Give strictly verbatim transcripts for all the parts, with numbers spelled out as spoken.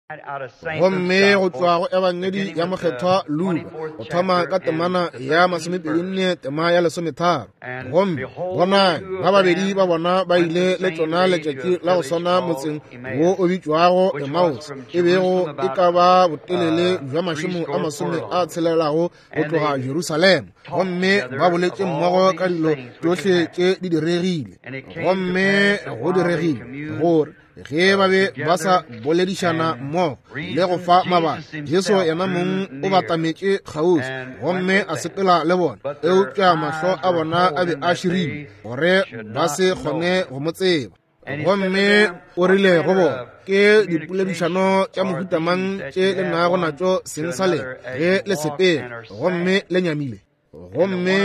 Gomme go tšwa go Ebangedi ya Mokgethwa Luka, go thoma ka temana ya masomepedi nne tema ya lesometharo. Gomme bonang, ba babedi ba bona ba ile le tšona letšatši la go swana motseng wo o bitšwago Emmaus, e bego e ka ba botelele bja mašemo a masome a tshelelago go tloga Jerusalema. Gomme ba boletše mmogo ka dilo tšohle tše di diregile. Gomme go diregile gore ge ba be ba sa boledišana mmogo le go fa mabaka, Jesu yena mong o batametše kgauswi gomme a sepela le bona, eupša mahlo a bona a be a širilwe gore ba se kgone go mo tseba. Gomme o rile go bona, ke dipoledišano tša mohuta mang tše le nago natšo seng sa lena ge le sepela gomme le nyamile? Gomme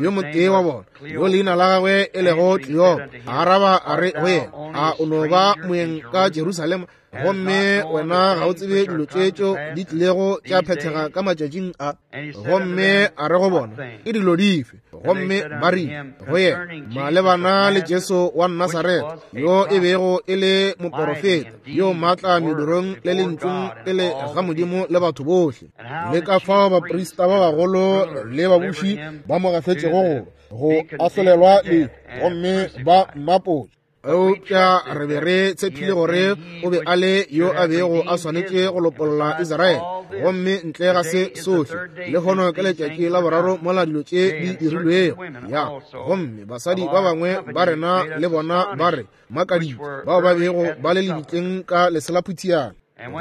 yo motee wa bona, yo leina la gagwe e lego Kleopa, a araba a re go yena, a o no ba moeng ka Jerusalema, gomme wena ga o tsebe dilo tše tšeo di tlilego tša phethega ka matšatšing a? Gomme a re go bona, ke dilo dife? Gomme ba rile go yena, malebana le Jesu wa Nasaretha, yo e bego e le moporofeta, yo maatla medirong le lentšung pele ga Modimo le batho bohle, le ka fao baprista ba bagolo le babuši ba mo gafetšego go go ahlolelwa lehu, gomme ba mmapotše. Eupša re be re tshepile gore o be a le yo a bego a swanetše go lopolla Israele. Gomme ntle ga se sohle, lehono ke letšatši la boraro mola dilo tše di dirilwego. Ya, gomme basadi ba bangwe ba rena le bona ba re makaditše, bao ba bego ba le lebitleng ka leselaphutiana.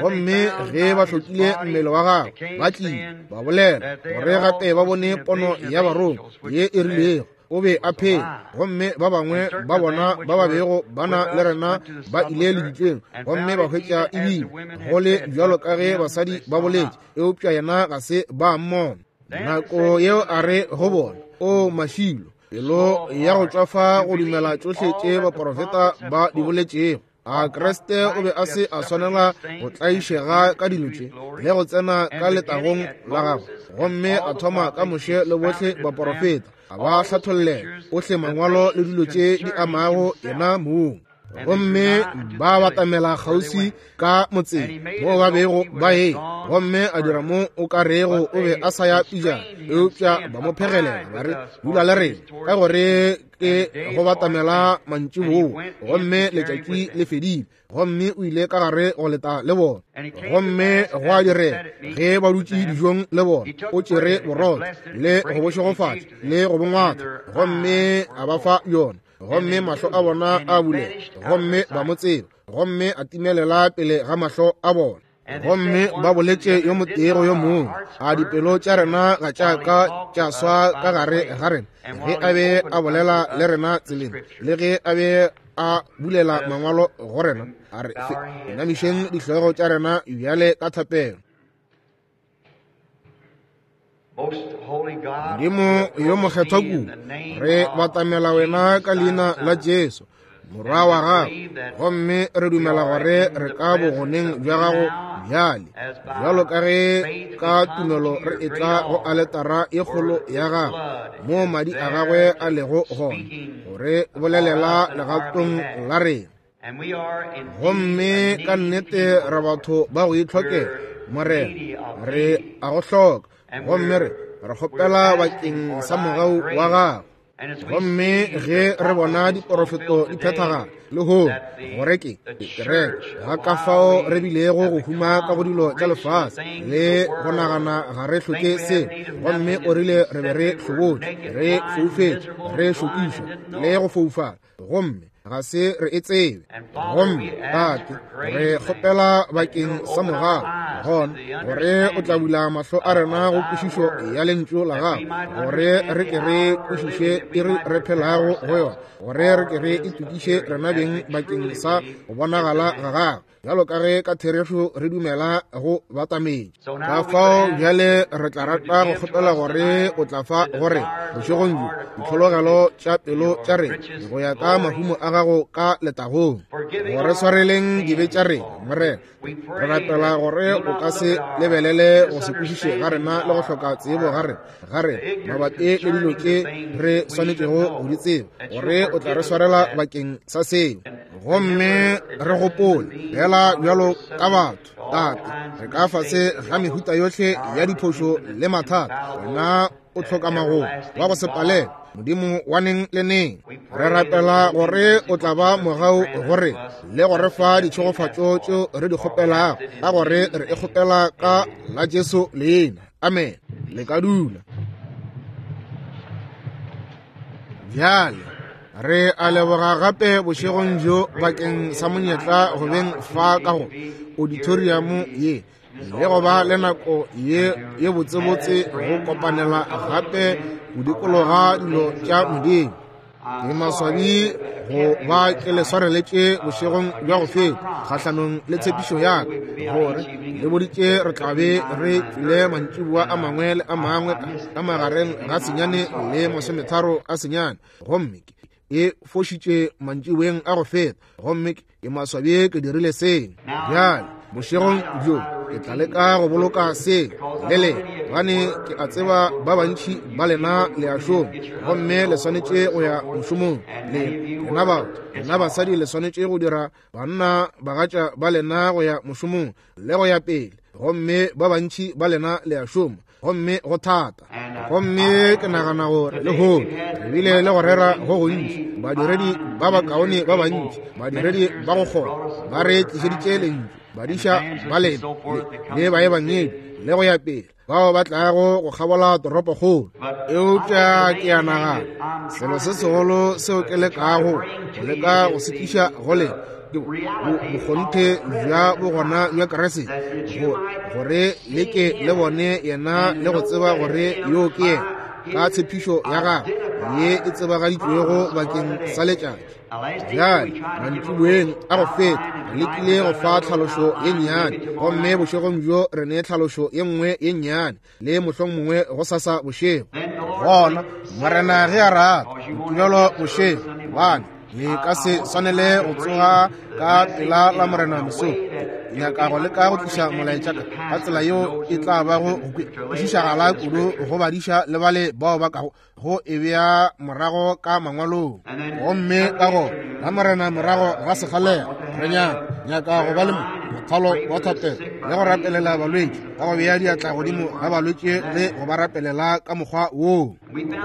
Gomme ge ba hlokile mmele wa gagwe, ba tlile ba bolela gore gape ba bone pono ya barongwa ye e rilego o be a phela. Gomme ba bangwe ba bona ba ba bego ba na le rena ba ile lebitleng, gomme ba hwetša ebile go le bjalo ka ge basadi ba boletše, eupša yena ga se ba mmona. Nako yeo a re go bona, o mašilo, pelo ya go tšwafa go dumela tšohle tše baporofeta ba di boletšego. A Kriste o be a se a swanela go tlaišega ka dilo tše le go tsena ka letagong la gagwe? Gomme a thoma ka Moshe le bohle baporofeta, a ba hlathollela ohle mangwalo le dilo tše di amago yena mong. Gomme ba batamela kgauswi ka motseng moo ba bego ba ye, gomme a dira mo o ka rego o be a sa ya pejana, eupša ba mo phegelela ba re, dula le rena, ka gore ke go batamela mantšiboa, gomme letšatši le fedile. Gomme o ile ka gare go leta le bona. Gomme go a direga ge ba dutše dijong le bona, o tšere borotho le go bo šegofatša le go bo ngwatha, gomme a ba fa yona. Gomme mahlo a bona a bulega, gomme ba mo tseba, gomme a timelela pele ga mahlo a bona. Gomme ba boletše yo motee go yo mongwe, a dipelo tša rena ga tša ka tša swa ka gare ga rena ge a be a bolela le rena tseleng, le ge a be a bulela mangwalo go rena? A re inamišeng dihlogo tša rena bjale ka thapelo. Modimo yo mokgethwa kudu, re batamela wena ka leina la Jesu, morwa wa gago, gomme re dumela gore re ka bogoneng bja gago bjale, bjalo ka ge ka tumelo re etla go aletara e kgolo ya gago, moo madi a gagwe a lego gona, gore bolelela legatong la rena. Gomme ka nnete re batho ba go itlhokela, Morena, re a go hloka, gomme re re kgopela bakeng sa mogau wa gago. Gomme ge re bona diporofeto di phethagala lehono, gore ke kereke ga ka fao re bilego go huma ka go dilo tša lefase le go nagana ga re hloke selo, gomme o rile re be re hlobotše, re foufetše, re šokišwa le go foufala, gomme ga se re e tsebe. Gomme Tate, re kgopela bakeng sa mogau gona gore o tla bula mahlo a rena go kwešišo ya lentšu la gago, gore re ke re kwešiše iri re phelago go yona, gore re ke re itokiše rena beng bakeng sa go bonagala ga gago, bjalo ka ge ka therešo re dumela go batametše. Ka fao bjale re tla rata go kgopela gore o tla fa gore bošegong bjo ditlhologelo tša pelo tša rena go ya ka mahumo a gago ka letagong, gore swareleng dibe tša rena, Morena. Re rapela gore o ka se lebelele go se kwešiše ga rena le go hloka tsebo ga rena ga rena mabapi le dilo tše re swanetšego go di tseba, gore o tla re swarela bakeng sa seo. Gomme re gopole fela bjalo ka batho Tate, re ka fase ga mehuta yohle ya diphošo le mathata. Wena o hloka magomo wa go se palele, Modimo wa neng le neng. Re rapela gore o tla ba mogau gore le go re fa ditšhegofatšo tšeo re di kgopelago, ka gore re e kgopela ka la Jesu leina. Amen. Le ka dula. Bjale re a leboga gape bošegong bjo bakeng sa monyetla go beng fa ka go auditorium ye, le go ba le nako ye ye botsebotse go kopanela gape go dikologa dilo tša Modimo. Ke maswabi go ba ke le swareletše bošegong bja go feta kgahlanong le tshepišo ya ka, gore le boditše re tla be re tlile mantšiboa a mangwe le a mangwe ka magareng ga senyane le masometharo a senyane, gomme e fošitše mantšiboeng a go feta, gomme ke maswabi ke dirile seng. Bjale bošegong bjo ke tla leka go boloka se le le, gobane ke a tseba ba bantši ba lena le a šoma, gomme le swanetše go ya mošomong. Le lena batho, lena basadi le swanetše go dira banna bagatša ba lena go ya mošomong le go ya pele, gomme ba bantši ba lena le a šoma, gomme go thata. Gomme ke nagana gore lehono re bile le go rera go gontši, badiredi ba bakaone ba bantši, badiredi ba go kgona ba re tlišeditše lentšu, badiša ba lena le baebangedi le go ya pele, bao ba tlago go kgabola toropokgolo. Eupša ke a nagana selo se segolo seo ke lekago go leka go se tliša go lena ke bokgonthe bja bogona bja Kriste, gore le ke le bone yena le go tseba gore yo ke yena ka tshepišo ya gagwe ye e tsebagaditšwego bakeng sa letšatši. Bjale mantšiboeng a go feta re lekile go fa tlhalošo ye nnyane, gomme bošegong bjo re ne tlhalošo ye nngwe ye nnyane le mohlomongwe go sasa bošego. Gona Morena ge a rata Mokibelo bošego, gobane le ka se swanele go tsoga ka pela la Morena mesong. Ke nyaka go leka go tliša molaetša ka tsela yeo e tla bago go kwešišagala kudu go badiša le bale bao ba kago go e bea morago ka mangwalong. Gomme ka go la Morena morago ga sekgalela re nyaka nyaka go ba le mothalo wa thapelo le go rapelela balwetši, ka go bea diatla godimo ga balwetši le go ba rapelela ka mokgwa woo.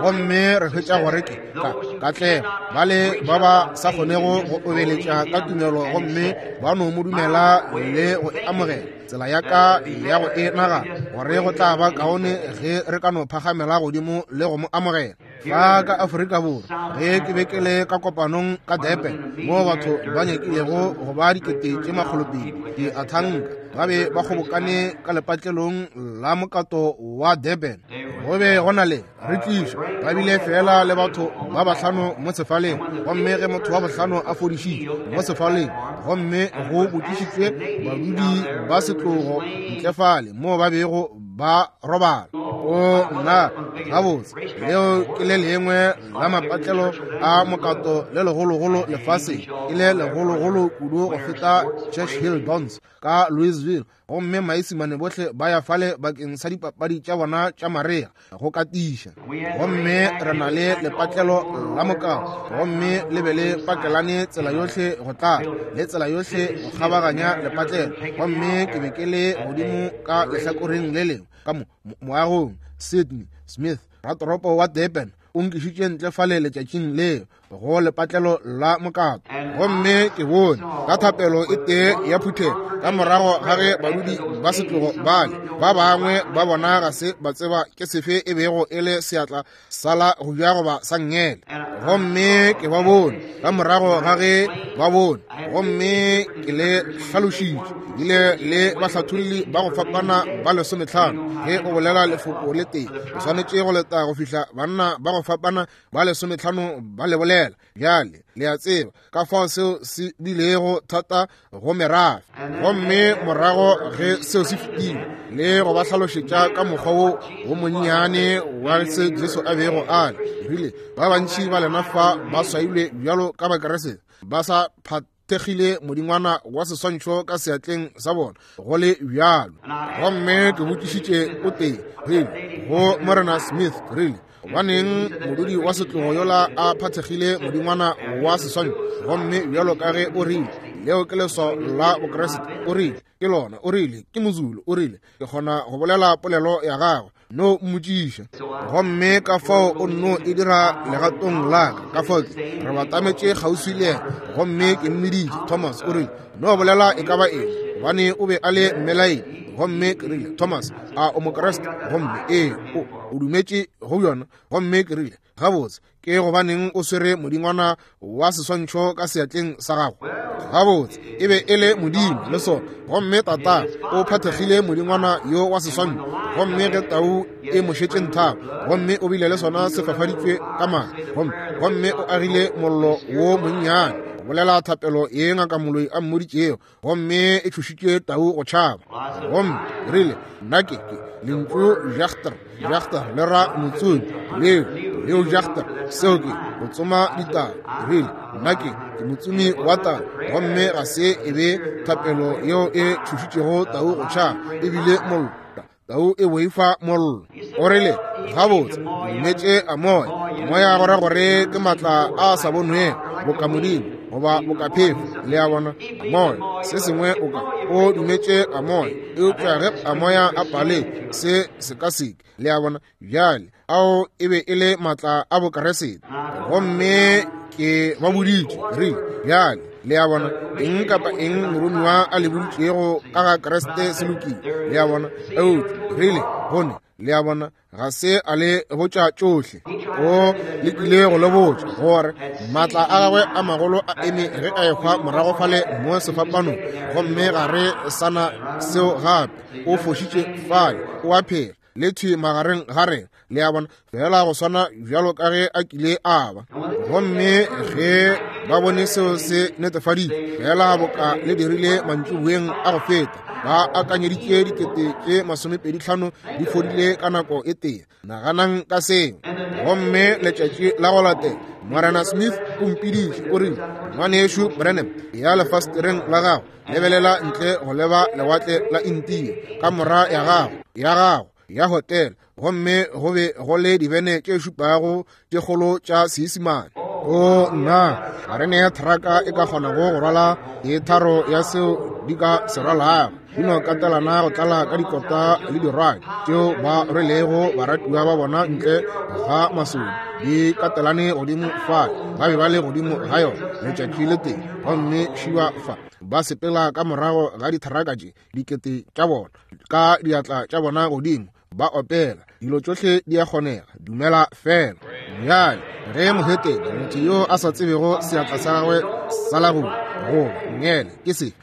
Gomme re hwetša gore ke ka katlego bale ba ba sa kgonego go obeletša ka tumelo gomme ba no mo dumela le go e amogela. Tsela ya ka ya go e nagana gore go tla ba kaone ge re ka no phagamela godimo le go mo amogela. Fa ka Afrika Borwa, ge ke be ke le ka kopanong ka Durban, moo batho ba nyakilego go ba dikete tše makgolopedi di athanka ba be ba kgobokane ka lepatlelong la mokato wa Durban. Go be go na le re tliša ba bile fela le batho ba bahlano mo sefaleng, gomme ge motho wa bohlano a fodišitšwe mo sefaleng, gomme go botšišitšwe badudi ba setlogo ntle fale moo ba bego ba robala. O nna gabotse, leo ke le lengwe la mapatlelo a mokato le legologolo lefaseng, ke le legologolo kudu go feta Churchill Downs ka Louisville, gomme maisimane bohle ba ya fale bakeng sa dipapadi tša bona tša marea go katiša. Gomme re na le lepatlelo la mokato, gomme le be le pakelane tsela yohle go tlala le tsela yohle go kgabaganya lepatlelo. Gomme ke be ke le godimo ka lehlakoreng le lengwe ka mo moagong. Sydney Smith, ratoropo wa Durban, o nkišitše ntle fale letšatšing leo go lepatlelo la mokato, gomme ke bone ka thapelo e tee ya phuthego ka morago ga ge badudi ba setlogo bale ba bangwe ba bona ga se ba tseba ke sefe e bego e le seatla sa la go ja goba sa nngele. Gomme ke ba bone ka morago ga ge ba bone, gomme ke le hlalošitše bile le bahlatholli ba go fapana ba lesometlhano. Ge o bolela lefoko le tee, o swanetše go leta go fihla banna ba go fapana ba lesometlhano ba le bolela. Bjale le a tseba ka fao seo se bilego thata go merafe. Gomme morago ge seo se fetile le go ba hlalošetša ka mokgwa wo wo monnyane wa se Jesu a bego a le, rile ba bantši ba lena fa ba swailwe bjalo ka Bakeresete, ba sa phathegile modingwana wa seswantšho ka seatleng sa bona go le bjalo. Gomme ke botšišitše o tee, rile go Morena Smith, rile gobaneng modudi wa setlogo yola a phathegile modingwana wa seswantšho, gomme bjalo ka ge o rile Leo ke leswao la Bokriste. O rile, ke lona. O rile, ke Mozulu. O rile, ke kgona go bolela polelo ya gagwe. No mmotšiša. Gomme ka fao o nno e dira legatong la ka. Ka fao ke re batametše kgauswi le yena, gomme ke mmiditše. Thomas o rile, no bolela e ka ba eng, gobane o be a le mmelaedi. Gomme ke rile, Thomas, a o Mokriste? Gomme ee, o, o dumetše go yona. Gomme ke rile, gabotse, ke gobaneng o swere modingwana wa seswantšho ka seatleng sa gago? Gabotse, e be e le modimo le sona. Gomme tata o phathegile modingwana yo wa seswantšho, gomme ge tau e mo šetše nthago, gomme o bile le sona se fafaditšwe ka madi, gomme gomme o agile mollo wo monnyane go bolela thapelo ye ngaka moloi a mmoditšego, gomme e tšhošitše tau go tšhaba. Gomme rile, nna ke ke lentšu jagter, jagter le ra motsumi, leo leo jagter, seo ke go tsoma ditau. Rile, nna ke ke motsumi wa tau, gomme ga se e be thapelo yeo e tšhošitšego tau go tšhaba, ebile mollo. Tau e boifa mollo. O rile, gabotse, dumetše a moya. Moya go ra gore ke matla a sa bonwego, boka modimo goba boka phefo. Le a bona, moya se sengwe o ka o dumetše a moya, eupša ge a moya a pale se se ka seke. Le a bona, bjale ao e be e le matla a Bokriste. Gomme ke ba boditše, rile, bjale le a bona, eng kapa eng moromiwa a le boditšego ka ga Kriste se lokile. Le a bona, eupša rile gone, le a bona, ga se a le botša tšohle. O lekile go le botša gore maatla a gagwe a magolo a eme ge a ehwa morago fale mo sefapanong, gomme ga re sana seo gape. O fošitše fale, o a phela le thwi magareng ga rena. Le a bona, fela go swana bjalo ka ge a kile a ba. Gomme ge ba bone seo se netefaditše, fela boka le dirile mantšiboeng a go feta, ba akanyeditše dikete tše masomepedi hlano di fodile ka nako e tee. Naganang ka seo. Gomme letšatši la go latela, Morena Smith o mpiditše, o rile, ngwanešu Branham, ya lefastereng la gago, lebelela ntle go leba lewatle la India ka mora ya gago ya gago ya hotel, gomme go be go le dibene tše šupago tše kgolo tša Seisemane. O nna, ga re ne thraka e ka kgonago go rwala e tharo ya seo di ka se rwalago. Di no katelana go tlala ka dikota le dirwadi tšeo ba rwelego baratiwa ba bona ntle ga masodi, di katelane godimo fa, ba be ba le godimo ga yona letšatši le tee. Gomme šiwa fa ba sepela ka morago ga dithraka tše dikete tša bona ka diatla tša bona godimo, ba opela. Dilo tšohle di a kgonega, dumela fela. Bjale ge mohetene, motho yo a sa tsebego seatla sa gagwe sa la go goba nngele ke se,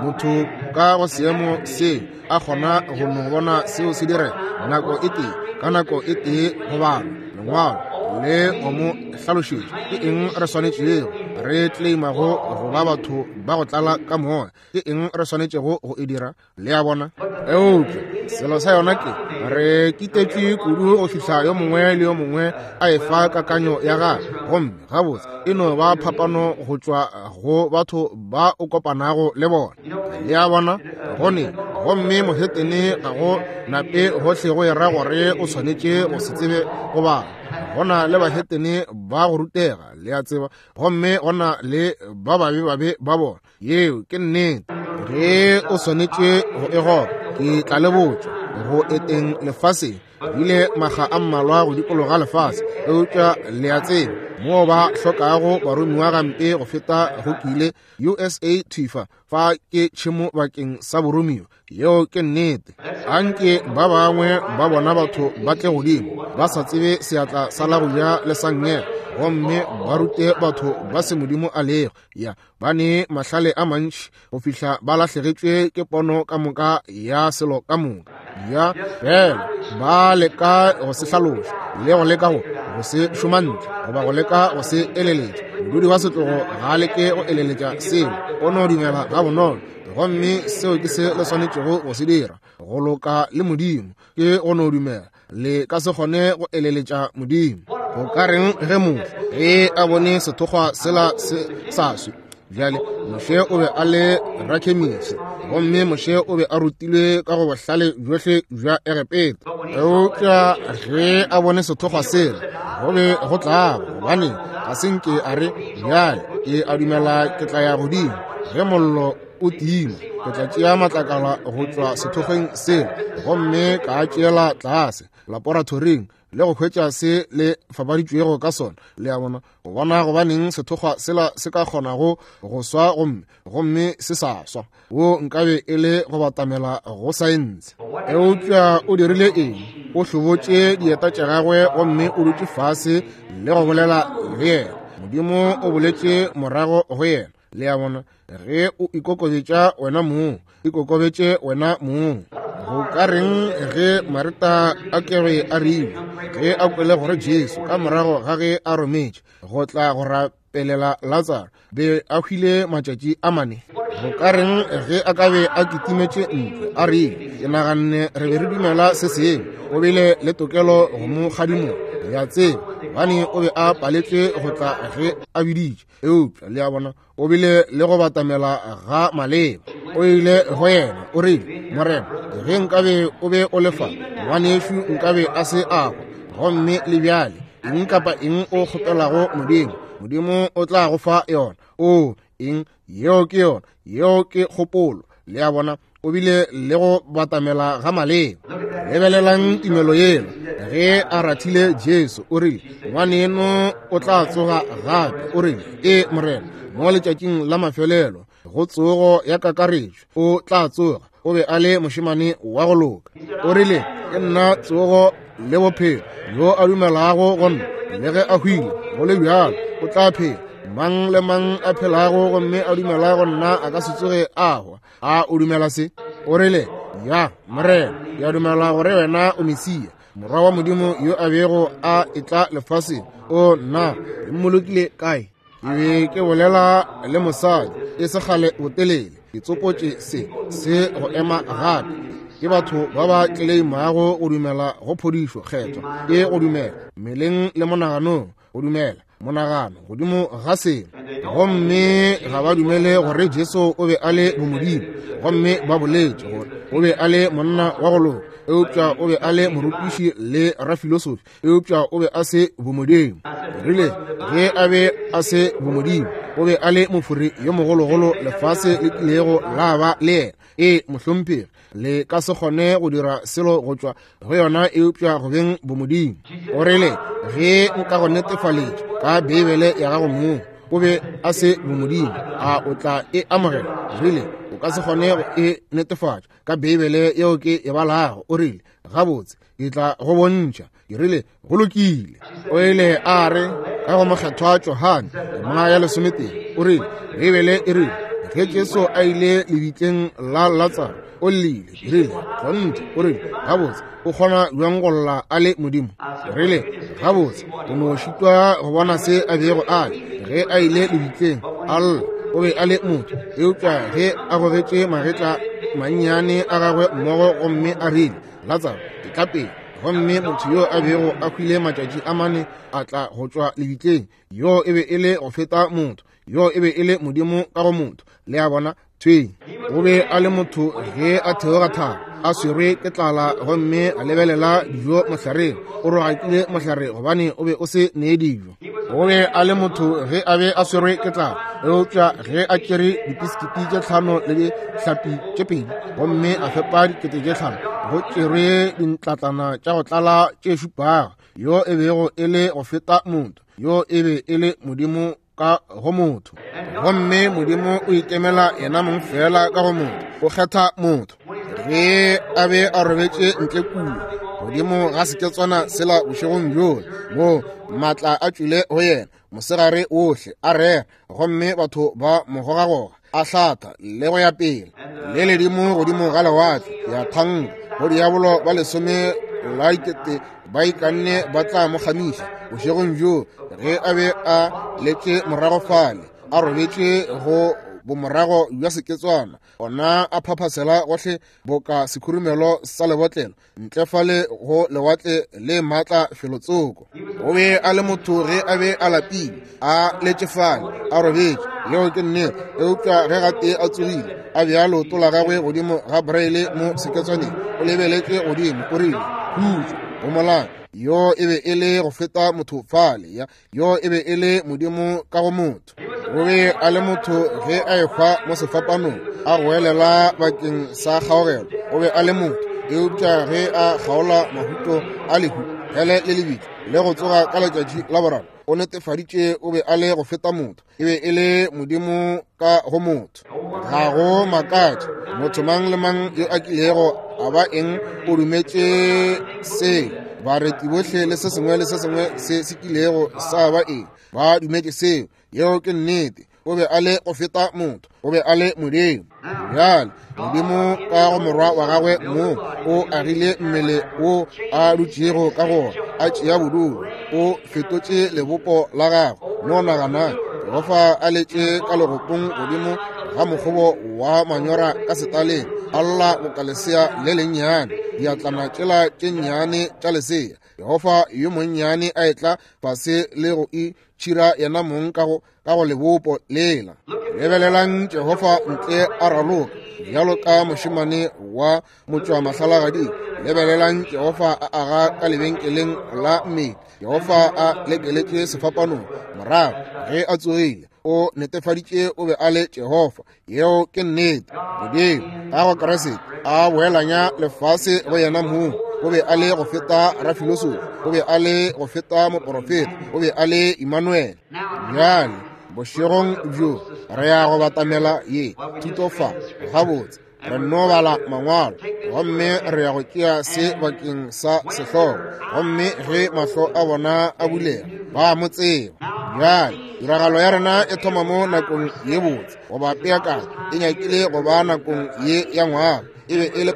motho ka go seemo seo a kgona go no bona seo se direga nako e tee, ka nako e tee go bala lengwalo le go mo hlalošetša ke eng re swanetšego re claimago go ba batho ba go tlala ka moya, ke eng re swanetšego go e dira. Le a bona, eupša selo sa yona ke re kitetše kudu go fihla yo mongwe le yo mongwe a efa kakanyo ya gagwe, gomme gabotse e no ba phapano go tšwa go batho ba o kopanago le bona. Le a bona, gone gomme mohetene ga go nape gohle go era gore o swanetše go se tsebe go bala. Go na le bahetene ba go rutega, le a tseba, gomme go na le ba babe babe ba bona. Yeo ke nnete. Ge o swanetše go e goba, ke tla le botša go eteng lefaseng ile maga a mmalwa go dikologa lefase, eupša le a tseba moo ba hlokago baromiwa gampe go feta go kile U S A thifa fa ke tšhemo bakeng sa boromiwa. Yeo ke nnete. Anke ba bangwe ba bona batho ba tle godimo ba sa tsebe seatla sa la go ja le sa nngele, gomme ba rute batho ba se modimo a lego. Ya ba ne mahlale a mantši go fihla ba lahlegetšwe ke pono ka moka ya selo ka moka. Ya fela ba leka go se hlaloša le go leka go go se šoma ntle goba go leka go se eleletša. Modudi wa setlogo ga a leke go eleletša selo, o no dumela ga bonolo. Gomme seo ke se le swanetšego go se dira, go loka le modimo ke go no dumela. Le ka se kgone go eleletša modimo. Go ka reng ge motho ge a bone sethokgwa sela se sa swe? Bjale Moshe o be a le rakhemisi, gomme Moshe o be a rutilwe ka go bohlale bjohle bja Egepeta. Eupša ge a bone sethokgwa sela, go be go tlaba, gobane ga se nke a re, bjale ke a dumela ke tla ya godimo. Ge mollo o tima, ke tla tšea matlakala go tšwa sethokgweng sela gomme ka a tšeela tlase laboratoring le go hwetša se le fapaditšwego ka sona. Le a bona, go bona gobaneng sethokgwa sela se ka kgonago go swa gomme gomme se sa swa. Wo nkabe e le go batamela go saense. Eupša o dirile eng? O hlobotše dieta tša gagwe gomme o dutše fase le go bolela le yena. Modimo o boletše morago go yena. Le a bona, ge o ikokobetša wena mong, ikokobetše wena mong. Go ka reng ge Marita a kebe a rile ge a kwele gore Jesu ka morago ga ge a rometše go tla go rapelela Latsaro be a hwile matšatši a mane? Go ka reng ge a ka be a kitimetše ntle a rile, ke naganne re be re dumela se sengwe? O bile le tokelo go mo kgadimola, le a tseba, gobane o be a paletšwe go tla ge a biditše. Eupša le a bona, o bile le go batamela ga maleba. O ile go yena, o rile, Morena, ge nkabe o be o le fa, ngwanešu nkabe a se a hwa. Gomme le bjale, eng kapa eng o kgopelago Modimo, Modimo o tla go fa yona. O eng? Yeo ke yona, yeo ke kgopolo. Le a bona, o bile le go batamela ga maleba. Lebelelang tumelo yela. Ge a rathile Jesu, o rile, ngwaneno o tla tsoga gape. O rile, e Morena, mo letšatšing la mafelelo go tsogo ya kakaretšo o tla tsoga. O be a le mošemane wa go loka. O rile, ke nna tsogo le bophelo, yo a dumelago go nna le ge a hwile go le bjalo o tla phela. Mang le mang a phelago gomme a dumela go nna a ka se tsoge a hwa. A o dumela se? O rile, ya Morena, ke a dumela gore wena o Mesia, morwa wa Modimo yo a bego a etla lefaseng. O nna le mmolokile kae? Ke be ke bolela le mosadi e se kgale botelele, ke tsopotše se se go ema gape. Ke batho ba ba tleleimago go dumela go phodišo kgethwa, ke go dumela mmeleng le monaganong, go dumela monagano godimo ga selo, gomme ga ba dumele gore Jesu o be a le bomodimo. Gomme ba boletše gore o be a le monna wa go loka, eupša o be a le morutiši le rafilosofi, eupša o be a se bomodimo. Rile ge a be a se bomodimo, o be a le mofori yo mogologolo lefase le kilego la ba le yena. E mohlomphegi, le ka se kgone go dira selo go tšwa go yona eupša go beng bomodimo. O rile ge nka go netefaletša ka Beibele ya gago mong o be a se bomodimo, a o tla e amogela? Rile o ka se kgone go e netefatša ka Beibele yeo ke e balago. O rile gabotse, ke tla go bontšha. Ke rile go lokile. O ile a re ka go mokgethwa Johane tema ya lesometee, o rile Beibele e rile ge Jesu a ile lebitleng la Latsaro o llile. Ke rile kgonthe. O rile gabotse, o kgona bjang go lla a le Modimo? Ke rile gabotse, o no šitwa go bona se a bego a le ge a ile lebitleng a lla. O be a le motho, eupša ge a gogetše magetla mannyane a gagwe mmogo gomme a rile, Latsaro, etla pele. Gomme motho yo a bego a hwile matšatši a mane a tla go tšwa lebitleng. Yo e be e le go feta motho, yo e be e le Modimo ka go motho. Le a bona? Thweng. O be a le motho ge a theoga thaba, a swerwe ke tlala, gomme a lebelela dijo mohlareng. O rogakile mohlare gobane o be o se nee dijo. O be a le motho ge a be a swerwe ke tlala, eupša ge a tšere dipisikiti tše tlhano le dihlapi tše pedi gomme a fepa dikete tše tlhano, go tšerwe dintlatlana tša go tlala tše šupago. Yo e bego e le go feta motho, yo e be e le Modimo ka go motho. Gomme Modimo o ikemela yena mong fela ka go motho, o kgetha motho. Ge a be a robetše ntle kua godimo ga seketswana sela bošegong bjola, moo maatla a tšwile go yena mosegare ohle a rera, gomme batho ba mo gogagoga a hlatha le go ya pele le ledimo godimo ga lewatle ya thanka go diabolo ba lesome la dikete ba ikanne ba tla mo kgamiša bošegong bjo. Ge a be a letše morago fale a robetše go bomorago bja seketswana, ona a phaphasela gohle boka sekhurumelo sa lebotlelo ntle fale go lewatle le maatla felotsoko. O be a le motho ge a be a lapile, a letše fale a robetše, yeo ke nnete. Eupša ge gatee a tsogile, a bea leoto la gagwe godimo ga braille mo seketswaneng, o lebeletše godimo, o rile, khutšo, homolang. Yo e be e le go feta motho fale, ya yo e be e le Modimo ka go motho. O be a le motho ge a ehwa mo sefapanong, a goelela bakeng sa kgaogelo. O be a le motho, eupša ge a kgaola mahuto a lehu, hele le lebitla, le go tsoga ka letšatši la boraro, o netefaditše o be a le go feta motho. E be e le Modimo ka go motho. Ga go makatše motho mang le mang yo a kilego a ba eng o dumetše seo. Bareti bohle le se sengwe le se sengwe se se kilego sa ba eng ba dumetše seo. Yeo ke nnete. O be a le go feta motho, o be a le Modimo. Bjale Modimo ka go morwa wa gagwe mo o agile mmele wo a dutšego ka gona, a tšea bodulo, o fetotše lebopo la gagwe. No nagana Jehofa a letše ka legopong godimo ga mokgobo wa manyora ka setaleng, a lla boka lesea le lennyane, diatlana tšela tše nnyane tša lesea. Jehofa yo monnyane a etla fase le go itšhira yena mong ka go ka go lebopo lela. Lebelelang Jehofa ntle a raloka bjalo ka mošemane wa motšwamahlalagading. Lebelelang Jehofa a aga ka lebenkeleng la mmele. Jehofa a lekeletše sefapanong. Morago ge a tsogile, o netefaditše o be a le Jehofa. Yeo ke nnete. Modimo ka go Kriste a boelanya lefase go yena mong. O be a le go feta rafilosofi, o be a le go feta moporofeta, o be a le Emmanuel. Bjale bošegong bjo re ya go batamela ye thuto fa gabotse. Re no bala mangwalo gomme re ya go tšea se bakeng sa sehlogo, gomme ge mahlo a bona a bulega ba mo tseba. Bjale tiragalo ya rena e thoma mo nakong ye botse goba peakanyo e nyakile go ba nakong ye ya ngwaga. E be e le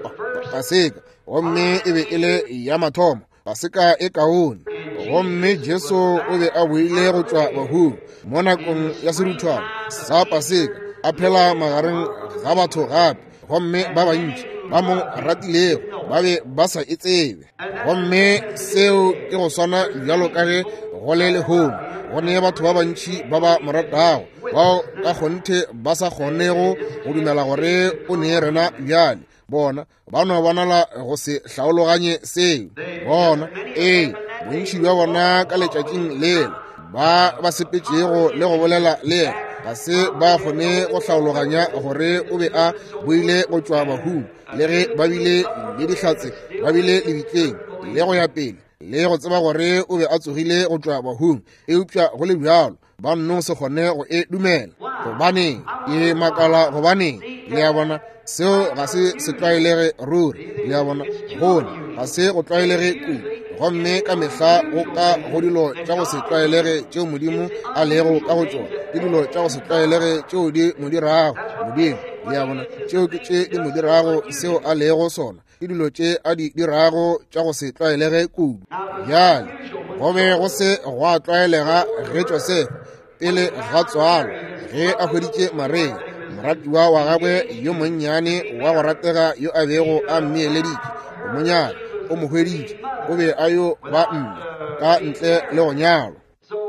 Paseka, gomme e be e le ya mathomo, Paseka e kaone. Gomme Jesu o be a boile go tšwa bahung mo nakong ya seruthwana sa Paseka, a phela magareng ga batho gape, gomme ba bantši ba mo ratilego ba be ba sa e tsebe. Gomme seo ke go swana bjalo ka ge go le lehono, go ne batho ba bantši ba ba mo ratago, bao ka kgonthe ba sa kgonego go dumela gore o ne rena bjale. Bona ba no bonala go se hlaologanye seo. Bona ee, bontši bja bona ka letšatšing lela ba ba sepetšego le go bolela le yena ga se ba kgone go hlaologanya gore o be a boile go tšwa bahung, le ge ba bile le dihlatse, ba bile lebitleng le go ya pele, le go tseba gore o be a tsogile go tšwa bahung, eupša go le bjalo ba nno se kgone go e dumela. Gobaneng e makala? Gobaneng? Le a bona, seo ga se se tlwaelege ruri. Le a bona, gone ga se go tlwaelege kudu. Gomme ka mehla go ka go dilo tša go se tlwaelege tšeo Modimo a lego ka go tšona, ke dilo tša go se tlwaelege tšeo di mo dirago Modimo. Le a bona, tšeo ke tše di mo dirago seo a lego sona, ke dilo tše a di dirago tša go se tlwaelege kudu. Bjale go be go se gwa tlwaelega ge Josefa pele ga tswalo, ge a hweditše Maria moratiwa wa gagwe yo monnyane wa go ratega yo a bego a mmeeleditše go mo nyala, o mo hweditše o be a yo ba mme ka ntle le go nyalwa.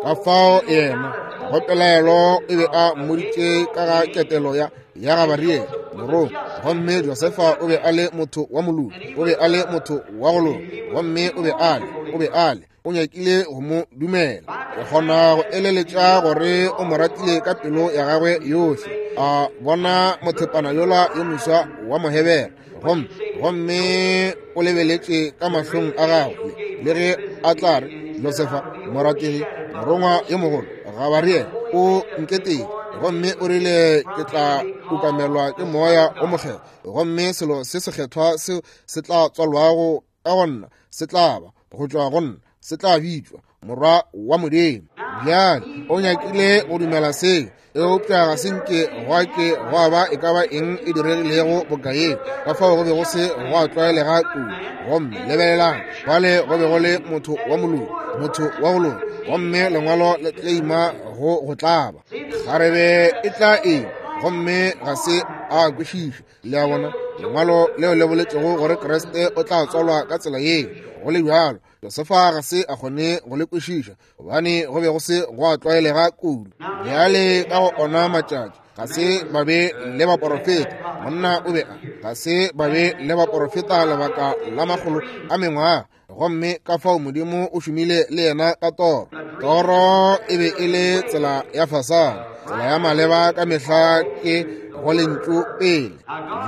Ka fao yena go pelaelo e be a mmoditše ka ga ketelo ya ya Gabariele morongwa. Gomme Josefa o be a le motho wa moloki, o be a le motho wa go loka, gomme o be a le o be a le o nyakile go mo dumela. Ke kgona go eleletša gore o mo ratile ka pelo ya gagwe yohle. A bona mothepana yola yo moswa wa Mohebere, gomme gomme o lebeletše ka mahlong a gagwe, le ge a tla re, Josefa morategi, morongwa yo mogolo Gabariele o nketile, gomme o rile ke tla ukamelwa ke moya o mokgethwa, gomme selo se sekgethwa seo se tla tswalwago ka go nna se tla ba go tšwa go nna, se tla bitšwa morwa wa Modimo. Bjale o nyakile go dumela seo, eupša ga se nke gwa ke gwa ba e ka ba eng e diregilego bokaeng. Ka fao go be go se gwa tlwaelega kudu. Gomme lebelelang, bale go be go le motho wa moloki, motho wa go loka, gomme lengwalo le tleima go go tlaba. Kgarebe e tla eng? Gomme ga se a kwešiše. Le a bona, lengwalo leo le boletšego gore Kriste o tla tswalwa ka tsela yeo. Go le bjalo, Josefa ga se a kgone go le kwešiša, gobane go be go se gwa tlwaelega kudu. Bjale ka go ona matšatši ga se ba be le baporofeta. Monna o be a ga se ba be le baporofeta lebaka la makgolo a mengwaga. Gomme ka fao Modimo o šomile le yena ka toro. Toro e be e le tsela ya fasana. Tsela ya maleba ka mehla ke go lentšu pele.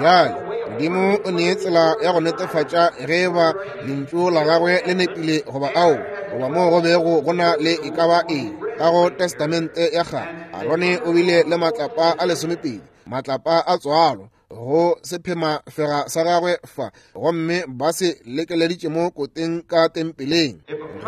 Bjale Modimo o nee tsela ya go netefatša ge ba lentšu la gagwe le nepile goba ao, goba moo go bego go na le e ka ba eng. Ka go Testamente ya kgale, Arone o bile le matlapa a lesomepedi, matlapa a tswalo go sephemafega sa gagwe fa, gomme ba se lekeleditše mo koteng ka tempeleng.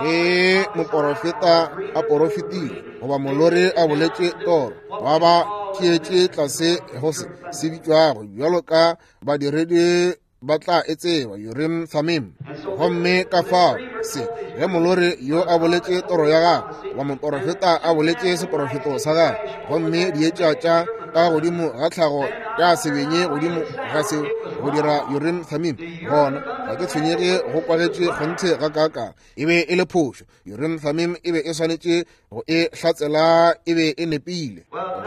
Ge moporofeta a porofetile goba molori a boletše toro, ba ba tšeetše tlase go se se bitšwago bjalo ka badiredi ba tla e tseba Urim Thummim. Gomme ka fao se ge molori yo a boletše toro ya gagwe goba moporofeta a boletše seporofeto sa gagwe, gomme dietša tša ka godimo ga tlhago tša sebenye godimo ga seo go dira Urim Thummim, gona ga ke tshwenyege go kwagetše kgonthe ga kaaka, e be e le phošo. Urim Thummim e be e swanetše go e hlatsela e be e nepile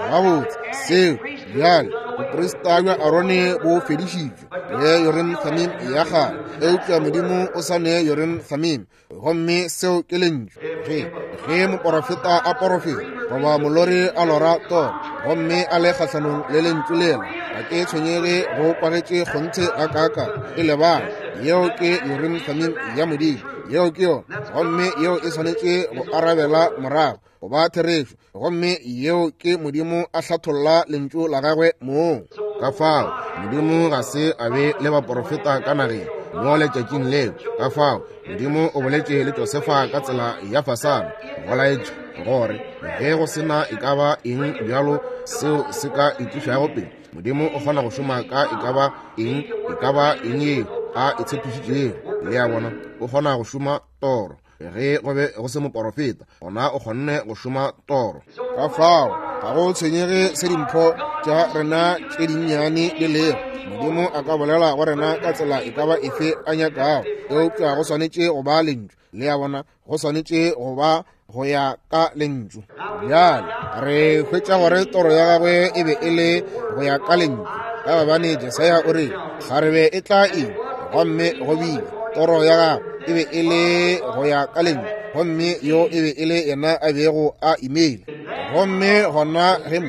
gabotse seo. Bjale boprista bja Arone bo fedišitšwe le Urim Thummim ya kgale, eupša Modimo o sa ne Urim Thummim, gomme seo ke lentšu. Ge ge moporofeta a porofeta goba molori a lora toro gomme a le kgahlanong le lentšu lela, ga ke tshwenyege go kwagetše kgonthe ga kaaka, e lebala. Yeo ke Urim Thummim ya Modimo, yeo ke yona, gomme yeo e swanetše go arabela morago go ba therešo, gomme yeo ke Modimo a hlatholla lentšu la gagwe mong. Ka fao Modimo ga se a be le baporofeta ka nageng mo letšatšing leo. Ka fao Modimo o boletše le Josefa ka tsela ya fasana, go laetša gore ge go sena e ka ba eng bjalo seo se ka itlišago pele, Modimo o kgona go šoma ka e ka ba eng, e ka ba eng yeo a e tshepišitšego. Le a bona, o kgona go šoma toro. Ge go be go se moporofeta, gona o kgonne go šoma toro. Ka fao ga go tshwenyege se dimpho tša rena tše dinnyane di lego, Modimo a ka bolela go rena ka tsela e ka ba efe a nyakago, eupša go swanetše go ba lentšu. Le a bona, go swanetše go ba go ya ka lentšu. Bjale re hwetša gore toro ya gagwe e be e le go ya ka lentšu, ka gobane Jesaya o re kgarebe e tla ima, gomme go bile toro ya gagwe e be e le go ya ka lentšu, gomme yo e be e le yena a bego a imile. Gomme gona ge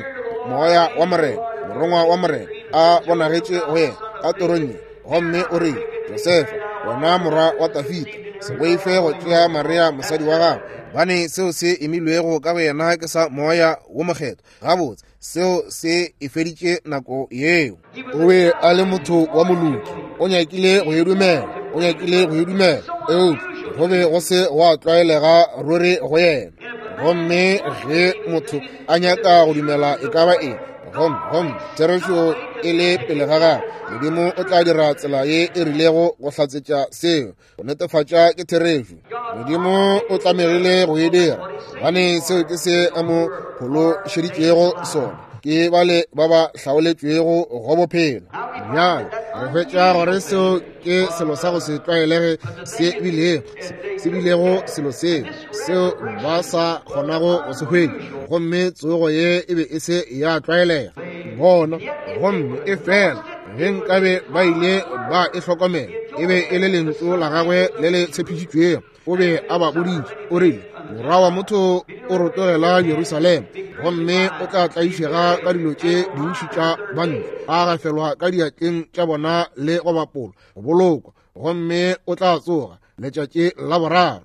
moya wa Morena, morongwa wa Morena, a bonagetše go yena ka torong ye, gomme o re, Josefa, wena morwa wa Dafida, se boife go tšea Maria mosadi wa gago, gobane seo se imilwego ka go yena ke sa moya wo mokgethwa. Gabotse, seo se e feditše nako yeo. O be a le motho wa moloki, o nyakile go e dumela, o nyakile go e dumela, eupša go be go se gwa tlwaelega ruri go yena. Gomme ge motho a nyaka go dumela e ka ba eng, gomme gomme therešo e le pele ga gagwe, Modimo o tla dira tsela ye e rilego go hlatsetša seo, go netefatša ke therešo. Modimo o tlamegile go e dira, gobane seo ke se a mo phološeditšego sona, ke bale ba ba hlaoletšwego go bophelo. Bjale re hwetša gore seo ke selo sa go se tlwaelege se bilego se bilego selo seo seo ba sa kgonago go se hwetša, gomme tsogo ye e be e se ya tlwaelega bona. Gomme e fela ge nkabe ba ile ba e hlokomela, e be e le lentšu la gagwe le le tshepišitšwego. O be a ba boditše, o rile, morwa wa motho o rotogela Jerusalema, gomme o tla tlaišega ka dilo tše dintši tša bantle, a gafelwa ka diatleng tša bona le go bapolwa, go bolokwa, gomme o tla tsoga letšatši la boraro.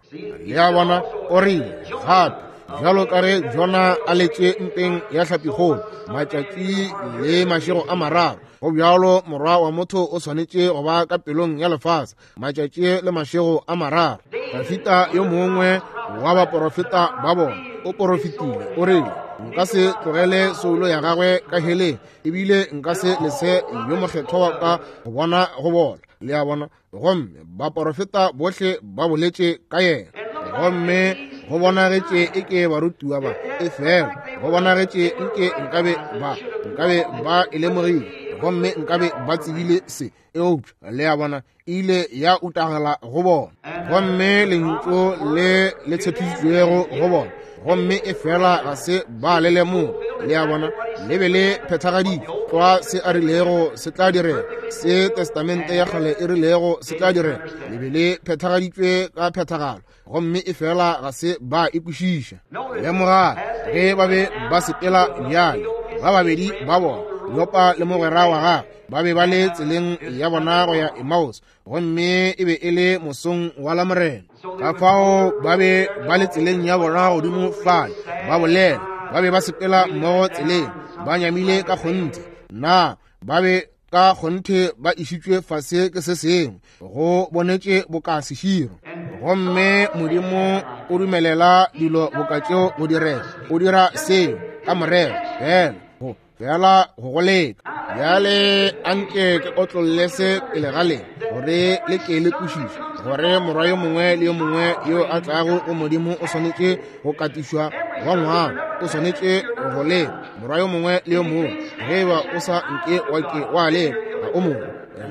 Le a bona, o rile gape, bjalo ka ge Jona a letše mpeng ya hlapikgolo matšatši le mašego a mararo, go bjalo morwa wa motho o swanetše go ba ka pelong ya lefase matšatši le mašego a mararo. Dafida yo mongwe wa baporofeta ba bona o porofetile, o rile, nka se tlogele soulo ya gagwe ka heleng, ebile nka se lese yo mokgethwa wa ka go bona go bola. Le a bona, gomme baporofeta bohle ba boletše ka yena. Gomme go bonagetše e ke barutiwa ba, e fela go bonagetše nke nkabe ba nkabe ba e lemogile, gomme nkabe ba tsebile se, eupša le a bona e ile ya utagala go bona. Gomme lentšu le le tshepišitšwego go bona, Gomme e fela ga se ba le lemoga. Le a bona, le be le phethagaditšwe tlwa se a rilego se tla direga, se testamente ya kgale e rilego se tla direga. Le be le phethagaditšwe ka phethagalo, gomme e fela ga se ba e kwešiša. Lemoga ge ba be ba sepela bjale, ba babedi ba bona, Leopa le mogwera wa gagwe, ba be ba le tseleng ya bona go ya Emmaus, gomme e be e le mosong wa Lamorena. Ka fao ba be ba le tseleng ya bona godimo fale, ba bolela, ba be ba sepela mmogo tseleng, ba nyamile ka kgonthe. Na ba be ka kgonthe ba išitšwe fase ke se sengwe, go bonetše boka seširo. Gomme Modimo o dumelela dilo boka tšeo go direga. O dira seo ka morero, fela go fela go go leka. Bjale anke ke otlolle se pele ga lena, gore le ke le kwešiše gore morwa yo mongwe le yo mongwe yo a tlago go Modimo o swanetše go katišwa wa ngwana, o swanetše go leka. Morwa yo mongwe le yo mongwe, ge eba o sa nke wa ke wa leka, ga o mongwe.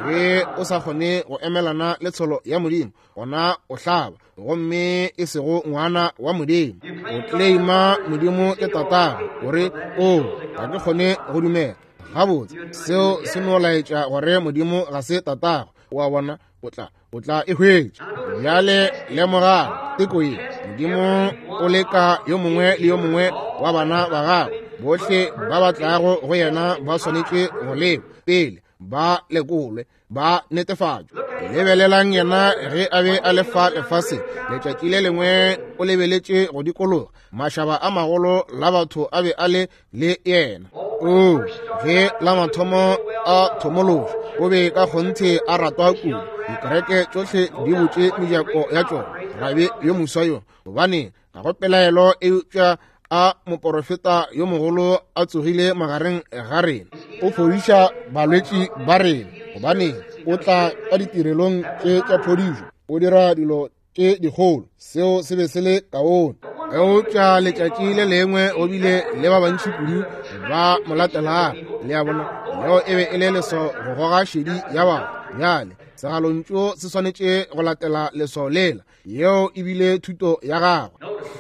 Ge o sa kgone go emelana le tsholo ya Modimo, gona o hlaba, gomme e sego ngwana wa Modimo. O claima Modimo ke tatago, gore o ga ke kgone go dumela. Gabotse, seo se no laetša gore Modimo ga se tatago. Wa bona, o tla o tla e hwetša. Bjale lemogang teko ye. Modimo o leka yo mongwe le yo mongwe wa bana ba gagwe. Bohle ba ba tlago go yena ba swanetše go lekwa pele, ba lekolwe, ba netefatšwe. Lebelelang yena ge a be a le fa lefaseng. Letšatši le lengwe o lebeletše go dikologa, mašaba a magolo la batho a be a le le yena. O ge la mathomo a thomološa, o be ka kgonthe a ratwa kudu. Dikereke tšohle di butše mejako ya tšona. Rabi yo moswa yo, gobane ga go pelaelo eupša a moporofeta yo mogolo a tsogile magareng ga rena. O fodiša balwetši ba rena, gobane o tla ka ditirelong tše tša phodišo, o dira dilo tše dikgolo. Seo se be se le kaone. Eupša letšatši le lengwe o bile le ba bantši kudu ba mo latelang. Le a bona, leo e be e le leswao go goga šedi ya batho. Bjale segalontšu se swanetše go latela leswao lela. Yeo e bile thuto ya gagwe.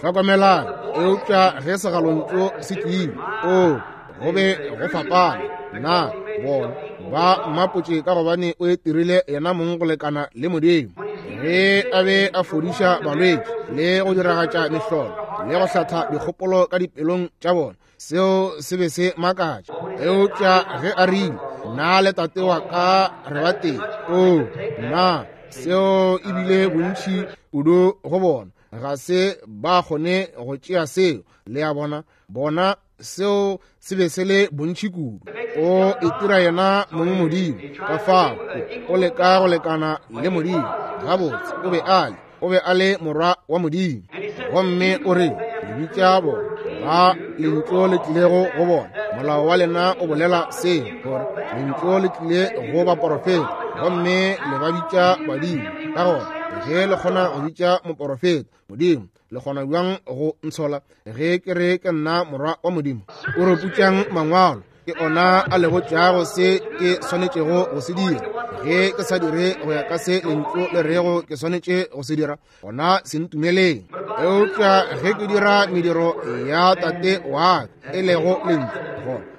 Hlokomelang, eupša ge segalontšu se tlile, o go be go fapana. Na bona ba mmapotše ka gobane o itirile yena mong go lekana le Modimo. Ge a be a fodiša balwetši le go diragatša mehlolo le go hlatha dikgopolo ka dipelong tša bona, seo se be se makatša. Eupša ge a rile, nna le tate wa ka re ba tee, o na seo e bile bontši kudu go bona. Ga se ba kgone go tšea seo. Le a bona, bona seo se be se le bontši kudu. O itira yena mong Modimo, ka fao o leka go lekana le Modimo. Gabotse, o be a le, o be a le morwa wa Modimo. Gomme o re, le bitša bona ba lentšu le tlilego go bona. Molao wa lena o bolela seo, gore lentšu le tlile go baporofeta, gomme le ba bitša badimo. Ka gona ge le kgona go bitša moporofeta Modimo, le kgona bjang go ntshola ge ke re ke nna morwa wa Modimo? O re putšang mangwalo, ke ona a le botšago se ke swanetšego go se dira. Ge ke sa dire go ya ka se lentšu le rego ke swanetše go se dira, gona se ntumeleng. Eupša ge ke dira mediro ya tate wa ka, e lego lentšu,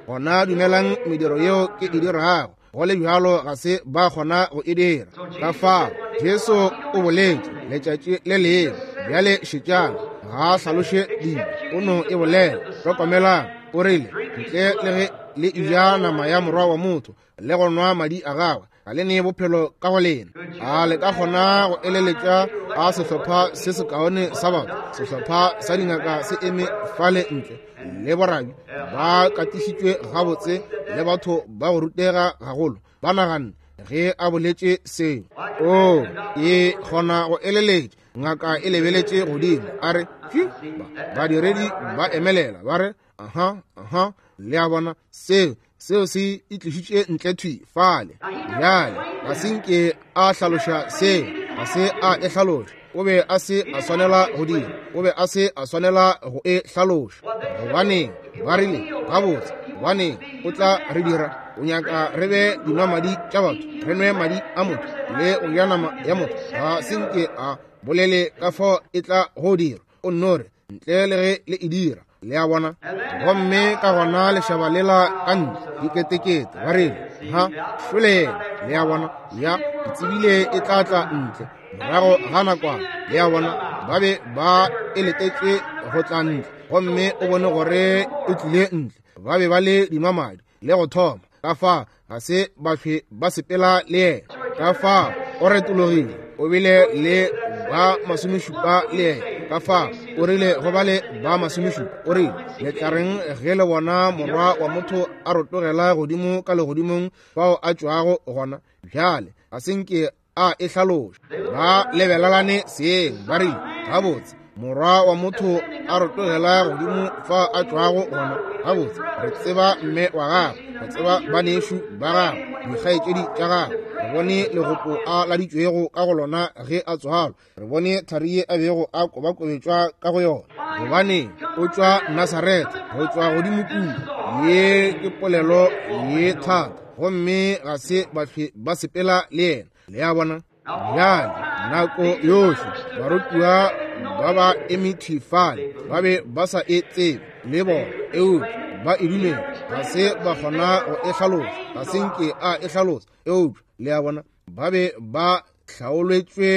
gona dumelang mediro yeo ke e dirago. Go le bjalo ga se ba kgona go e dira. Ka fao Jesu o boletše letšatši le lengwe. Bjale šetšang, ga a hlaloše dilo, o no e bolela. Hlokomelang, o rile, ntle le ge le eja nama ya morwa wa motho le go nwa madi a gagwe, ga le nee bophelo ka go lena. A le ka kgona go eleletša a sehlopha se sekaone sa batho, sehlopha sa dingaka se eme fale ntle le borabi ba katišitšwe gabotse le batho ba go rutega gagolo, ba naganne ge a boletše seo. O e kgona go eleletša. Ngaka e lebeletše godimo, a re, badiredi ba emelela, ba re, aha, aha. Le a bona, seo seo se itlišitše ntle thwi fale. Bjale ga se nke a hlaloša seo, ga se a e hlaloša. O be a se a swanela go dira, o be a se a swanela go e hlaloša. Gobaneng ba rile, gabotse, gobaneng o tla re dira, o nyaka re be dinwamadi tša batho, re nwe madi a motho le go ja nama ya motho. Ga se nke a bolele ka fao e tla go dira. O nno re, ntle le ge le e dira. Le a bona? Gomme ka gona lešaba lela ka ntle diketekete ba rile, ha šoleng. Le a bona? Ya, ke tsebile e tla tla ntle morago ga nakwana. Le a bona? Ba be ba e letetše go tla ntle, gomme o bone gore e tlile ntle. Ba be ba le dinwamadi le go thoma, ka fa ga se ba hlwe ba sepela le yena. Ka fa o retologile, o bile le ba masomešupa le yena. Ka fa o rile go ba le ba masomešupa, o rile, le tla reng ge le bona morwa wa motho a rotogela godimo ka legodimong fao a tšwago gona? Bjale ga se nke a e hlaloša. Ba lebelelane seeng, ba rile, gabotse, morwa wa motho a rotogela godimo fa a tšwago gona. Gabotse, re tseba mme wa gagwe, re tseba banešu ba gagwe, dikgaetšedi tša gagwe. Re bone legopo a laditšwego ka go lona ge a tswalwa. Re bone thari ye a bego a kobakobetšwa ka go yona. Gobane o tšwa Nasaretha, go tšwa godimo kua. Ye ke polelo ye thata, gomme ga se ba hlwe ba sepela le yena. Le a bona? Bjale nako yohle barutiwa ba ba eme thwi fale, ba be ba sa e tsebe le bona, eupša ba e dumela. Ga se ba kgona go e hlalosa, ga se nke a e hlalosa, eupša le a bona, ba be ba hlaoletšwe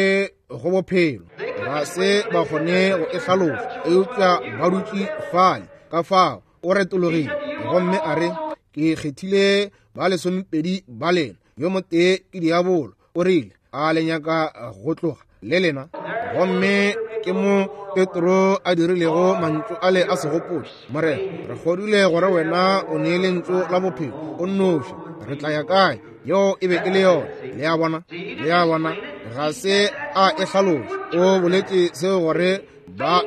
go bophelo. Ga se ba kgone go e hlalosa, eupša ba dutše fale. Ka fao o retologile gomme a re, ke kgethile ba lesomepedi ba lena, yo motee ke diabolo. O rile, a le nyaka go tloga le lena? Gomme ke mo Petro a dirilego mantšu ale a segopotšo, Morena, re kgodile gore wena o nee lentšu la bophelo o nnoši, re tla ya kae? Yeo e be e le yona. Le a bona? Le a bona? Ga se a e hlaloša. O boletše seo gore ba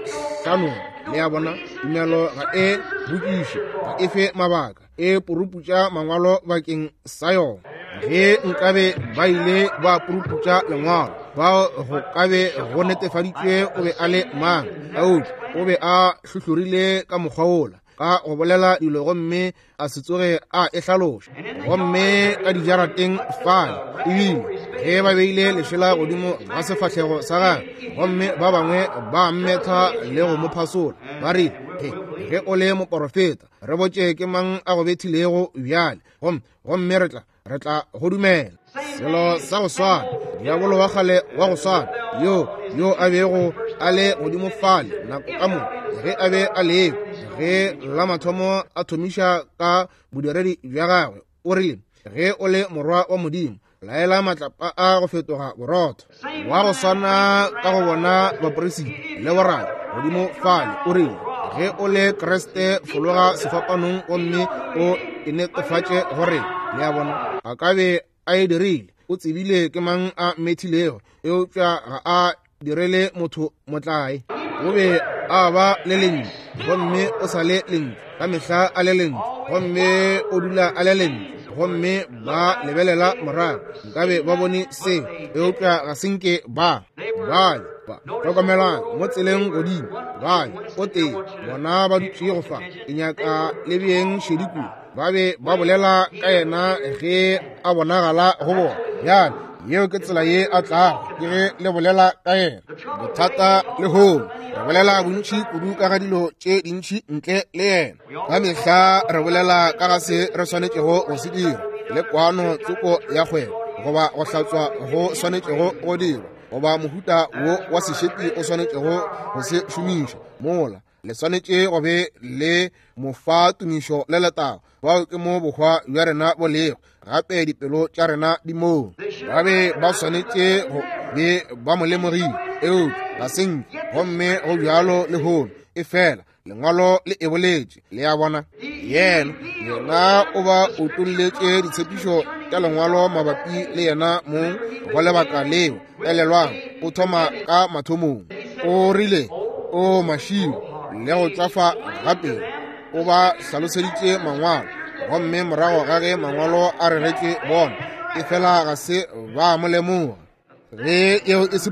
hlanoge. Le a bona? Tumelo ga e botšiše, ga e fe mabaka, e puruputša mangwalo bakeng sa yona. Ge nkabe ba ile ba puruputša lengwalo, bao go kabe go netefaditšwe o be a le mang, eupša o be a hlohlorile ka mokgwa wola ka go bolela dilo gomme a se tsoge a e hlaloša. Gomme ka dijarateng fale, ebile ge ba beile lešela godimo ga sefahlego sa gagwe, gomme ba bangwe ba mmetha le go mo phasola, ba rile, he, ge o le moporofeta, re botše ke mang a go bethilego bjale, gomme gomme re tla re tla go dumela. Selo sa go swana, diabolo wa kgale wa go swana, yo yo a bego a le godimo fale nako ka moka ge a be a lekwa, ge la mathomo a thomiša ka bodiredi bja gagwe, o rile, ge o le morwa wa Modimo, laela matlapa a go fetoga borotho. Wa go swana ka go bona baperisita le boradi godimo fale, o rile, ge o le Kriste, fologa sefapanong gomme o e netefatše gore. Le a bona? A ka be a e dirile. O tsebile ke mang a mmethilego, eupša ga a direle motho motlae. O be a ba le lentšu, gomme o sa le lentšu, ka mehla a le lentšu, gomme o dula a le lentšu. Gomme ba lebelela morago, nkabe ba bone seo, eupša ga se nke ba. Bale ba hlokomelang mo tseleng godimo, bale o tee bona ba dutše go fa, ke nyaka le beeng šedi kudu. Ba be ba bolela ka yena ge a bonagala go bona. Bjale yeo ke tsela ye a tlago, ke ge le bolela ka yena. Bothata lehono, re bolela bontši kudu ka ga dilo tše dintši ntle le yena. Ka mehla re bolela ka ga se re swanetšego go se dira, le kwano tsoko ya kgwebo, goba go hlatswa go swanetšego go dirwa, goba mohuta wo wa sešepi o swanetšego go se šomiša. Mola le swanetše go be le mofa tumišo le letago. Bao ke mo bohwa bja rena bo lego, gape dipelo tša rena di moo. Ba be ba swanetše go be ba mo lemogile, eupša ga se nke. Gomme go bjalo lehono, e fela lengwalo le e boletše. Le a bona? Yena yena o ba utolletše ditshepišo tša lengwalo mabapi le yena mong go lebaka leo. Elelwang, o thoma ka mathomong. O rile, o mašilo le go tšwafa gape. O ba hlaloseditše mangwalo, gomme morago ga ge mangwalo a reretše bona, e fela ga se ba mo lemoga. Ge eo e se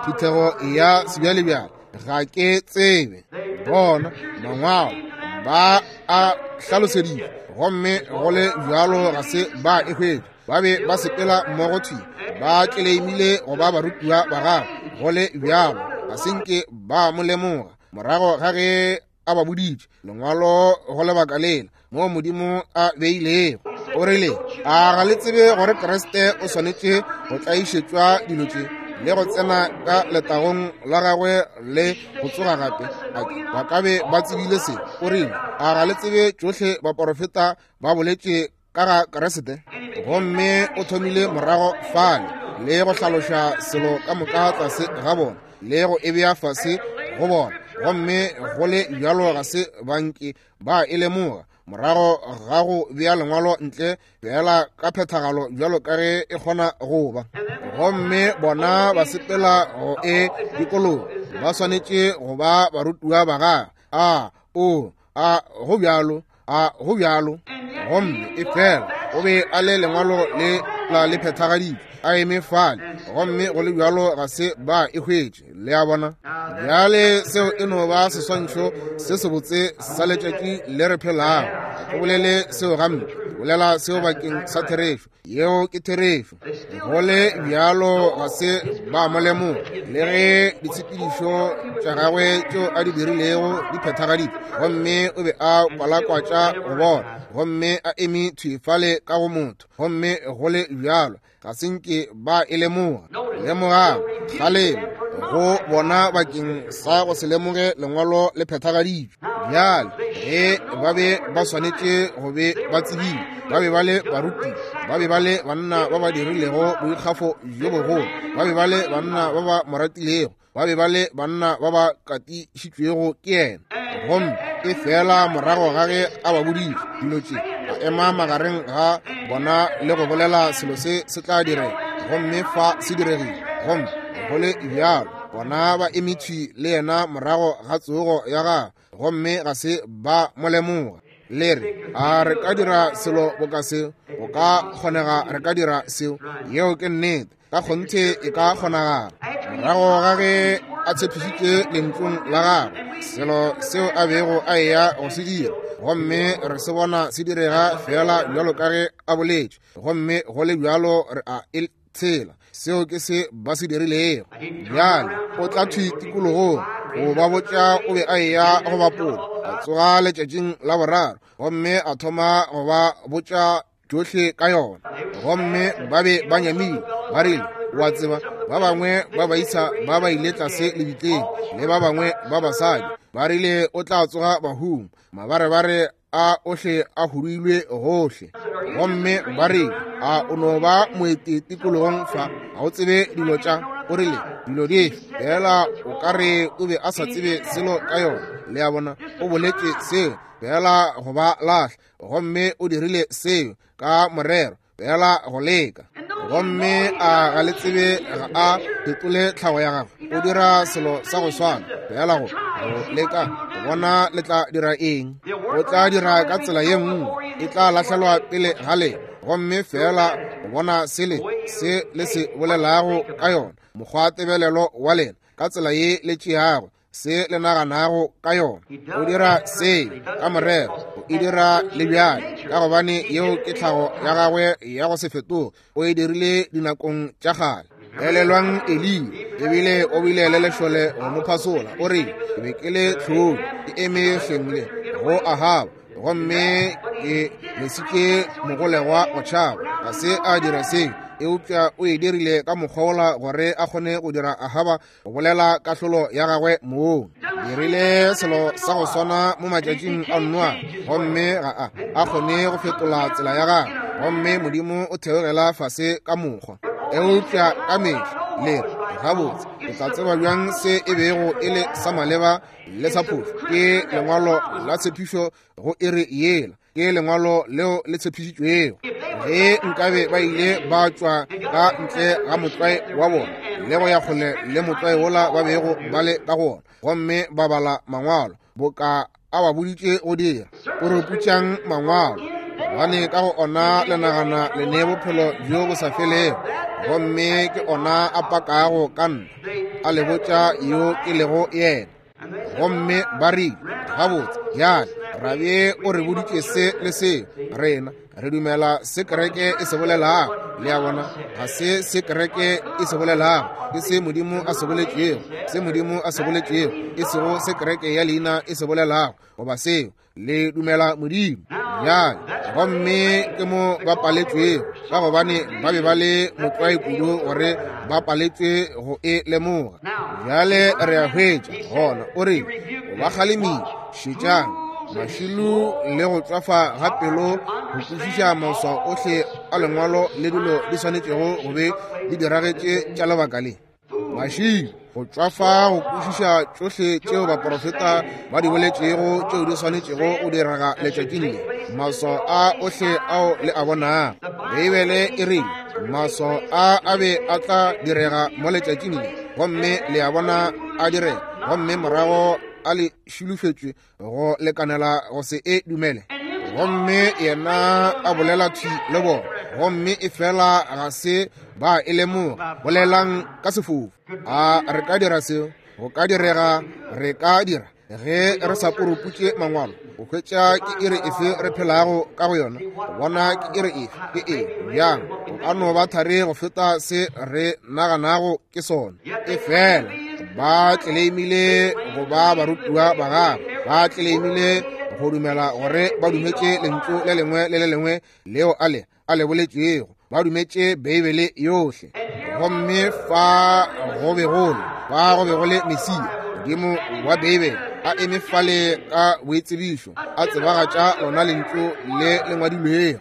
phuthego ya sebjalebjale, ga ke tsebe. Bona mangwalo ba a hlaloseditše, gomme go le bjalo ga se ba e hwetša. Ba be ba sepela mmogo thwi, ba tleleimile go ba barutiwa ba gagwe, go le bjalo ga se nke ba mo lemoga. Morago ga ge a ba boditše lengwalo go lebaka lela moo Modimo a beilego, o rile, a ga le tsebe gore Kriste o swanetše go tlaišetšwa dilo tše le go tsena ka letagong la gagwe le go tsoga gape? Ba ka be ba tsebile se. O rile, a ga le tsebe tšohle baporofeta ba boletše ka ga Kriste? Gomme o thomile morago fale le go hlaloša selo ka moka tlase ga bona le go e bea fase go bona, gomme go le bjalo ga se banke ba e lemoga. Morago ga go bea lengwalo ntle fela ka phethagalo bjalo ka ge e kgona go ba, gomme bona ba sepela go e dikologa, ba swanetše go ba barutiwa ba gagwe. A o a go bjalo, a go bjalo. Gomme e fela o be a le lengwalo le la le phethagaditšwe, a eme fale, gomme go le bjalo ga se ba e hwetše. Le a bona? Bjale seo e no ba seswantšho se sebotse sa letšatši le re phelago. Ga ke bolele seo gampe, ke bolela seo bakeng sa therešo. Yeo ke therešo. Go le bjalo ga se ba mo lemoga, le ge ditshepedišo tša gagwe tšeo a di dirilego di phethagaditšwe, gomme o be a kwalakwatša go bona, gomme a eme thwi fale ka go motho, gomme go le bjalo ga se nke ba e lemoga. Lemogang kgalemo go bona bakeng sa go se lemoge lengwalo le phethagaditšwe. Bjale ge ba be ba swanetše go be ba tsebile, ba be ba le baruti, ba be ba le banna ba ba dirilego boikgafo bjo bogolo, ba be ba le banna ba ba mo ratilego, ba be ba le banna ba ba katišitšwego ke yena. Gomme e fela morago ga ge a ba boditše dilo tše, a ema magareng ga bona le go bolela selo se se tla direga, gomme fa se diregile. Gomme go le bjalo bona ba eme thwi le yena morago ga tsogo ya gagwe, gomme ga se ba mo lemoga. Le re, a re ka dira selo boka seo? Go ka kgonega re ka dira seo. Yeo ke nnete, ka kgonthe e ka kgonagala. Morago ga ge a tshepišitše lentsong la gagwe selo seo a bego a eya go se dira, gomme re se bona se direga fela bjalo ka ge a boletše, gomme go le bjalo re a e tshela. Seo ke se ba se dirilego. Bjale o tla thwi tikologong go ba botša o be a eya go bapola, a tsoga letšatšing la boraro, gomme a thoma go ba botša tšohle ka yona. Gomme ba be ba nyamile, ba rile, wa tseba, ba bangwe ba baisa ba ba ile tlase lebitleng, le ba bangwe ba basadi ba rile o tla tsoga bahung, mabarebare a ohle a huduilwe gohle. Gomme ba rile, a o no ba moeti tikologong fa, ga o tsebe dilo tša? O rile, dilo dife? Fela o ka re o be a sa tsebe selo ka yona. Le a bona, o boletše seo fela go ba lahla, gomme o dirile seo ka morero fela go leka. Gomme a ga le tsebe ga a fetole tlhago ya gagwe, o dira selo sa go swana fela go go leka go bona le tla dira eng. O tla dira ka tsela ye nngwe, e tla lahlelwa pele ga lena, gomme fela go bona sele se le se bolelago ka yona, mokgwa tebelelo wa lena, ka tsela ye le tšeago se le naganago ka yona. O dira seo ka morero, o e dira le bjale, ka gobane yeo ke tlhago ya gagwe ya go se fetoge. O e dirile dinakong tša kgale. Elelwang Eliya, ebile o bile le lešole go mo phasola. O rile, ke be ke le tlhodi, ke eme hleng le go Ahaba, gomme ke lesitše mogolegwa go tšhaba. Ga se a dira seo, eupša o e dirile ka mokgwa wola gore a kgone go dira Ahaba go bolela kahlolo ya gagwe mong. Dirile selo sa go swana mo matšatšing a Noa, gomme ga a a kgone go fetola tsela ya gagwe, gomme Modimo o theogela fase ka mokgwa. Eupša ka mehla le re, gabotse, o tla tseba bjang se e bego e le sa maleba le sa phošo? Ke lengwalo la tshepišo go iri yela, ke lengwalo leo le tshepišitšwego. Ge nkabe ba ile ba tšwa ka ntle ga motlwae wa bona le go ya kgole le motlwae wola ba bego ba le ka go ona, gomme ba bala mangwalo boka a ba boditše go dira, o re putšang mangwalo, gobane ka go ona le nagana le ne bophelo bjo bo sa felego, gomme ke ona a pakago ka nna, a le botša yo ke lego yena. Gomme ba rile, gabotse, bjale Rabie o re boditše se le se. Rena re dumela se kereke e se bolelago. Le a bona, ga se se kereke e se bolelago, ke se Modimo a se boletšego, se Modimo a se boletšego, e sego se kereke ya leina e se bolelago, goba seo. Le dumela Modimo. Bjale, gomme ke mo ba paletšwego, ka gobane ba be ba le motlwae kudu gore ba paletšwe go e lemoga. Bjale re a hwetša gona o re o ba kgalemile, šetšang mašilu le go tšwafa ga pelo go kwešiša maswao ohle a lengwalo le dilo di swanetšego go be di diragetše tša lebaka le. Mašilu go tšwafa go kwešiša tšohle tšeo baprofeta ba di boletšego tšeo di swanetšego go direga letšatšing le. Maswao a ohle ao le a bonago, Beibele e rile maswao a a be a tla direga mo letšatšing le, gomme le a bona a direga, gomme morago a le šulufetšwe go lekanela go se e dumele. Gomme yena a bolela thwi le bona, gomme e fela ga se ba e lemoga. Bolelang ka sefofu. A re ka dira seo? Go ka direga, re ka dira ge re sa puruputše mangwalo go hwetša ke iri efe re phelago ka go yona, go bona ke iri efe ke eng bjang. Go ka no ba thari go feta se re naganago ke sona. E fela ba tleleimile go ba barutiwa ba gagwe, ba tleleimile go dumela gore ba dumetše lentšu le lengwe le le lengwe leo a le a le boletšego, ba dumetše Beibele yohle. Gomme fa go be go le fa go be go le Mesia, Modimo wa Beibele, a eme fale ka boitsebišo, a tsebagatša lona lentšu le le ngwadilwego.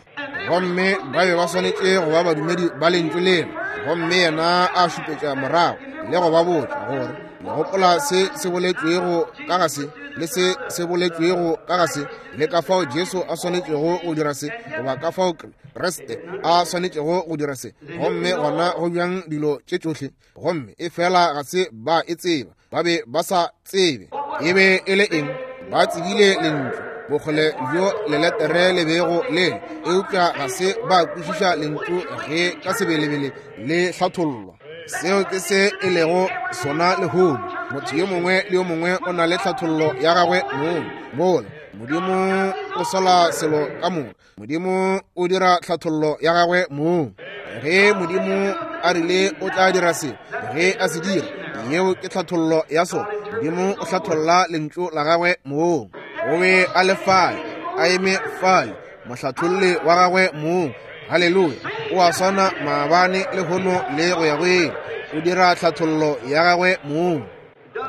Gomme ba be ba swanetše go ba badumedi ba lentšu lena. Gomme yena a šupetša morago le go ba botša gore le gopola se se boletšwego ka ga se le se se boletšwego ka ga se, le ka fao Jesu a swanetšego go dira se, goba ka fao Kriste a swanetšego go dira se. Gomme gona go bjang dilo tše tšohle. Gomme e fela ga se ba e tseba, ba be ba sa tsebe e be e le eng. Ba tsebile lentšu bokgole bjo leletere le bego le le, eupša ga se ba kwešiša lentšu ge ka sebelebele le hlathollwa. Seo ke se e lego sona lehono. Motho yo mongwe le yo mongwe o na le hlathollo ya gagwe mong. Mola Modimo o sola selo ka moka, Modimo o dira hlathollo ya gagwe mong. Ge Modimo a rile o tla dira se, ge a se dira, yeo ke hlathollo ya sona. Modimo o hlatholla lentšu la gagwe mong. O be a le fale, a eme fale, mohlatholli wa gagwe mong. Haleluya! O a swana maabane, lehono le go ya go ile. O dira hlathollo ya gagwe mong.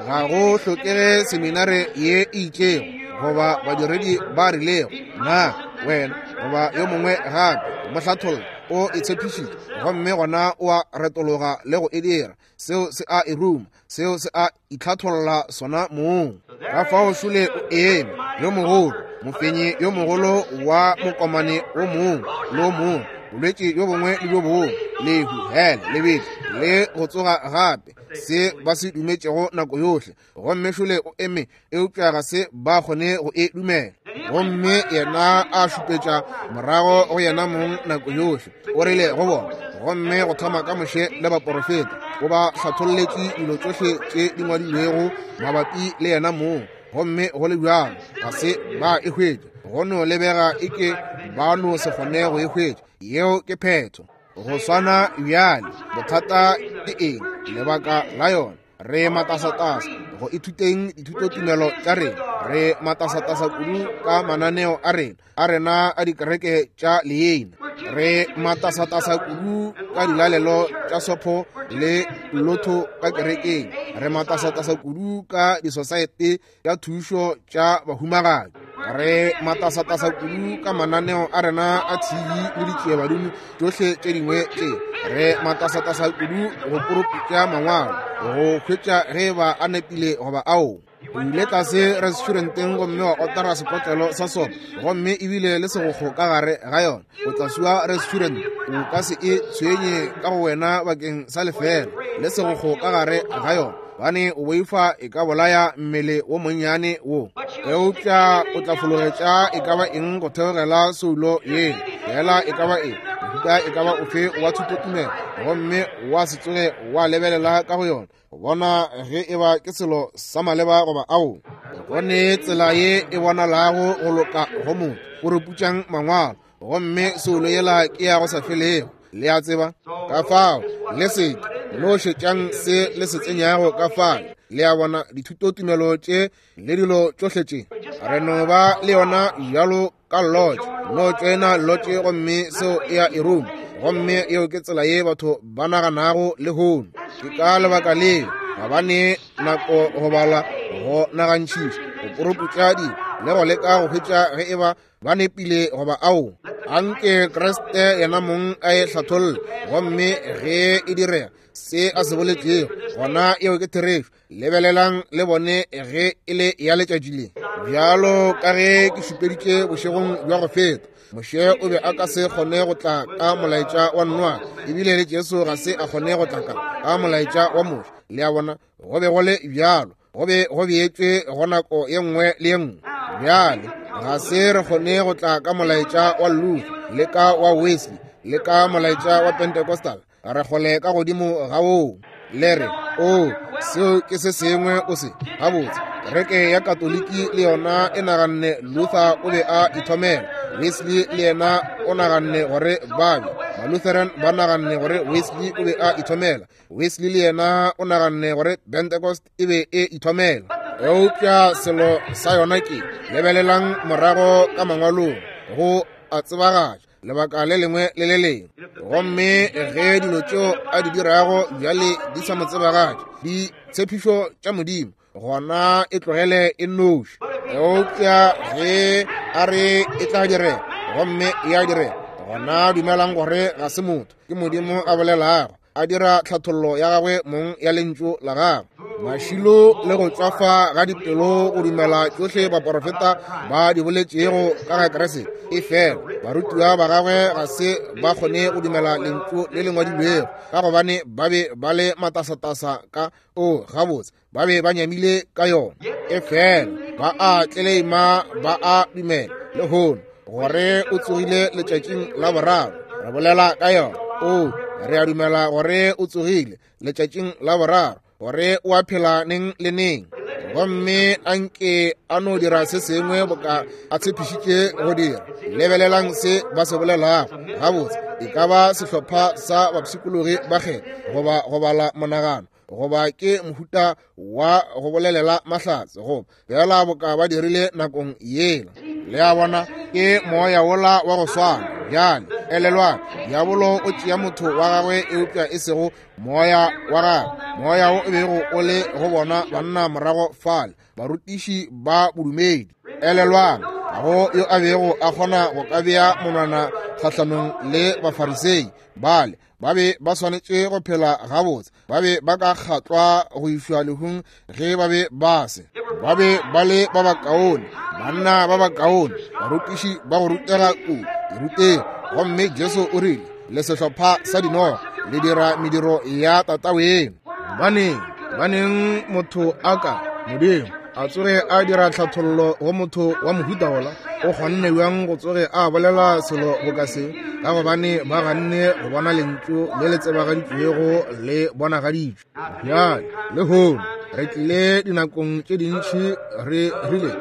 Ga go hlokege seminare ye e itšego goba badiredi ba rilego, na wena goba yo mongwe gape mohlathollo o e tshepišitše, gomme gona o a retologa le go e dira. Seo se a e ruma, seo se a itlhatholla sona mong. Ka fao šole o eme yo mogolo, mofenyi yo mogolo wa mokomane o mongwe le o mongwe, bolwetši bjo bongwe le bjo bongwe, lehu, hele, lebetlo le go tsoga gape, se ba se dumetšego nako yohle. Gomme šole o eme, eupša ga se ba kgone go e dumela. Gomme yena a šupetša morago go yena mong nako yohle. O rile go bona, gomme go thoma ka Moshe le baporofeta, o ba hlatholletše dilo tšohle tše di ngwadilwego mabapi le yena mong. Gomme go le bjalo ga se ba e hwetša, go no lebega eke ba no se kgone go e hwetša. Yeo ke phetho. Go swana bjale, bothata ke eng? Lebaka la yona, re matasatasa go ithuteng dithutotumelo tša rena, re matasatasa kudu ka mananeo a rena a rena a dikereke tša leina, re matasatasa kudu ka dilalelo tša sopho le lotho ka kerekeng, re matasatasa kudu ka disosaete tša thušo tša bahumagadi, re matasatasa kudu ka mananeo a rena a T V le ditšiebadimo tšohle tše dingwe tše, re matasatasa kudu go poroputša mangwalo go hwetša ge ba a nepile goba ao. O ile tlase restauranteng gomme wa otara sekotlelo sa sopo, gomme ebile le segokgo ka gare ga yona. O tla sua restaurant, o ka se e tshwenye ka go wena bakeng sa lefela le segokgo ka gare ga yona, bane o boifa e ka bolaya mmele wo monnyane wo. Eupša o tla fologetša e ka ba eng go theogela soulo yela, fela e ka ba eng, mohuta e ka ba ofe wa thutotumelo, gomme wa se tsoge wa lebelela ka go yona go bona ge e ba ke selo sa maleba goba ao. Go ne tsela ye e bonalago go loka go motho, o re putšang mangwalo, gomme soulo yela ke ya go sa felego. Le a tseba? Ka fao le seke no šetšang se le se tsenyago ka fale. Le a bona, dithutotumelo tše le dilo tšohle tše, re no ba le yona bjalo ka lotše. No tšoena lotše gomme seo e a e ruma. Gomme yeo ke tsela ye batho ba naganago lehono. Ke ka lebaka leo ga ba ne nako go bala, go nagantšhiša, go poroputša dilo le go leka go hwetša ge e ba ba nepile goba ao. Anke Kriste yena mong a e hlatholle, gomme ge e direga se a se boletšego, gona yeo ke therešo. Lebelelang le bone ge e le ya letšatši le. Bjalo ka ge ke šupeditše bošegong bja go feta, Moshe o be a ka se kgone go tla ka molaetša wa Noa, ebile le Jesu ga se a kgone go tla ka ka molaetša wa Moshe. Le a bona, go be go le bjalo, go be go beetšwe go nako ye nngwe le ye nngwe. Bjale ga se re kgone go tla ka molaetša wa Luther le ka wa Wesley le ka molaetša wa Pentecostal, re kgole ka godimo ga woo. Le re, o, seo ke se sengwe o se gabotse. Kereke ya Katoliki le yona e naganne Luther o be a ithomela, Wesley le yena o naganne gore ba be Malutheran ba naganne gore Wesley o be a ithomela, Wesley le yena o naganne gore Pentecost e be e ithomela. Eupša selo sa yona ke, lebelelang morago ka mangwalong go a tsebagatša lebaka le lengwe le le lengwe. Gomme ge dilo tšeo a di dirago bjale di sa mo tsebagatše ditshepišo tša Modimo, gona e tlogele e nnoši. Eupša ge a re e tla direga, gomme e a direga, gona dumelang gore ga se motho, ke Modimo a bolelago, a dira tlhathollo ya gagwe mong ya lentšu la gagwe. Mašilo le go tšwafa ga dipelo go dumela tšohle baporofeta ba di boletšego ka ga Kriste. E fela barutiwa ba gagwe ga se ba kgone go dumela lentšu le le ngwadilwego, ka gobane ba be ba le matasatasa ka o gabotse, ba be ba nyamile ka yona. E fela ba a tleleima, ba a dumela lehono gore o tsogile letšatšing la boraro. Re bolela ka yona. O, re a dumela gore o tsogile letšatšing la boraro, gore o a phela neng le neng. Gomme anke a no dira se sengwe boka a tshepišitše go dira. Lebelelang se ba se bolelago. Gabotse, e ka ba sehlopha sa bapshikologi ba kgetho, goba go bala monagano, goba ke mohuta wa go bolelela mahlatse, goba bjala boka ba dirile nakong yela. Le a bona, ke moya wola wa go swana. Bjale elelwang, diabolo o tšea motho wa gagwe, eupša e sego moya wa gagwe. Moya wo o bego o le go bona banna morago fale, barutiši ba bodumedi. Elelwang, ga go yo a bego a kgona go ka bea monwana kgahlanong le Bafarisei bale. Ba be ba swanetše go phela gabotse, ba be ba ka kgatlwa go išwa lehung ge ba be ba se. Ba be ba le ba bakaone, banna ba bakaone, barutiši ba go rutega kudu diruteng. Gomme Jesu o rile, le sehlopha sa dinoga, le dira mediro ya tataweno. Baneng, baneng motho a ka Modimo a tsoge a dira tlhathollo go motho wa mohuta wola? O kgonne bjang go tsoge a bolela selo boka se? Ka gobane ba ganne go bona lentšu le le tsebagaditšwego le bonagaditšwe. Bjale lehono re tlile dinakong tše dintši re rile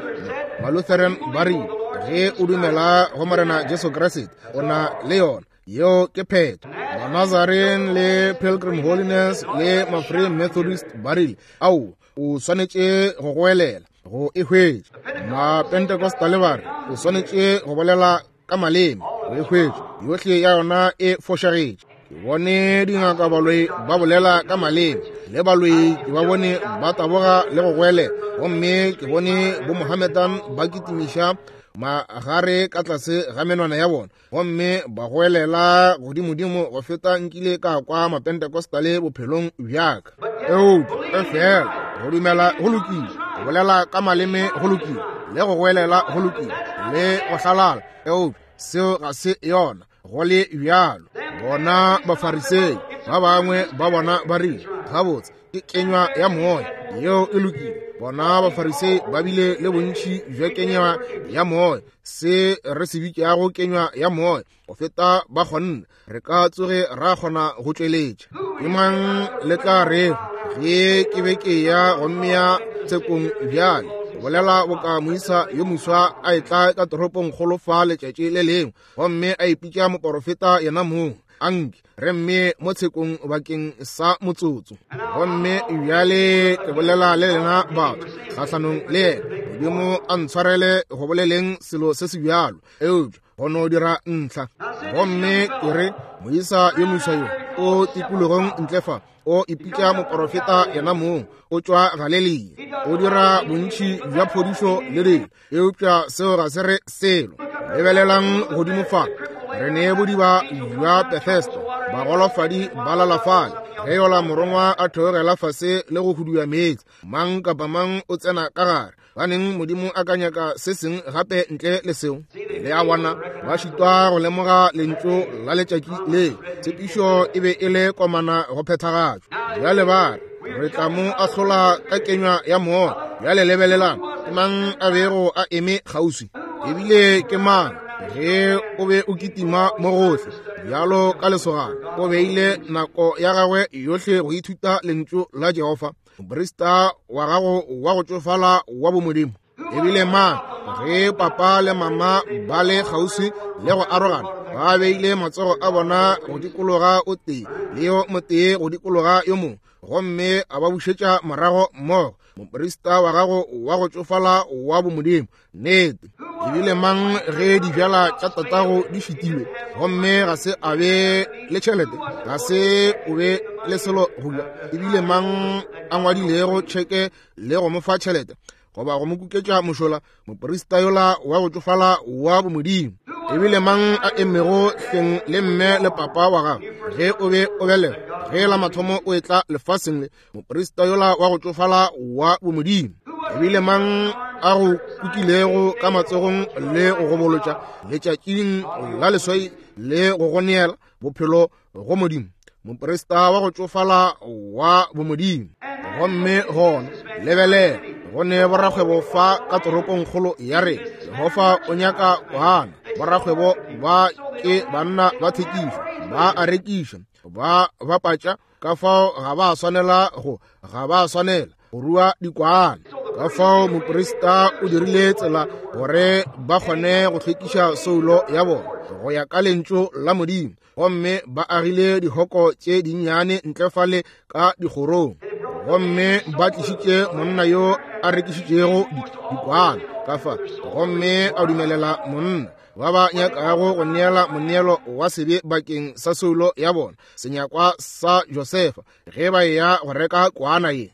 Malutheran ba rile, ge o dumela go Morena Jesu Kriste o na le yona. Yeo ke phetho. Manazarene le Pilgrim Holiness le Mafree Methodist ba rile, ao, o swanetše go goelela go e hwetša. Mapentecostal ba re, o swanetše go bolela ka maleme go e hwetša. Yohle ya yona e fošagetše. Ke bone dingaka baloi ba bolela ka maleme, le baloi ke ba bone ba taboga le go goelela, gomme ke bone bo Mohammedan ba kitimiša magare ka tlase ga menwana ya bona, gomme ba goelela godimodimo go feta nkile ka kwa Mapentecostale bophelong bjaka. Eupša e fela go dumela go lokile, go bolela ka maleme go lokile, le go goelela go lokile, le go hlalala, eupša seo ga se yona go le bjalo. Bona Bafarisei ba bangwe ba bona ba rile, gabotse ke kenywa ya moya, yeo e lokile. Bona Bafarisei ba bile le bontši bja kenywa ya moya, se re se bitšago kenywa ya moya, go feta ba kgonne re ka tsoge ra kgona go tšweletša. Ke mang le tla rego ge ke be ke ya gomme ya tshekong bjale? Bolela boka moisa yo moswa a etla ka toropongkgolo fa letšatši le lengwe, gomme a ipitša moporofeta yena mong. Anke re mme mo tshekong bakeng sa motsotso. Gomme bjale ke bolela le lena batho kgahlanong le yena. Modimo a ntshwarele go boleleng selo se se bjalo, eupša go no dira ntlha. Gomme ke re moisa yo moswa yo o tikologong ntle fa, o ipitša moporofeta yena mong, o tšwa Galelia, o dira bontši bja phodišo le dilo, eupša seo ga se re selo. Lebelelang godimo fa, re ne bodiba bja Bethesda, bagolofadi ba lala fale. Ge yola morongwa a theogela fase le go hudua meetse, mang kapa mang o tsena ka gare. Baneng Modimo a ka nyaka se seng gape ntle le seo? Le a bona, ba šitwa go lemoga lentšu la letšatši le. Tshepišo e be e le komana go phethagatšwa. Bjale ba re, re tla mo ahlola ka kenywa ya moya. Bjale lebelelang, ke mang a bego a eme kgauswi? Ebile ke mang ge o be o kitima mo gohle bjalo ka lesogana? O beile nako ya gagwe yohle go ithuta lentšu la Jehofa, moprista wa gago wa go tšofala wa bomodimo. Ebile mang ge papa le mama ba le kgauswi le go arogana, ba beile matsogo a bona go dikologa o tee le yo motee go dikologa yo mongwe, gomme a ba bušetša morago mmogo, moprista wa gago wa go tšofala wa bomodimo. Nnete. Ebile mang ge dibjala tša tatago di fetilwe, gomme ga se a be le tšhelete, ga se o be le selo go ja? Ebile mang a ngwadilego tšheke le go mo fa tšhelete goba go mo kuketša mošola, moprista yola wa go tšofala wa bomodimo? Ebile mang a emego hleng le mme le papa wa gago ge o be o belega, ge la mathomo o etla lefaseng le, moprista yola wa go tšofala wa bomodimo? Ebile mang a go kukilego ka matsogong le go go bolotša letšatšing la leswai le go go neela bophelo go Modimo, moprista wa go tšofala wa bomodimo? Gomme gona lebelela, go ne borakgwebo fa ka toropongkgolo ya rena. Jehofa o nyaka kwana. Borakgwebo ba ke banna ba thekišo, ba a rekiša, ba bapatša, ka fao ga ba swanela go ga ba swanela go rua dikwana. Ka fao moprista o dirile tsela gore ba kgone go hlwekiša soulo ya bona go ya ka lentšu la Modimo, gomme ba agile dihoko tše dinnyane ntle fale ka dikgorong, gomme ba tlišitše monna yo a rekišitšego dikwana ka fa, gomme a dumelela monna ba ba nyakago go neela moneelo wa sebe bakeng sa soulo ya bona, senyakwa sa Josefa, ge ba eya go reka kwana ye.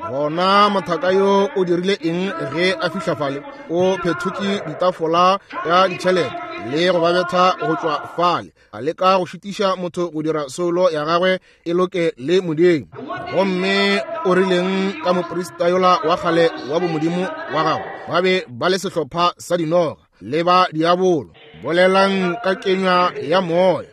Gona mothaka yo o dirile eng ge a fihla fale? O phethotše ditafola ya ditšhelete le go ba betha go tšwa fale, a leka go šitiša motho go dira soulo ya gagwe e loke le Modimo. Gomme o rileng ka moprista yola wa kgale wa bomodimo wa gagwe? Ba be ba le sehlopha sa dinoga le ba diabolo. Bolelang ka kenywa ya moya,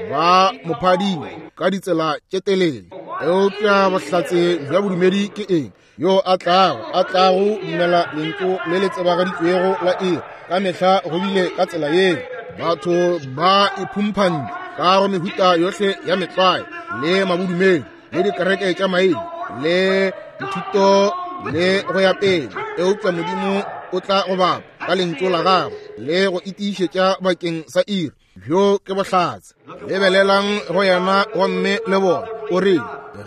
ba mophadile ka ditsela tše telele. Eupša bohlatse bja bodumedi ke eng? Yo a tlago a tlago dumela lentšu le le tsebagaditšwego la iri, ka mehla go bile ka tsela yeo. Batho ba iphumphantše ka go mehuta yohle ya metlwae le mabodumedi le dikereke tša maina le dithuto le go ya pele, eupša Modimo o tla go bapa ka lentšu la gagwe le go itiišetša bakeng sa iri. Bjo ke bohlatse. Lebelelang go yena gomme le bona. O rile,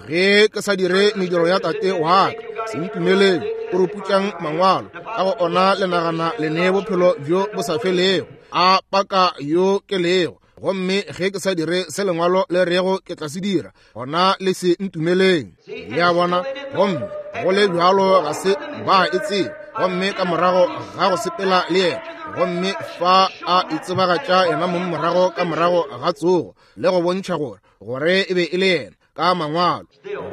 ge ke sa dire mediro ya tate wa ka, se ntumeleng. O ruputšang mangwalo, ka go ona le nagana le nee bophelo bjo bo sa felego, a paka yo ke lego. Gomme ge ke sa dire se lengwalo le rego ke tla se dira, gona le se ntumeleng. Le a bona? Gomme go le bjalo ga se ba e tsebe. Gomme ka morago ga go sepela le yena, gomme fa a itsebagatša yena mong morago ka morago ga tsogo, le go bontšha gore gore e be e le yena ka mangwalo.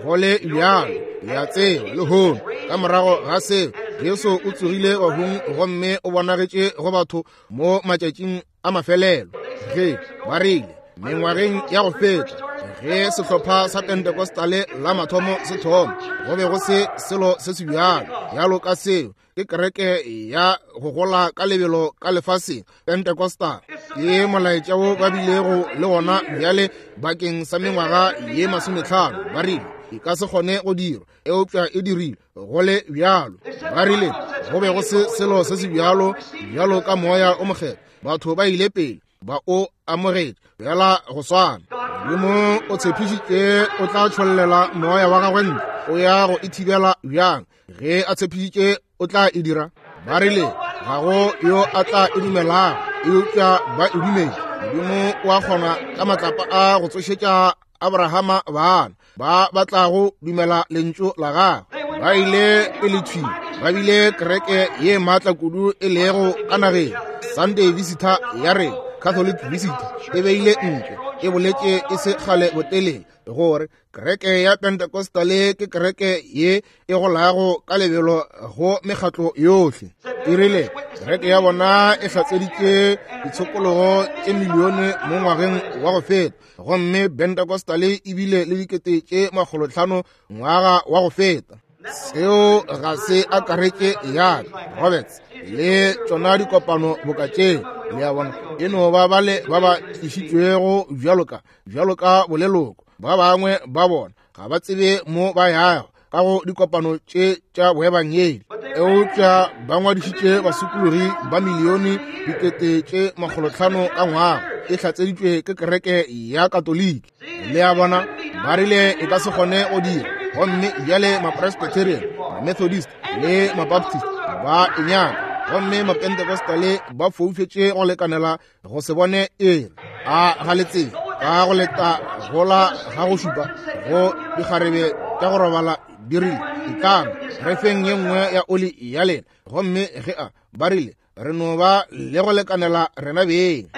Go le bjalo le a tseba lehono ka morago ga seo Jesu o tsogile bahung gomme o bonagetše go batho mo matšatšing a mafelelo. Ge ba rile mengwageng ya go feta, ge sehlopha sa Pentecostale la mathomo se thoma, go be go se selo se se bjalo bjalo ka seo. Ke kereke ya go gola ka lebelo ka lefaseng, Pentecostal. Ke molaetša wo ba bilego le wona bjale bakeng sa mengwaga ye masometlhano. Ba rile e ka se kgone go dirwa, eupša e dirile go le bjalo. Ba rile Go be go se selo se se bjalo bjalo ka Moya o Mokgethwa. Batho ba ile pele ba o amogetše bjala go swana. Modimo o tshepišitše o tla tšhollela moya wa gagwe ntle. O ya go e thibela bjang? Ge a tshepišitše o tla e dira. Ba rile ga go yo a tla e dumelago, eupša ba e dumetše. Modimo o a kgona ka matlapa a go tsošetša Abrahama bana ba ba tlago dumela lentšu la gagwe. Ba ile pele thwi, ba bile kereke ye maatla kudu e lego ka nageng. Sunday Visitor ya re Catholic Visitor e beile ntle, e boletše e se kgale botelele gore kereke ya Pentecostal ke kereke ye e golago ka lebelo go mekgatlo yohle. E rile kereke ya bona e hlatseditše ditshokologo tše milione mo ngwageng wa go feta, gomme Pentecostal e bile le dikete tše makgolotlhano ngwaga wa go feta. Seo ga se akaretše ya Roberts le tšona dikopano boka tše, le a bona, e no ba bale ba ba tlišitšwego bjalo ka bjalo ka boleloko. Ba bangwe ba bona ga ba tsebe mo ba yago ka go dikopano tše tša boebangedi, eupša ba ngwadišitše basokologi ba milione dikete tše makgolotlhano ka ngwaga. E hlatseditšwe ke kereke ya Katoliki. Le a bona, ba rile e ka se kgone go dira. Gomme bjale Mapresbyterian, Mamethodist le Mabaptist ba e nyaka, gomme Mapentecostal ba foufetše go lekanela go se bone ere. A ga le tsebe ka go leta gola ga go šupa go dikgarebe tša go robala di rile, etlang re feng ye nngwe ya oli ya lena. Gomme ge a ba rile re no ba le go lekanela rena beng.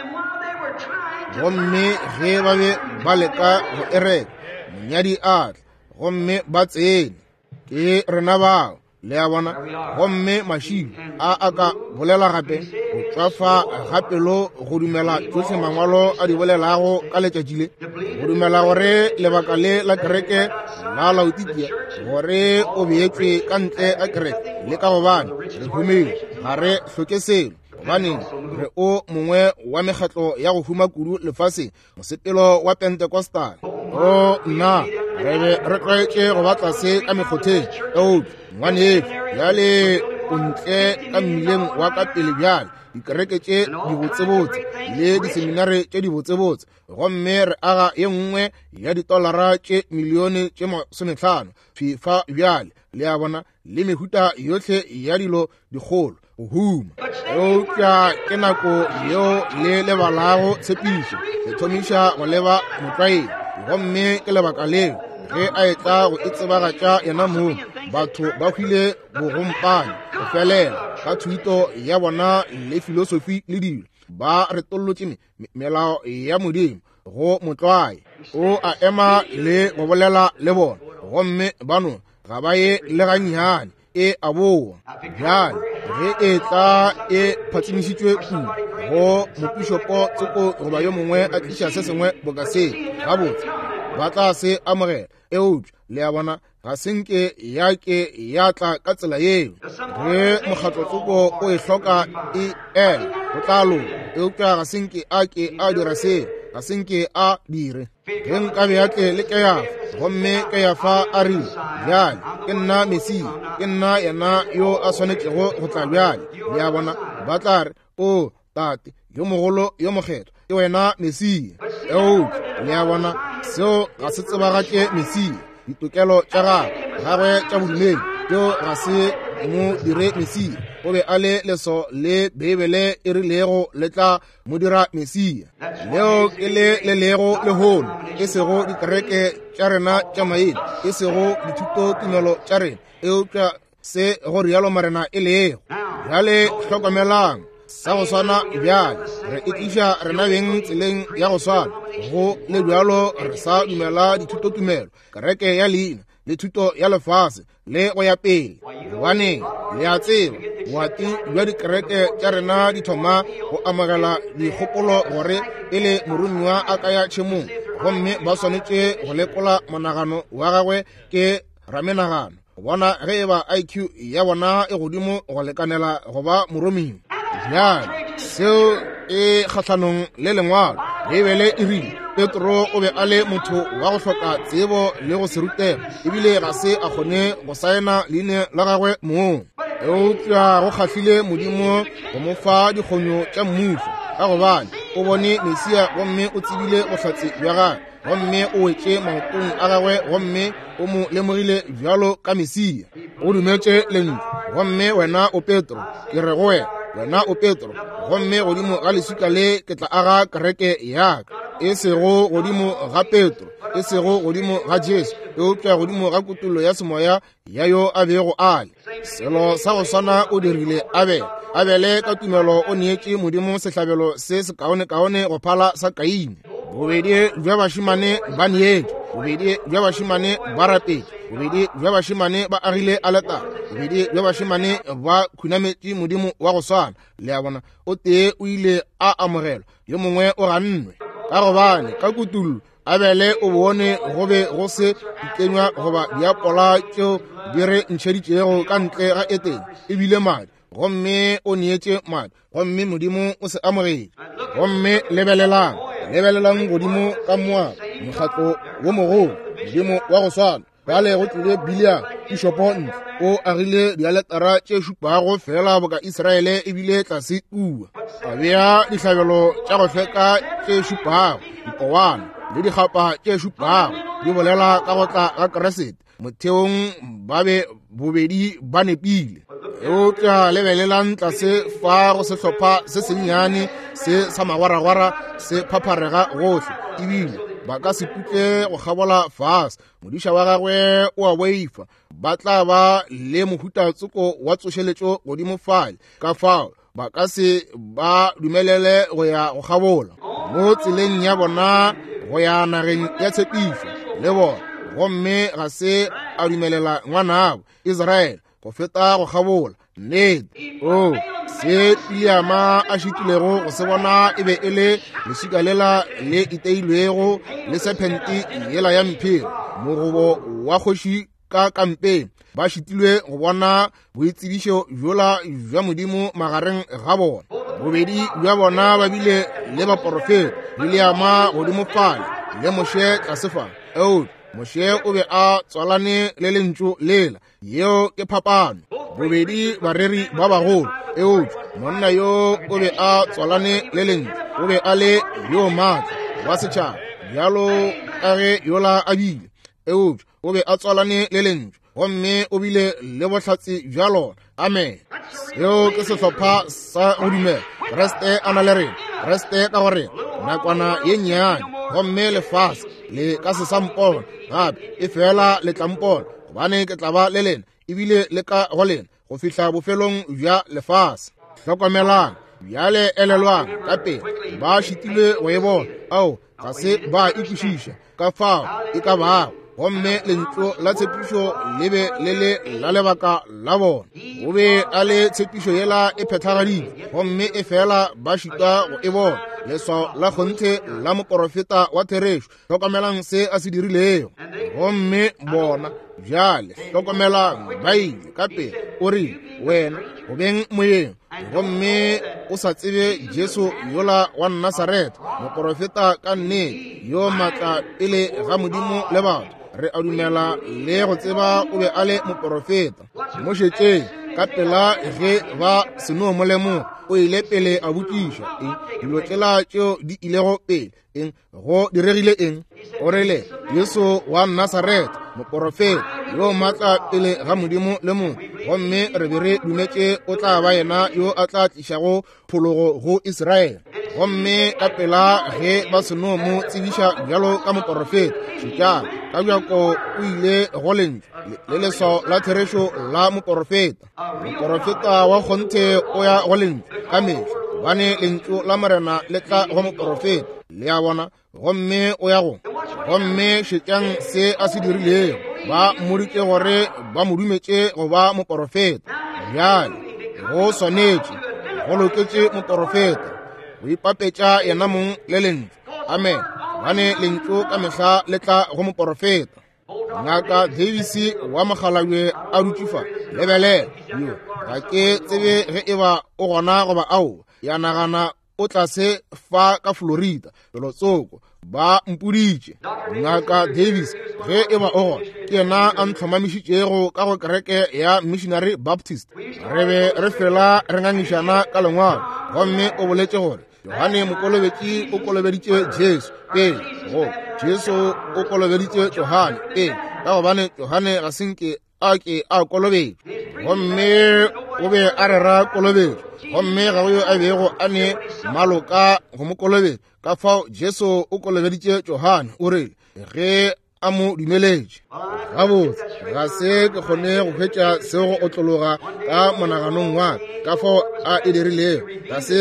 Gomme ge ba be ba leka go e reka, monyadi a tla, gomme ba tsene. Ke rena bao, le a bona. Gomme mašilo a a ka bolela gape go tšwafa ga pelo go dumela tšohle mangwalo a di bolelago ka letšatši le, go dumela gore lebaka le la kereke la Laodikia gore o beetšwe ka ntle ga kereke, le ka gobane re humile ga re hloke selo, gobaneng re o mongwe wa mekgatlo ya go huma kudu lefaseng, mosepelo wa Pentecostal. O nna, re be re tlwaetše go ba tlase ka mekgotheng, eupša ngwanešu bjale o ntle ka mmileng wa ka pele bjale, dikereke tše dibotsebotse le diseminare tše dibotsebotse, gomme re aga ye nngwe ya ditolara tše milione tše masometlhano fifa bjale, le a bona, le mehuta yohle ya dilo dikgolo go huma. Eupša ke nako yeo le lebalago tshepišo, le thomiša go leba motlwaeng. Gomme ke lebaka leo ge a etla go e tsebagatša yena mong, batho ba hwile bogompane go felela ka thuto ya bona le filosofi le dilo, ba retollotše melao ya Modimo go motlwae. O a ema le go bolela le bona, gomme bano ga ba ye le gannyane, e a boa. Bjale ge e tla e phatsimišitšwe kudu go mopišopo tsoko goba yo mongwe a tliša se sengwe boka se, gabotse ba tla se amogela. Eupša le a bona, ga se nke ya ke ya tla ka tsela yeo. Ge mokgatlo tsoko o e hloka e ela, go tla loka, eupša ga se nke a ke a dira seo, ga se nke a dire. Ge nkabe a tle le Keyafa, gomme Keyafa a rile, bjale ke nna Mesia, ke nna yena yo a swanetšego go tla bjale, le a bona, ba tla re, o tate yo mogolo yo mokgethwa, ke wena Mesia. Eupša le a bona, seo ga se tsebagatše Mesia. Ditokelo tša gagwe gagwe tša bodumedi tšeo ga se mo dire Mesia. O be a le leso le Beibele e rilego le tla mo dira Mesia. Leo ke le le lego lehono, e sego dikereke tša rena tša maina, e sego dithutotumelo tša rena, eupša se go rialo Morena e lego. Bjale hlokomelang sa go swana bjale, re etliša rena beng tseleng ya go swana. Go le bjalo re sa dumela dithutotumelo, kereke ya leina le thuto ya lefase le go ya pele. Gobaneng, le a tseba, boati bja dikereke tša rena di thoma go amogela dikgopolo gore pele moromiwa a ka ya tšhemong, gomme ba swanetše go lekola monagano wa gagwe ke ramenagano, go bona ge e ba I Q ya bona e godimo go lekanela go ba moromiwa. Bjale seo e kgahlanong le lengwalo. Beibele e rile Petro o be a le motho wa go hloka tsebo le go se rutega, ebile ga se a kgone go saena leina la gagwe mong. Eupša go kgahlile Modimo go mo fa dikgonyo tša mmušo, ka gobane o bone Mesia gomme o tsebile bohlatse bja gagwe, gomme o wetše maotong a gagwe gomme o mo lemogile bjalo ka Mesia. O dumetše lentšu. Gomme wena o Petro, ke re go wena, wena o Petro, gomme godimo ga leswika le ke tla aga kereke ya ka. E sego godimo ga Petro, e sego godimo ga Jesu, eupša godimo ga kutollo ya semoya ya yo a bego a le. Selo sa go swana o dirile Abele. Abele ka tumelo o neetše Modimo sehlabelo se sekaonekaone go phala sa Kaine. Bobedi bja bašemane ba neetše, bobedi bja bašemane ba rapetše, bobedi bja bašemane ba agile aletare, bobedi bja bašemane ba khunametše Modimo wa go swana. Le a bona, o tee o ile a amogelwa, yo mongwe o gannwe. Ka gobane ka kutullo Abele o bone go be go se dikenywa goba diapola tšeo di re ntšheditšego ka ntle ga Etene, ebile madi, gomme o neetše madi, gomme Modimo o se amogetše. Gomme lebelelang, lebelelang godimo ka Moaba, mokgatlo wo mogolo, Modimo wa go swana. Bjale go tlile Biliam, pišopo ntle, o agile dialetara tše šupago fela boka Israele ebile tlase kua. A bea dihlabelo tša go hlweka tše šupago, dipowana le dikgapa tše šupago, di bolela ka go tla ga Kriste. Motheong ba be bobedi ba nepile. Eupša lebelelang tlase fa go sehlopha se sennyane se sa magwaragwara se phapharega gohle, ebile ba ka se putle go kgabola fase. Modiša wa gagwe o a boifa, ba tla ba le mohuta tsoko wa tsošeletšo godimo fale, ka fao ba ka se ba dumelele go ya go kgabola mo tseleng ya bona go ya nageng ya tshepišo le bona. Gomme ga se a dumelela ngwanabo Israele go feta go kgabola. Nnete. O se Biliama a šitilego go se bona e be e le leswika lela le iteilwego le sephente yela ya mphiri, mogobo wa kgoši ka kampeng. Ba šitilwe go bona boitsebišo bjola bja Modimo magareng ga bona. Bobedi bja bona ba bile le baporofeta, Biliama godimo fale le Moshe tlase fa. Eupša Moshe o be a tswalane le lentšu lela. Yeo ke phapano. Bobedi bareri ba bagolo, eupša monna yo o be a tswalane le lentšu, o be a le yo maatla wa setšhaba bjalo ka ge yola a bile, eupša o be a tswalane le lentšu gomme o bile le bohlatse bja lona. Amen. Seo ke sehlopha sa go dumela. Kriste a na le rena, Kriste ka go rena, nakwana ye nnyane, gomme lefase le ka se sa mpona gape, e fela le tla mpona, gobane ke tla ba le lena ebile le ka go lena go fihla bofelong bja lefase. Hlokomelang bjale, elelwang ka pele, ba šitilwe go e bona. Ao, ga se ba ikwešiša ka fao e ka bago, gomme lentšu la tshepišo le be le le la lebaka la bona. O be a le tshepišo yela e phethagaditšwe, gomme e fela ba šitwa go e bona, leswao la kgonthe la moporofeta wa therešo. Hlokomelang se a se dirilego. Gomme bona bjale, hlokomelang, ba ile ka pele. O rile, wena go beng moyeng, gomme o sa tsebe Jesu yola wa Nasaretha, moporofeta ka nnete, yo maatla pele ga Modimo le batho. Re a dumela le go tseba o be a le moporofeta. Mo šetšeng ka pela ge ba seno mo lemoga, o ile pele a botšiša eng dilo tšela tšeo di ilego pele, eng go diregile eng. O rile, Jesu wa Nasaretha, moporofeta yo maatla pele ga Modimo le motho, gomme re be re dumetše o tla ba yena yo a tla tlišago phologo go Israele. Gomme ka pela ge ba seno mo tsebiša bjalo ka moporofeta, šetšang, ka bjako o ile go lentšu le leswao la therešo la moporofeta. Moporofeta wa kgonthe o ya go lentšu ka mehla, gobane lentšu la Morena le tla go moporofeta. Le a bona? Gomme o ya go. Gomme šetšang se a se dirilego. Ba mmoditše gore ba mo dumetše go ba moporofeta. Bjale go swanetše, go loketše moporofeta go ipapetša yena mong le lentšu. Amen. Gobane lentšu ka mehla le tla go moporofeta. Ngaka Davis wa mokgalabje a dutše fa, lebelela yo, ga ke tsebe ge e ba o gona goba ao. Ya nagana o tlase fa ka Florida, felotsoko, ba mpoditše. Ngaka Davis, ge e ba o gona, ke yena a ntlhomamišitšego ka go kereke ya Missionary Baptist. Re be re fela re ngangišana ka lengwalo, gomme o boletše gore Johane Mokolobetši o kolobeditše Jesu pele, go Jesu o kolobeditše Johane pele, ka gobane Johane ga se nke a ke a kolobetšwa, gomme o be a rera kolobetšo, gomme ga go yo a bego a ne maloka go mo kolobetša. Ka fao Jesu o kolobeditše Johane, o rile ge a mo dumeletše. Gabotse, ga se ke kgone go hwetša seo go otlologa ka monaganong wa ka, ka fao a e dirilego. Ga se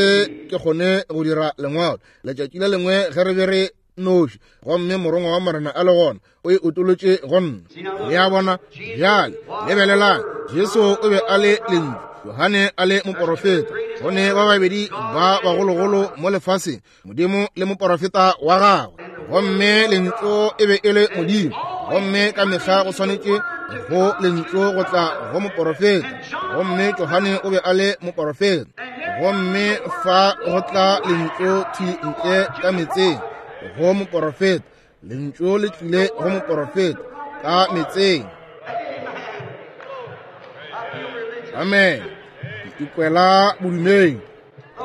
ke kgone go dira lengwalo. Letšatši le lengwe ge re be re noši, gomme morongwa wa Morena a le gona, o e otolotše go nna. Le a bona? Bjale lebelelang, Jesu o be a le lentšu, Johane a le moporofeta. Go ne ba babedi ba bagologolo mo lefaseng, Modimo le moporofeta wa gagwe, gomme lentšu e be e le Modimo, gomme ka mehla go swanetše go lentšu go tla go moporofeta, gomme Johane o be a le moporofeta. Gomme fa go tla lentšu thwi ntle ka metseng go moporofeta, lentšu le tlile go moporofeta ka metseng. Amen. Ke ikwela bodumedi.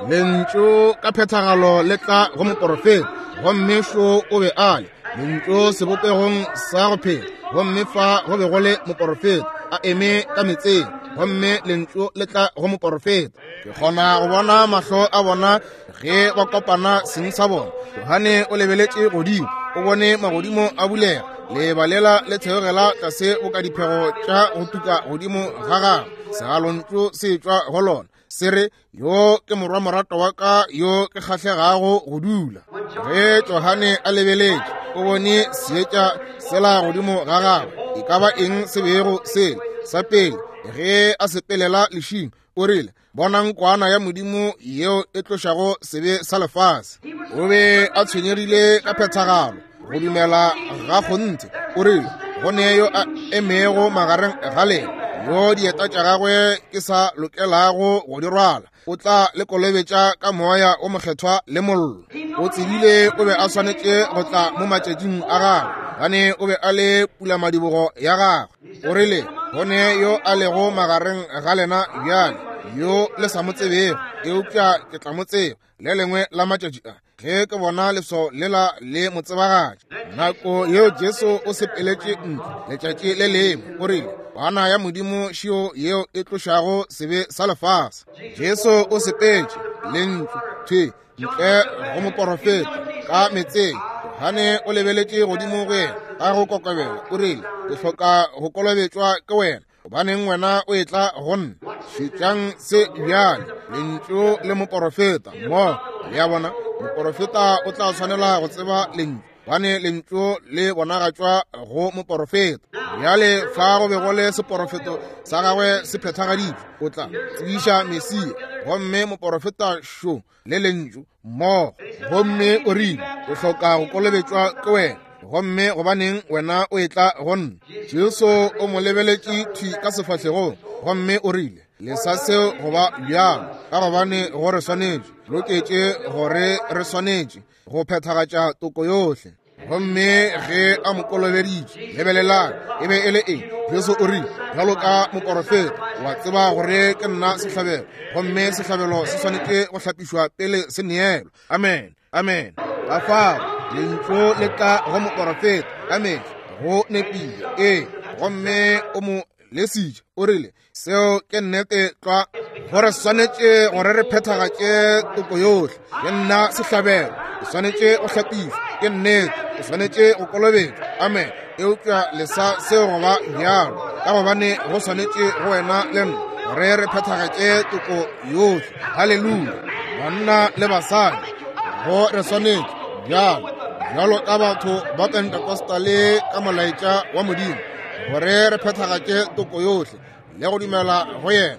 Lentšu ka phethagalo le tla go moporofeta, gomme šo o be a le lentšu sebopegong sa go phela, gomme fa go be go le moporofeta a eme ka metseng, gomme lentšu le tla go moporofeta. Ke kgona go bona mahlo a bona ge ba kopana seng sa bona. Johane o lebeletše godimo, o bone magodimo a bulega, lebalela le theogela tlase boka diphego tša go tuka godimo ga gagwe, segalontšu se tšwa go lona se re, yo ke morwa morato wa ka yo ke kgahlegago go dula. Ge Johane a lebeletše, o bone seetša sela godimo ga gagwe. E ka ba eng se bego sele sa pele ge a sepelela lešing, o rile, bonang kwana ya Modimo yeo e tlošago sebe sa lefase. O be a tshwenyegile ka phethagalo, go dumela ga kgonthe. O rile, go ne yo a emego magareng ga lena, yo dieta tša gagwe ke sa lokelago go di rwala, o tla le kolobetša ka moya o mokgethwa le mollo. O tsebile o be a swanetše go tla mo matšatšing a gagwe, gane o be a le pulamadibogo ya gagwe. O rile, go ne yo a lego magareng ga lena bjale, yo le sa mo tsebego, eupša ke tla mo tseba le lengwe la matšatši a, ge ke bona leswao lela le mo tsebagatša. Nako yeo Jesu o sepeletše ntle letšatši le lengwe, o rile, kwana ya Modimo šio yeo e tlošago sebe sa lefase. Jesu o sepetše lentšu thwi ntle go moporofeta ka metseng. Johane o lebeletše godimo go yena ka go kokobela, o rile, ke hloka go kolobetšwa ke wena, gobaneng wena o etla go nna? Šetšang se bjale, lentšu le moporofeta mo. Le a bona, moporofeta o tla swanela go tseba lentšu, gobane lentšu le bonagatšwa go moporofeta. Bjale fa go be go le seporofeto sa gagwe se phethagaditšwe, o tla tsebiša Mesia, gomme moporofeta šo le lentšu mmogo. Gomme o rile, o hloka go kolobetšwa ke wena, gomme gobaneng wena o etla go nna? Jesu o mo lebeletše thwi ka sefahlegong, gomme o rile, lesa seo go ba bjalo, ka gobane go re swanetše, loketše gore re swanetše go phethagatša toko yohle. Gomme ge a mo kolobeditše, lebelelang, e be e le eng? Jesu o rile, bjalo ka moporofeta, wa tseba gore ke nna sehlabelo, gomme sehlabelo se swanetše go hlapišwa pele se neelwa. Amen, amen. Ka fao lentšu le tla go moporofeta ka mehla, go nepile. Ee, gomme o mo lesitše, o rile, seo ke nnete tlwa, gore swanetše gore re phethagatše toko yohle. Ke nna sehlabelo, ke swanetše go hlapišwa, ke nnete, ke swanetše go kolobetšwa. Amen. Eupša lesa seo go ba bjalo, ka gobane go swanetše go wena le nna gore re phethagatše toko yohle. Haleluya. Banna le basadi, go re swanetše bjalo, bjalo ka batho ba Pentecostale ka molaetša wa Modimo, gore re phethagatše toko yohle le go dumela go yena.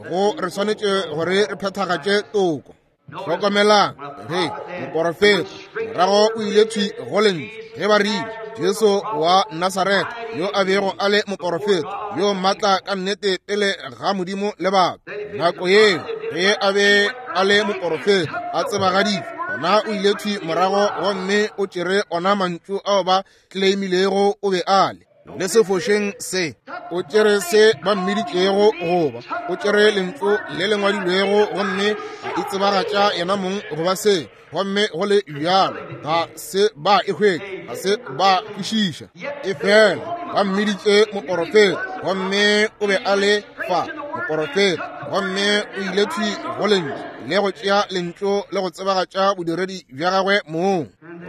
Go re swanetše gore re phethagatše toko. Hlokomelang ge moporofeta morago o ile thwi go lentšu ge ba rile, Jesu wa Nasaretha, yo a bego a le moporofeta yo maatla ka nnete pele ga Modimo le batho. Nako yeo ge a be a le moporofeta, a tsebagaditšwe, gona o ile thwi morago gomme o tšere ona mantšu ao ba claimilego o be a le. Le se fošeng se, o tšere se ba mmiditšego goba, o tšere lentšu le le ngwadilwego gomme a itsebagatša yena mong goba se, gomme go le bjalo ga se ba e hwetša, ga se ba kwešiša. Efela ba mmiditše moporofeta, gomme o be a le fa moporofeta, gomme o ile thwi go lentšu le go tšea lentšu le go tsebagatša bodiredi bja gagwe mong.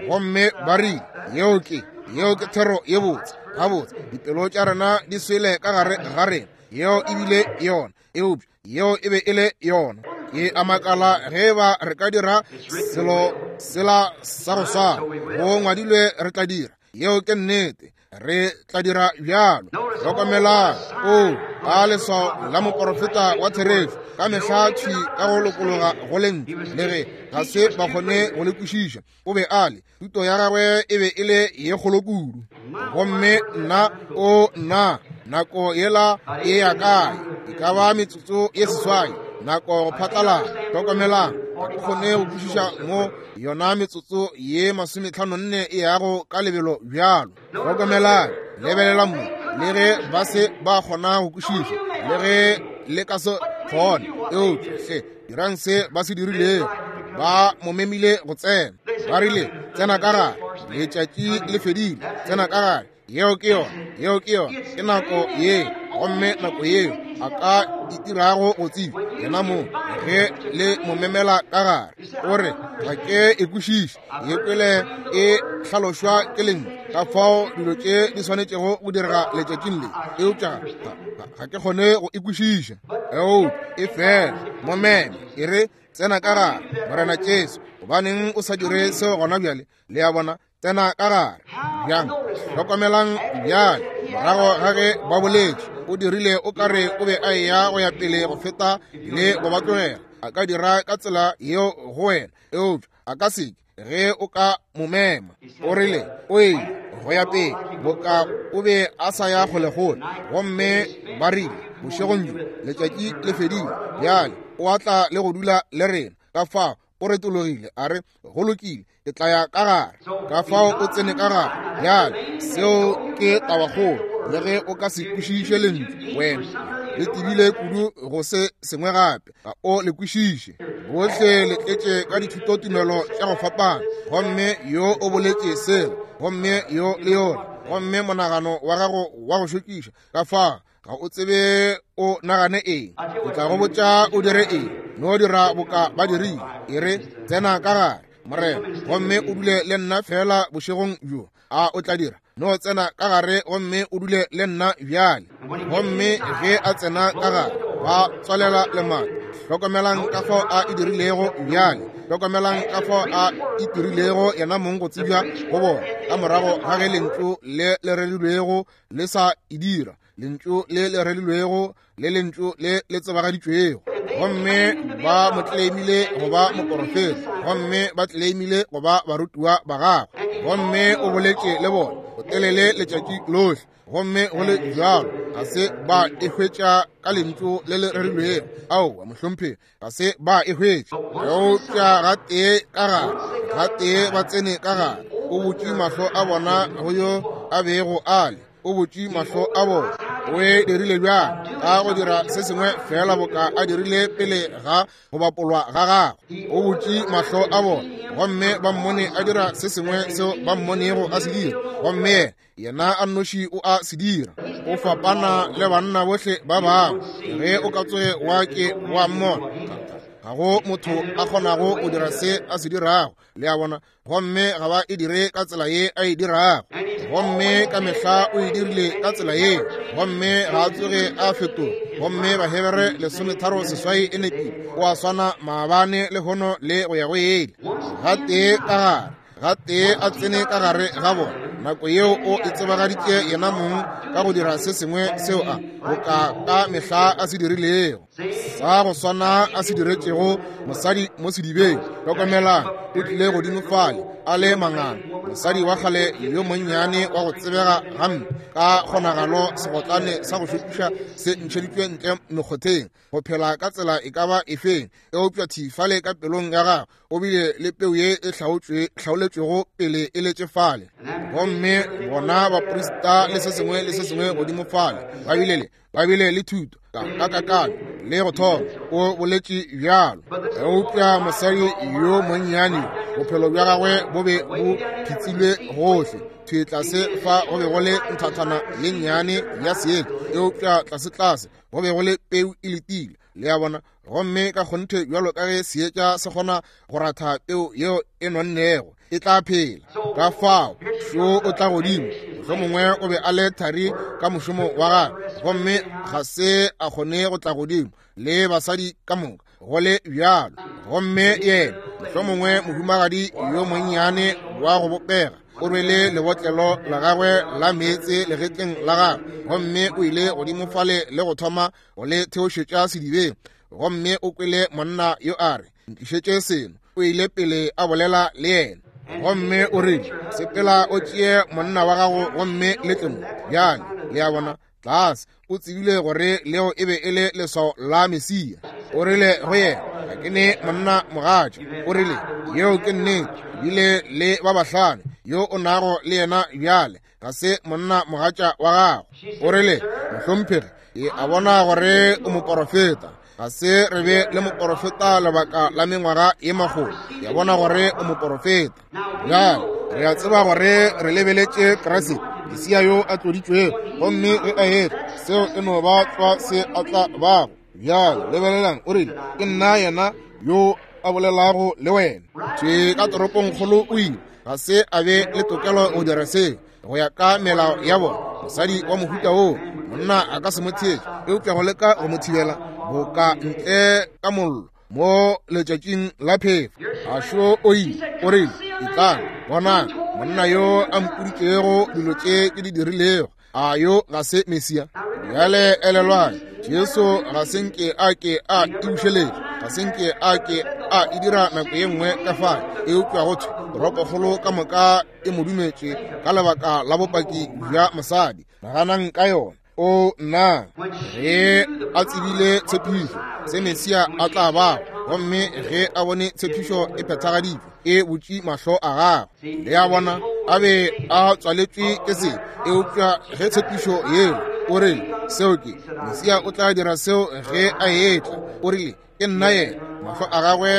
Gomme ba rile, yeo ke yeo ke thero ye botse. Gabotse, dipelo tša rena di swele ka gare ga rena. Yeo e bile yona, eupša yeo e be e le yona. Ke a makala ge ba re ka dira selo sela sa go swana. Go ngwadilwe re tla dira. Yeo ke nnete, re tla dira bjalo. Hlokomelang, o ka leswao la moporofeta wa therešo ka mehla thwi ka go lokologa go lentšu, le ge ga se ba kgone go le kwešiša. O be a le, thuto ya gagwe e be e le ye kgolo kudu. Gomme nna, o nna, nako yela e ya kae? E ka ba metsotso ye seswai, nako go phatlalala. Hlokomelang, ga ke kgone go kwešiša mo yona metsotso ye masometlhano nne e yago ka lebelo bjalo. Hlokomelang, lebelela mo, le ge ba se ba kgona go kwešiša, le ge le ka se kgone, eupša hle dirang se ba se dirilego. Ba mo memile go tsena, ba rile, tsena ka gare, letšatši le fedile, tsena ka gare. Yeo ke yona, yeo ke yona, ke nako ye, gomme nako yeo a ka itirago go tseba yena mo ge le mo memela ka gare. O re, ga ke e kwešiše, ye kwele e hlalošwa ke lentšu, ka fao dilo tše di swanetšego go direga letšatšing le, eupša ga ke kgone go e kwešiša. Eupša e fela mo meme, e re, tsena ka gare, Morena Jesu. Gobaneng o sa dire seo gona bjale? Le a bona, tsena ka gare. Bjang, hlokomelang bjale, morago ga ge ba boletše, o dirile o kare o be a eya go ya pele go feta le go ba tlogela. A ka dira ka tsela yeo go wena, eupša a ka se ke ge o ka mo mema. O rile o ile go ya pele boka o be a sa ya kgolekgole. Gomme ba rile, bošegong bjo letšatši le fedile, bjale o a tla le go dula le rena. Ka fao o retologile a re, go lokile, ke tla ya ka gare. Ka fao o tsene ka gare. Bjale seo ke tabakgolo, le ge o ka se kwešiše lentšu, wena le tebile kudu go se sengwe gape, ga o le kwešiše. Bohle le tletše ka dithutotumelo tša go fapana, gomme yo o boletše sela, gomme yo le yola, gomme monagano wa gago wa go šokiša. Ka fao ga o tsebe o nagane eng, o tla go botša o dire eng. No dira boka ba dirile, e re, tsena ka gare, Morena, gomme o dule le nna fela bošegong bjo. A o tla dira? No tsena ka gare gomme o dule le nna bjale. Gomme ge a tsena ka gare, ba tswalela lemati. Hlokomelang ka fao a e dirilego bjale. Hlokomelang ka fao a itirilego yena mong go tsebja go bona, ka morago ga ge lentšu le le rerilwego le sa e dira, lentšu le le rerilwego le lentšu le le tsebagaditšwego. Gomme ba mo claimile go ba moporofeta, gomme ba claimile go ba barutiwa ba gagwe, gomme o boletše le bona go telele letšatši lohle. Gomme go le bjalo ga se ba e hwetša ka lentšu le le rerilwego. Aowa, mohlomphegi, ga se ba e hwetša. Eupša gatee ka gare, gatee ba tsene ka gare, o butše mahlo a bona go yo a bego a le. O butše mahlo a bona. O e dirile bjang? Ka go dira se sengwe fela boka a dirile pele ga go bapolwa ga gagwe. O butše mahlo a bona, gomme ba mmone a dira se sengwe seo ba mmonego a se dira. Gomme yena a nnoši o a se dira. O fapana le banna bohle ba bangwe. Ge o ka tsoge wa ke wa mmona, ga go motho a kgonago go dira se a se dirago. Le a bona? Gomme ga ba e dire ka tsela ye a e dirago. Gomme ka mehla o e dirile ka tsela ye, gomme ga a tsoge a fetoga. Gomme Bahebere lesometharo seswai e nepile, o a swana maabane le hono le go ya go ele. Gatee ka gare, gatee a tsene ka gare ga bona, nako yeo o e tsebagaditše yena mong ka go dira se sengwe seo a boka ka mehla a se dirilego. Sa go swana a se diretšego mosadi mo sedibeng. Hlokomelang, o tlile godimo fale a le mangana, mosadi wa kgale yo monnyane wa go tsebega gampe, ka kgonagalo segotlane sa go šokiša se ntšheditšwe ntle mekgotheng, go phela ka tsela e ka ba efeng, eupša thifale ka pelong ya gagwe o bile le peu ye e hlaoletšwego pele e letše fale. Gomme bona baprista le se sengwe le se sengwe godimo fale ba bile le ba bile le thuto ka kakano le go thoma, o boletše bjalo. Eupša mosadi yo monnyane, bophelo bja gagwe bo be bo phitsilwe gohle. Thwi tlase fa go be go le nthathana ye nnyane ya seetša, eupša tlase-tlase go be go le peu e letile. Le a bona? Gomme ka kgonthe bjalo ka ge seetša se kgona go ratha peu yeo e nonnego, e tla phela. Ka fao šo o tla godimo, mohlomongwe o be a le thari ka mošomo wa gagwe, gomme ga se a kgone go tla godimo le basadi ka moka go le bjalo. Gomme yena mohlomongwe mohumagadi yo monnyane wa go bopega o rwele lebotlelo la gagwe la meetse legetleng la gagwe, gomme o ile godimo fale le go thoma go le theošetša sedibeng. Gomme o kwele monna yo a re, ntlišetše seno. O ile pele a bolela le yena, gomme o rile, sepela o tšee monna wa gago gomme le tle mo. Bjale le a bona, tlase o tsebile gore leo e be e le leswao la Mesia. O rile go yena, ga ke ne monna mogatša. O rile, yeo ke nnete, bile le ba bahlano yo o nago le yena bjale ga se monna mogatša wa gago. O rile, mohlomphegi, ke a bona gore o moporofeta. Ga se re be le moporofeta lebaka la mengwaga ye makgolo. Ke a bona gore o moporofeta. Bjale re a tseba gore re lebeletše Kriste, Mesia yo a tloditšwego, gomme ge a etla, seo e no ba tlwa se a tla bago. Bjale lebelelang, o rile, ke nna yena yo a bolelago le wena. Tše ka toropongkgolo o ile, ga se a be le tokelo go dira seo go ya ka melao ya bona. Mosadi wa mohuta woo monna a ka se mo theetše, eupša go leka go mo thibela boka ntle ka mollo mo letšatšing la phefo. A šo o ile, o rile, etlang bonang monna yo a mpoditšego dilo tše ke di dirilego, a yo ga se Mesia? Bjale elelwang, Jesu ga se nke a ke a e bušeletša, ga se nke a ke a e dira nako ye nngwe ka fale, eupša go thwe toropokgolo ka moka e mo dumetše ka lebaka la bopaki bja mosadi. Naganang ka yona. O nna ge a tsebile tshepišo se Mesia a tla bago, gomme ge a bone tshepišo e phethagaditšwe, e butše mahlo a gagwe. Le a bona, a be a tswaletšwe ke se, eupša ge tshepišo yeo, o rile, seo ke Mesia o tla dira seo ge a etla. O rile, ke nna yena. Mahlo a gagwe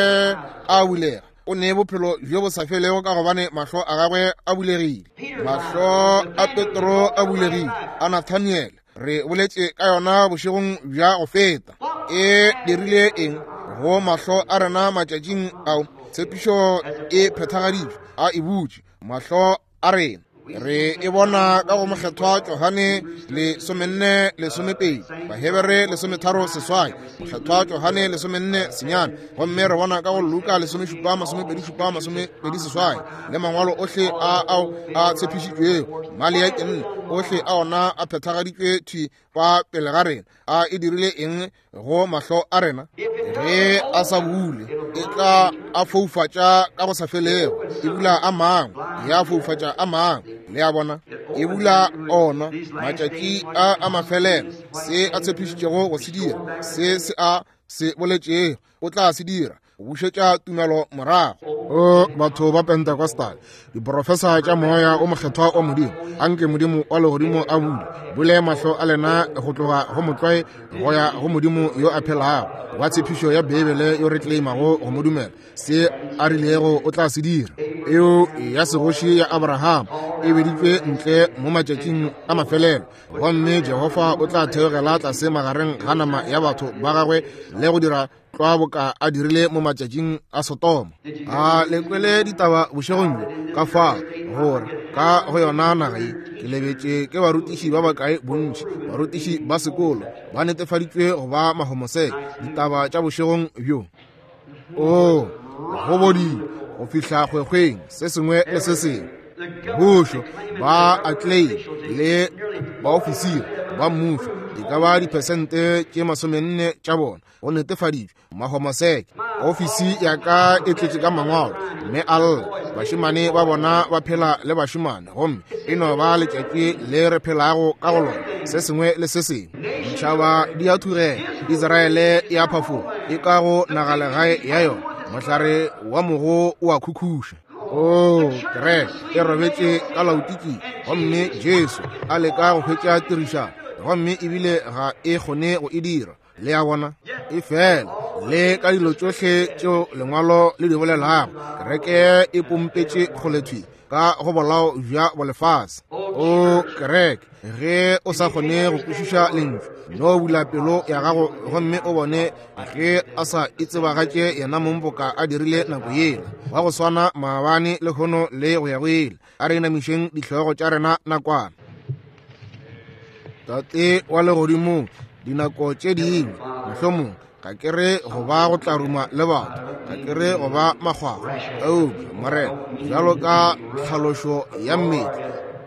a bulega. O ne bophelo bjo bo sa felego ka gobane mahlo a gagwe a bulegile. Mahlo a Petro a bulegile, a Nathaniel, re boletše ka yona bošegong bja go feta. E dirile eng go mahlo a rena matšatšing ao? Tshepišo e phethagaditšwe, a e butše mahlo a rena. Re e bona ka go mokgethwa Johane lesomenne lesomepedi, Bahebere lesometharo seswai, mokgethwa Johane lesomenne senyane, gomme re bona ka go Luka lesomešupa masomepedi šupa masomepedi seswai, le mangwalo ohle a ao a tshepišitšwego Maleaki nne, ohle a ona a phethagaditšwe thwi fa pele ga rena. A e dirile eng go mahlo a rena? Ge a sa bule, e tla a foufatša ka go sa felego, e bula a mangwe, ya foufatša a mangwe. Le a bona, e bula ona matšatši a a mafelelo. Se a tshepišitšego go se dira, se se a se boletšego o tla se dira, go bušetša tumelo morago. O batho ba Pentecostal, diprofesa tša moya o mokgethwa wa Modimo, anke Modimo wa legodimo a bule bule mahlo a lena go tloga go motlwae go ya go Modimo yo a phelago wa tshepišo ya Beibele yo re claimago go mo dumela. Se a rilego o tla se dira. Eo ya segoši ya Abraham e beditšwe ntle mo matšatšing a mafelelo, gomme Jehofa o tla theogela tlase magareng ga nama ya batho ba gagwe le go dira tlwa boka a dirile mo matšatšing a Sodoma. A le kwele ditaba bošegong bjo ka fa gore ka go yona naga ye ke lebetše ke barutiši ba bakae bontši, barutiši ba sekolo ba netefaditšwe go ba mahomoseke. Ditaba tša bošegong bjo, o go bodile go fihla kgwekgweng se sengwe le se sengwe. Mmušo ba atlei le baofisiri ba mmušo E ka ba diphesente tše masomenne tša bona go netefaditšwe mahomoseke. Ofisi ya ka e tletše ka mangwalo, mme a lla. Bašemane ba bona ba phela le bašemane, gomme e no ba letšatši le re phelago ka go lona, se sengwe le se sengwe. Ditšhaba di a thugela, Israele e a phafoga, e ka go nagalegae ya yona, mohlare wa mogo o a khukhuša. O kereke e robetše ka laotiki, gomme Jesu a leka go hwetša tirišano, gomme ebile ga e kgone go e dira. Le a bona? E fela le ka dilo tšohle tšeo lengwalo le di bolelago, kereke e pompetše kgolethwi ka go bolao bja bolefase. O kereke, ge o sa kgone go kwešiša lentšu, no bula pelo ya gago gomme o bone ge a sa itsebagatše yena mong boka a dirile nako yela, wa go swana maabane, lehono le go ya go ile. A re inamišeng dihlogo tša rena nakwana. Tate wa legodimong, dinako tše dingwe mohlomong ga ke re go ba go tla ruma le batho, ga ke re go ba makgwakgwa, eupša Morena, bjalo ka tlhalošo ya mmele,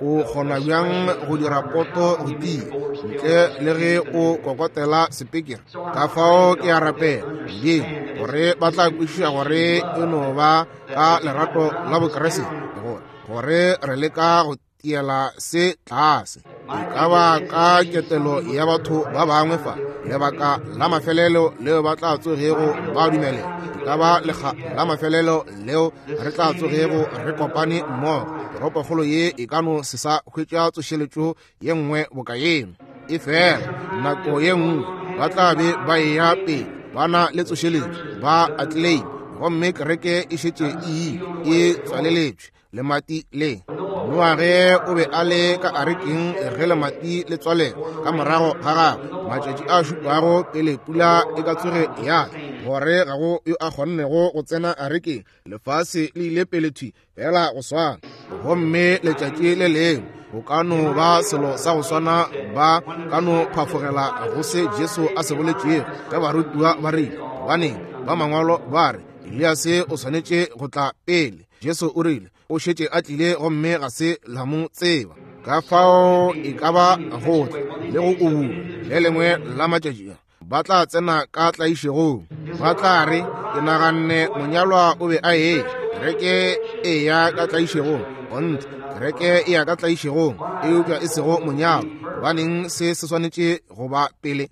o kgona bjang go dira poto go tia ntle le ge o kokotela sepekere? Ka fao ke a rapela Modimo gore ba tla kwešiša gore e no ba ka lerato la Bokriste gore gore re leka go tiela se tlase. E ka ba ka ketelo ya batho ba bangwe fa, lebaka la mafelelo leo ba tla tsogego ba dumelela, e ka ba lekga la mafelelo leo re tla tsogego re kopane mmogo. Toropokgolo ye e ka no se sa hwetša tsošeletšo ye nngwe boka yeno. E fela nako ye nngwe ba tla be ba eya pele ba na le tsošeletšo, ba atleleime, gomme kereke e šetše e ile e tswaleletšwe lemati le. Noage o be a le ka arekeng ge lemati le tswalela ka morago ga gagwe matšatši a šupago pele pula e ka tsoge ya tla, gore ga go yo a kgonnego go tsena arekeng. Lefase le ile pele thwi fela go swana, gomme letšatši le lengwe go ka no ba selo sa go swana, ba ka no phafogela go se Jesu a se boletšego ge barutiwa ba rile, gobaneng ba mangwalo ba re Eliase o swanetše go tla pele. Jesu o rile o šetše a tlile gomme ga se la mo tseba. Ka fao e ka ba go tla le go ubula le lengwe la matšatši ba tla tsena ka tlaišegong. Ba tla re, ke naganne monyalwa o be a eya, kereke e ya ka tlaišegong. Gonthe kereke e ya ka tlaišegong, eupša e sego monyalwa. Gobaneng se se swanetše go ba pele?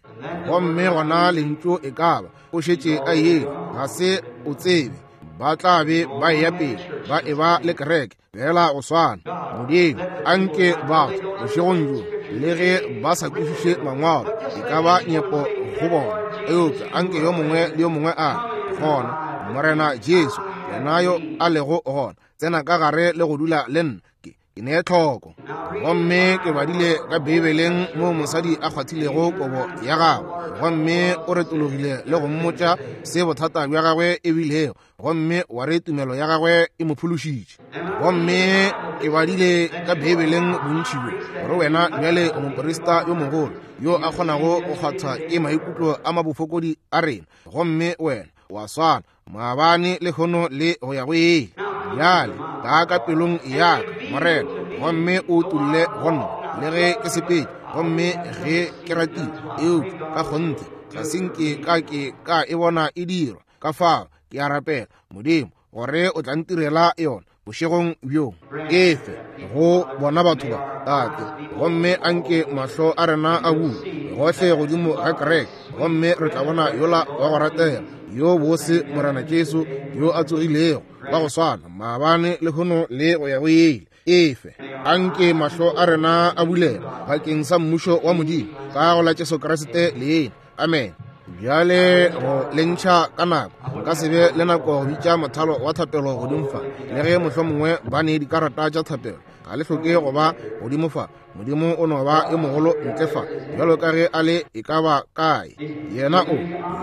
Gomme gona lentšu e ka ba o šetše a ile, ga se o tsebe. Ba tla be ba eya pele ba e ba le kereke fela go swana. Modimo, anke batho bošegong bjo, le ge ba sa kwešiše mangwalo, e ka ba nyepo go bona, eupša anke yo mongwe le yo mongwe a re, gona Morena Jesu, yena yo a lego gona, tsena ka gare le go dula le nna, ke ke ne tlhoko. Gomme ke badile ka Beibeleng moo mosadi a kgwathilego kobo ya gagwe, gomme o retologile le go mmotša se bothata bja gagwe e bilego, gomme wa re tumelo ya gagwe e mo phološitše. Gomme ke badile ka Beibeleng bontši bjo gore wena bjale o moprista yo mogolo yo a kgonago go kgwathwa ke maikutlo a mabofokodi a rena, gomme wena wa swana maabane, lehono le go ya go ile. Bjale taa ka pelong ya ka, Morena, gomme o utolle go nna le ge ke sepedi, gomme ge ke ratile, eupša ka kgonthe ga se nke ka ke ka e bona e dirwa. Ka fao ke a rapela Modimo gore o tla ntirela yona bošegong bjo, efe go bona batho ba, Tate, gomme anke mahlo a rena a bule gohle godimo ga kereke, gomme re tla bona yola wa go ratega yo bose Morena Jesu yo a tsogilego wa go swana maabane, lehono le go ya go ile. Efe anke mahlo a rena a bulega bakeng sa mmušo wa Modimo ka go la Jesu Kriste leina. Amen. Bjale go le ntšha ka nako, nka se be le nako go bitša mothalo wa thapelo godimo fa, le ge mohlomongwe ba ne dikarata tša thapelo, ga le hloke go ba godimo fa. Modimo o no ba yo mogolo ntle fa bjalo ka ge a le e ka ba kae. Yena o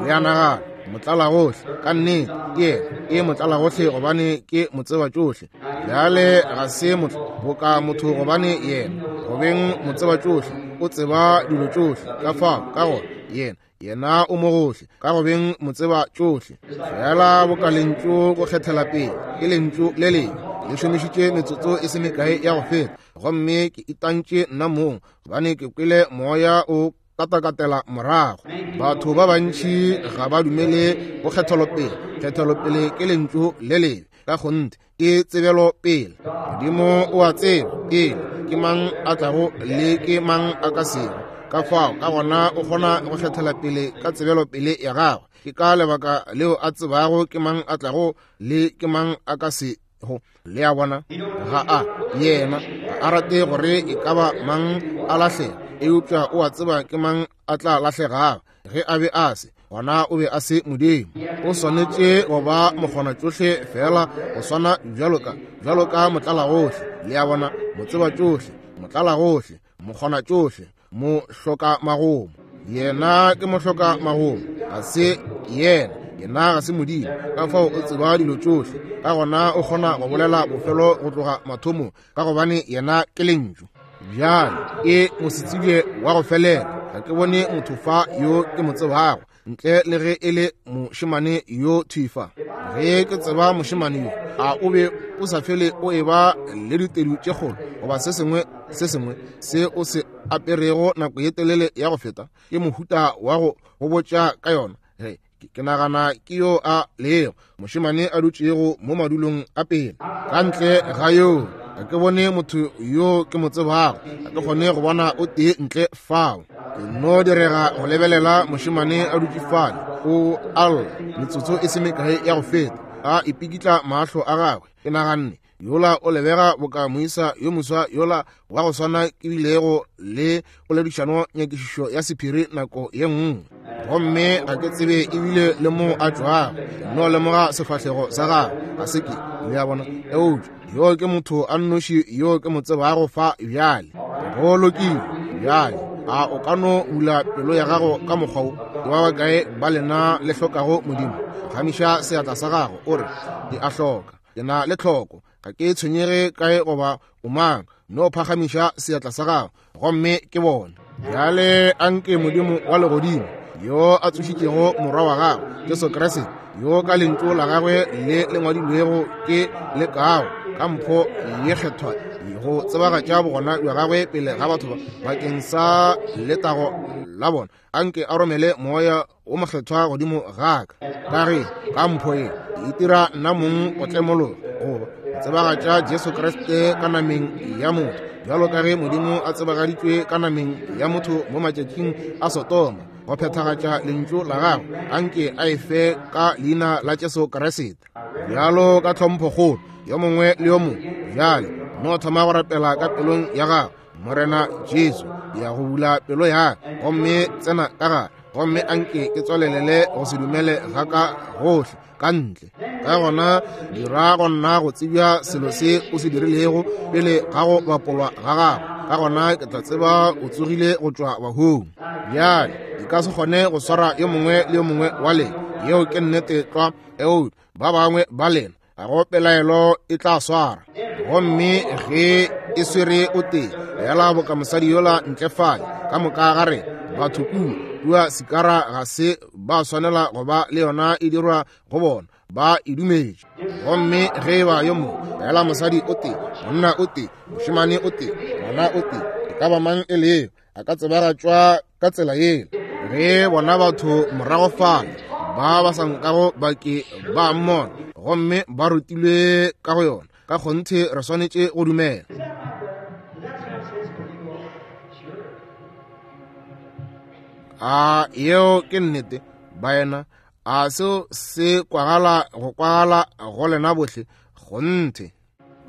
le a nagana motlalagohle, ka nnete ke yena ke motlalagohle, gobane ke motseba tšohle. Bjale ga se motho boka motho, gobane yena go beng motseba tšohle o tseba dilo tšohle. Ka fao ka gona yena yena o mo gohle ka go beng motseba tšohle. Fela boka lentšu go kgethela pele ke lentšu le lengwe le šomišitše metsotso e se mekae ya go feta, gomme ke itantše nna mong, gobane ke kwele moya o katakatela morago. Batho ba bantši ga ba dumele go kgethelopele. Kgethelopele ke lentšu le lebe ka kgonthe, ke tsebelopele. Modimo o a tseba pele ke mang a tlago le ke mang a ka sego. Ka fao ka gona o kgona go kgethela pele ka tsebelopele ya gagwe. Ke ka lebaka leo a tsebago ke mang a tlago le ke mang a ka sego. Le a bona, ga a yena ga a rate gore e ka ba mang a lahlega, eupša o a tseba ke mang a tla lahlegago. Ge a be a se, gona o be a se Modimo. O swanetše go ba mokgona tšohle fela go swana bjalo ka bjalo ka motlalagohle. Le a bona, motseba tšohle, motlalagohle, mokgona tšohle, mohloka magomo. Yena ke mohloka magomo, ga se yena, yena ga se Modimo. Ka fao o tseba dilo tšohle, ka gona o kgona go bolela bofelo go tloga mathomong, ka gobane yena ke lentšu. Bjale ke mosetsebje wa go felela. Ga ke bone motho fa yo ke mo tsebago ntle le ge e le mošemane yo thwi fa. Ge ke tseba mošemane yo, a o be o sa fele o eba le ditedu tše kgolo goba se sengwe se sengwe se o se aperego nako ye telele ya go feta? Ke mohuta wa go go botša ka yona. Ge ke nagana ke yo a lego mošemane a dutšego mo madulong a pele. Ka ntle ga yo ga ke bone motho yo ke mo tsebago, ga ke kgone go bona o tee ntle fao. Ke no direga go lebelela mošemane a dutše fale, o alla metsotso e se mekae ya go feta, a ipikitla mahlo a gagwe. Ke naganne yola o lebega boka moisa yo moswa yola wa go swana ke bilego le poledišano nyakišišo ya sephiri nako ye nngwe, gomme ga ke tsebe ebile le moo a tšwago. Ke no lemoga sefahlego sa gagwe, ga se ke, le a bona. Eupša yo ke motho a nnoši yo ke mo tsebago fa bjale. Go lokile bjale, a o ka no bula pelo ya gago ka mokgwa wo? Ke ba bakae ba lena le hlokago Modimo? Phagamiša seatla sa gago o re, ke a hloka, ke na le tlhoko, ga ke tshwenyege kae goba o mang. No phagamiša seatla sa gago gomme ke bone. Bjale anke Modimo wa legodimo yo a tsošitšego morwa wa gagwe Jesu Kriste, yo ka lentšu la gagwe le le ngwadilwego ke le kago ka mpho ye kgethwa go tsebagatša bogona bja gagwe pele ga batho ba bakeng sa letago la bona, anke a romele moya o mokgethwa godimo ga ka, ka ge ka mpho ye e itira nna mong go tlemologa goba tsebagatša Jesu Kriste ka nameng ya motho, bjalo ka ge Modimo a tsebagaditšwe ka nameng ya motho mo matšatšing a Sodoma, go phethagatša lentšu la gagwe. Anke a e fe ka leina la Jesu Kriste. Bjalo ka tlhomphokgolo yo mongwe le yo mongwe bjale no thoma go rapela ka pelong ya gago. Morena Jesu, ya go bula pelo ya ka gomme tsena ka gare, gomme anke ke tswalelele go se dumele ga ka gohle ka ntle. Ka gona dira go nna go tsebja selo se o se dirilego pele ga go bapolwa ga gago. Ka gona ke tla tseba o tsogile go tšwa bahung. Bjale e ka se kgone go swara yo mongwe le yo mongwe wa lena, yeo ke nnete tlwa. Eo ba bangwe ba lena ga go pelaelo e tla swara, gomme ge e swere o tee fela boka mosadi yola ntle fale. Ka moka ga re batho kua kua Sikara ga se ba swanela go ba le yona e dirwa go bona, ba e dumetše. Gomme ge e ba yo mongwe fela mosadi o tee, monna o tee, mošemane o tee, ngwana o tee, e ka ba mang e leo, a ka tsebagatšwa ka tsela yela. Ge bona batho morago fale ba ba sa nkago ba ke ba mmona gomme ba rutilwe ka go yona, ka kgonthe re swanetše go dumela. A yeo ke nnete baena? A seo se kwagala go kwagala go lena bohle? Kgonthe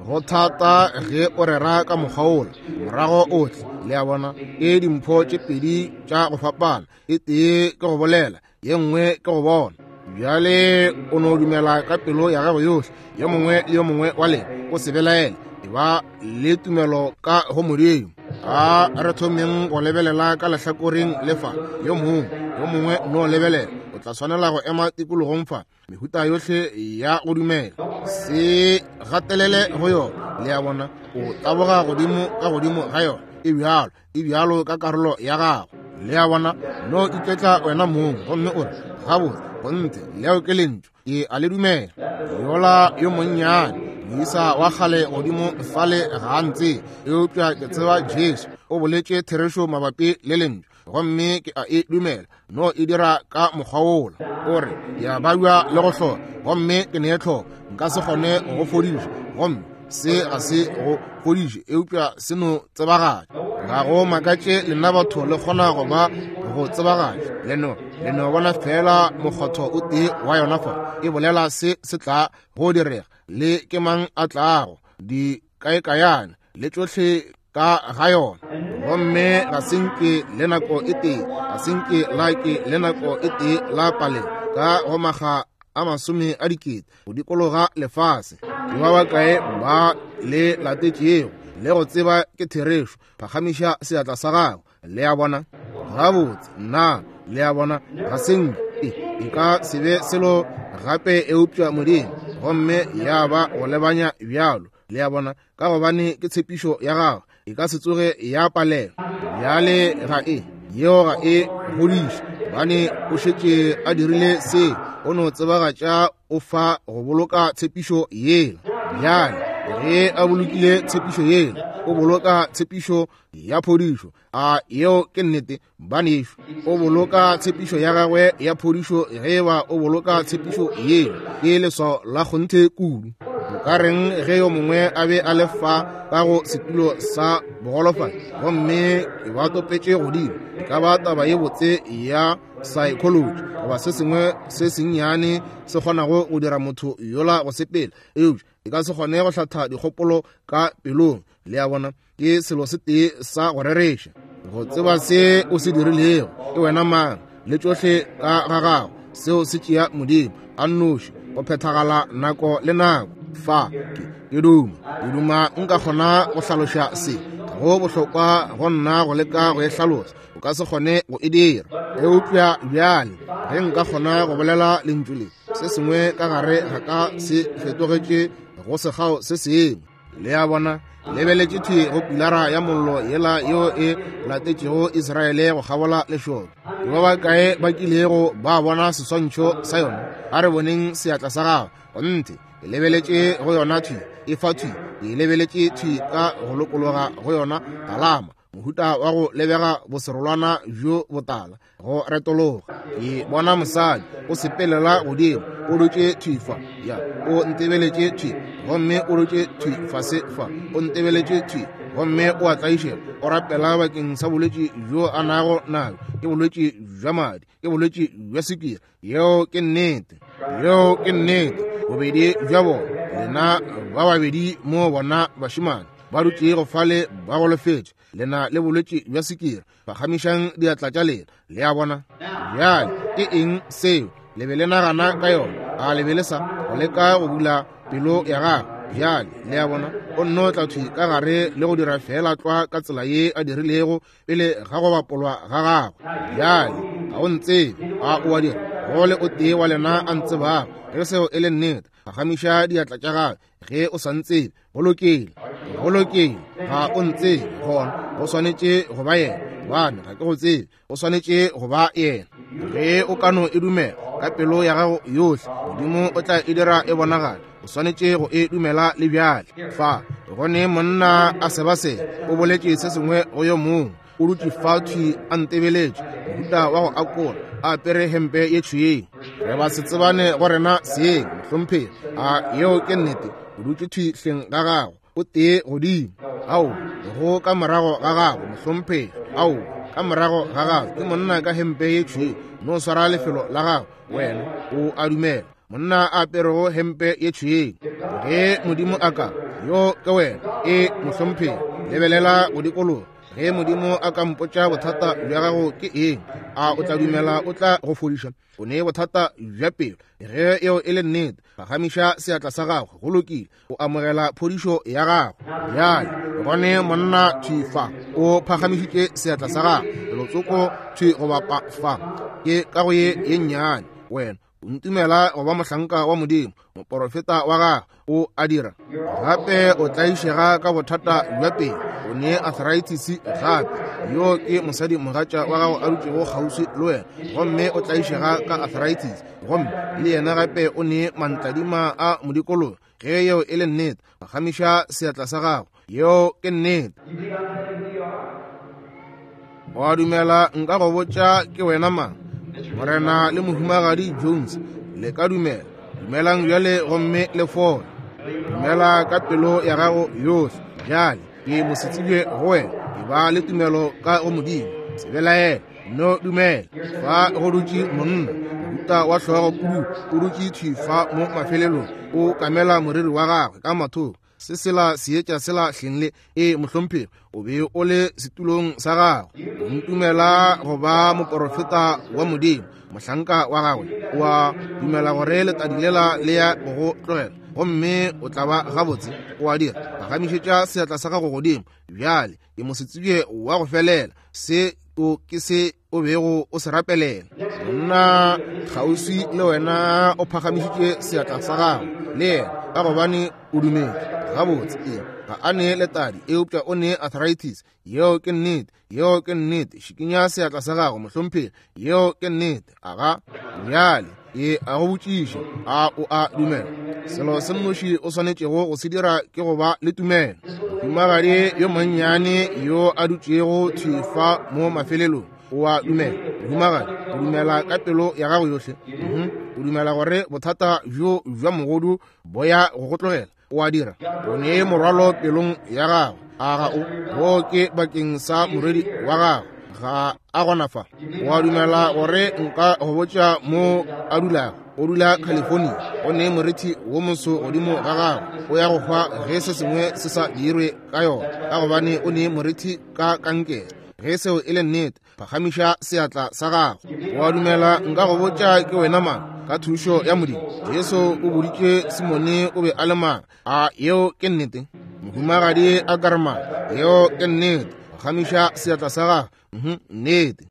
go thata ge o rera ka mokgwa wola morago ohle. Le a bona, ke dimpho tše pedi tša go fapana, e tee ke go bolela, ye nngwe ke go bona. Bjale o no dumela ka pelo ya gago yohle, yo mongwe le yo mongwe wa lena. O se belaele, e ba le tumelo ka go Modimo. A re thomeng go lebelela ka lehlakoreng le fa, yo mongwe yo mongwe no lebelela. O tla swanela go ema tikologong fa, mehuta yohle ya go dumela. Se gatelele go yona, le a bona, o taboga godimo ka godimo ga yona. E bjalo, e bjalo ka karolo ya gago. Le a bona, no iketla wena mong gomme o re, gabotse, kgonthe leo ke lentšu, ke a le dumela. Yola yo monnyane moisa wa kgale godimo fale ga a ntse, eupša ke tseba Jesu o boletše therešo mabapi le lentšu. gomme ke a e dumela. No e dira ka mokgwa wola. O re, ke a babja le go hloka, gomme ke ne tlhoko, nka se kgone go go fodiša, gomme se ga se go fodiše, eupša se no tsebagatša. Ga go makatše lena batho le kgona go ba go tsebagatša. Le no, le no bona fela mokgotho o tee wa yona fa, e bolela se se tla go direga, le ke mang a tlago, di kaekayane le tšohle ka ga yona. Gomme ga se nke le nako e tee, ga se nke la ke le nako e tee la paleng ka go maga a masome a dikete go dikologa lefase. Ke ba bakae ba le latetšego le go tseba ke therešo? Phagamiša seatla sa gago. Le a bona? Gabotse, nna, le a bona, ga se nke e ka se be selo gape eupša Modimo, gomme ya ba go lebanya bjalo. Le a bona, ka gobane ke tshepišo ya gago, e ka se tsoge ya palelwa. Bjale ga e, yeo ga e godiše, gobane o šetše a dirile se, o no tsebagatša o fa go boloka tshepišo yela. Bjale ge a bolokile tshepišo yela, o boloka tshepišo ya phodišo. A yeo ke nnete, banešu? O boloka tshepišo ya gagwe ya phodišo ge eba o boloka tshepišo yela. Ke leswao la kgonthe kudu. O ka reng ge yo mongwe a be a le fa ka go setulo sa bogolofadi, gomme ke ba topetše godimo? E ka ba taba ye botse ya psychology goba se sengwe se sennyane se kgonago go dira motho yola go sepela, eupša e ka se kgone go hlatha dikgopolo ka pelong. Le a bona, ke selo se tee sa go rereša, go tseba se o se dirilego, ke wena mang, le tšohle ka ga gago. Seo se tšea Modimo a nnoši go phethagala nako le nako. Fa ke ke duma, ke duma nka kgona go hlaloša se. Ga go bohlokwa go nna go leka go e hlalosa, o ka se kgone go e dira. Eupša bjale ge nka kgona go bolela lentšu le, se sengwe ka gare ga ka se fetogetše go sekgao se sengwe. Le a bona, lebeletše thwi go pilara ya mollo yela yeo e latetšego Israele go kgabola lešoka. Ke ba bakae ba kilego ba bona seswantšho sa yona? A re boneng seatla sa gago. Gonthe, ke lebeletše go yona thwi, e fa thwi, ke lebeletše thwi ka go lokologa go yona talama, mohuta wa go lebega boserolwana bjo botala go retologa. Ke bona mosadi o sepelela godimo, o dutše thwi fa, ya, o ntebeletše thwi, gomme o dutše thwi fase fa, o ntebeletše thwi, gomme o a tlaišega, o rapela bakeng sa bolwetši bjo a nago nabo, ke bolwetši bja madi, ke bolwetši bja sukiri. Yeo ke nnete, yeo ke nnete. Bobedi bja bona, lena ba babedi mo bona bašemane ba dutšego fale ba golofetše, lena le bolwetši bja sukiri, phagamišang diatla tša lena. Le a bona? Bjale ke eng seo le be le nagana ka yona? A le be le sa go leka go bula pelo ya gago? Bjale le a bona, o nno tla thwi ka gare le go dira fela tlwa ka tsela ye a dirilego pele ga go bapolwa ga gagwe. Bjale ga o ntsebe, a o a dira? Go le o tee wa lena a ntsebago. Ge seo e le nnete, phagamiša diatla tša gago. Ge o sa ntsebe, go lokile, go lokile. Ga o ntsebe, gona go swanetše go ba yena, gobane ga ke go tsebe. O swanetše go ba yena. Ge o ka no e dumela ka pelo ya gago yohle, Modimo o tla e dira e bonagale. O swanetše go e dumela le bjale. Fa gone monna a sebaseba o boletše se sengwe go yo mongwe, o dutše fa thwi a ntebeletše, mohuta wa go akola, a apere hempe ye tšhweu. Re ba se tsebane go rena seeng, mohlomphegi. A yeo ke nnete? O dutše thwi hleng ga gago, o tee godimo. Ao, go ka morago ga gago, mohlomphegi. Ao, ka morago ga gago ke monna ka hempe ye tšhweu. No swara lefelo la gago, wena o a dumela. Monna a aperego hempe ye tšhweu. Ge Modimo a ka, yo ke wena, e mohlomphegi. Lebelela go dikologa. Ge Modimo a ka mpotša bothata bja gago ke eng, a o tla dumela o tla go fodiša? O ne bothata bja pelo. Ge eo e le nnete, phagamiša seatla sa gago. Go lokile, o amogela phodišo ya gago. Bjale gone monna thwi fa o phagamišitše seatla sa gago, lelotsoko thwi go bapa fa, ke ka go ye ye nnyane. Wena o ntumela go ba mohlanka wa Modimo, moporofeta wa gagwe, o a dira. Gape o tlaišega ka bothata bja pelo, o ne arthritis gape. Yo ke mosadi mogatša wa gago a dutšego kgauswi le wena, gomme o tlaišega ka arthritis, gomme le yena gape o ne mantladima a modikologo. Ge yeo e le nnete, phagamiša seatla sa gago. Yeo ke nnete. Wa dumela nka go botša ke wena mang? Morena le Mohumagadi Jones, le ka dumela. Dumelang bjale gomme le fole. Dumela ka pelo ya gago yohle. Bjale ke mosetsebje go wena. E ba le tumelo ka go Modimo. Se belaele, no dumela. Fa go dutše monna, mohuta wa hlogo kudu, o dutše thwi fa mo mafelelong, o kamela moriri wa gagwe ka mathoko. Se sela seetša sela hleng le e mohlomphegi, o be o le setulong sa gago. O ntumela go ba moporofeta wa Modimo, mohlanka wa gagwe. O a dumela gore letadi lela le ya go go tlogela, gomme o tla ba gabotse. O a dira. Phagamišetša seatla sa gago godimo. Bjale ke mosetsebje wa go felela. Se o ke se o bego o se rapelela. Monna kgauswi le wena o phagamišitše seatla sa gago le yena, ka gobane o dumetše. Gabotse, ee, ga a ne letadi, eupša o ne arthritis. Yeo ke nnete, yeo ke nnete. Šikinya seatla sa gago, mohlomphegi. Yeo ke nnete. Aga bjale e a go botšiša, a o a dumela? Selo se nnoši o swanetšego go se dira ke go ba le tumelo. Mohumagadi yo monnyane yo a dutšego thwi fa mo mafelelong, o a dumela. Mohumagadi, o dumela ka pelo ya gago yohle. Mhm. O dumela gore bothata bjo bja mogodu bo ya go go tlogela. O a dira. O ne morwalo pelong ya gago. A ga o? Wo ke bakeng sa morwedi wa gago. Ga a gona fa. O a dumela gore nka go botša mo a dulago? O dula California. O ne morithi wo moso godimo ga gago. O ya go hwa ge se sengwe se sa dirwe ka yona, ka gobane o ne morithi ka kankere. Ge seo e le nnete, phagamiša seatla sa gago. O a dumela nka go botša ke wena mang? Ka thušo ya Modimo. Jesu o boditše Simone o be a le mang. A yeo ke nnete? Mohumagadi a Karma, yeo ke nnete. Phagamiša seatla sa gago. Mhm, nnete.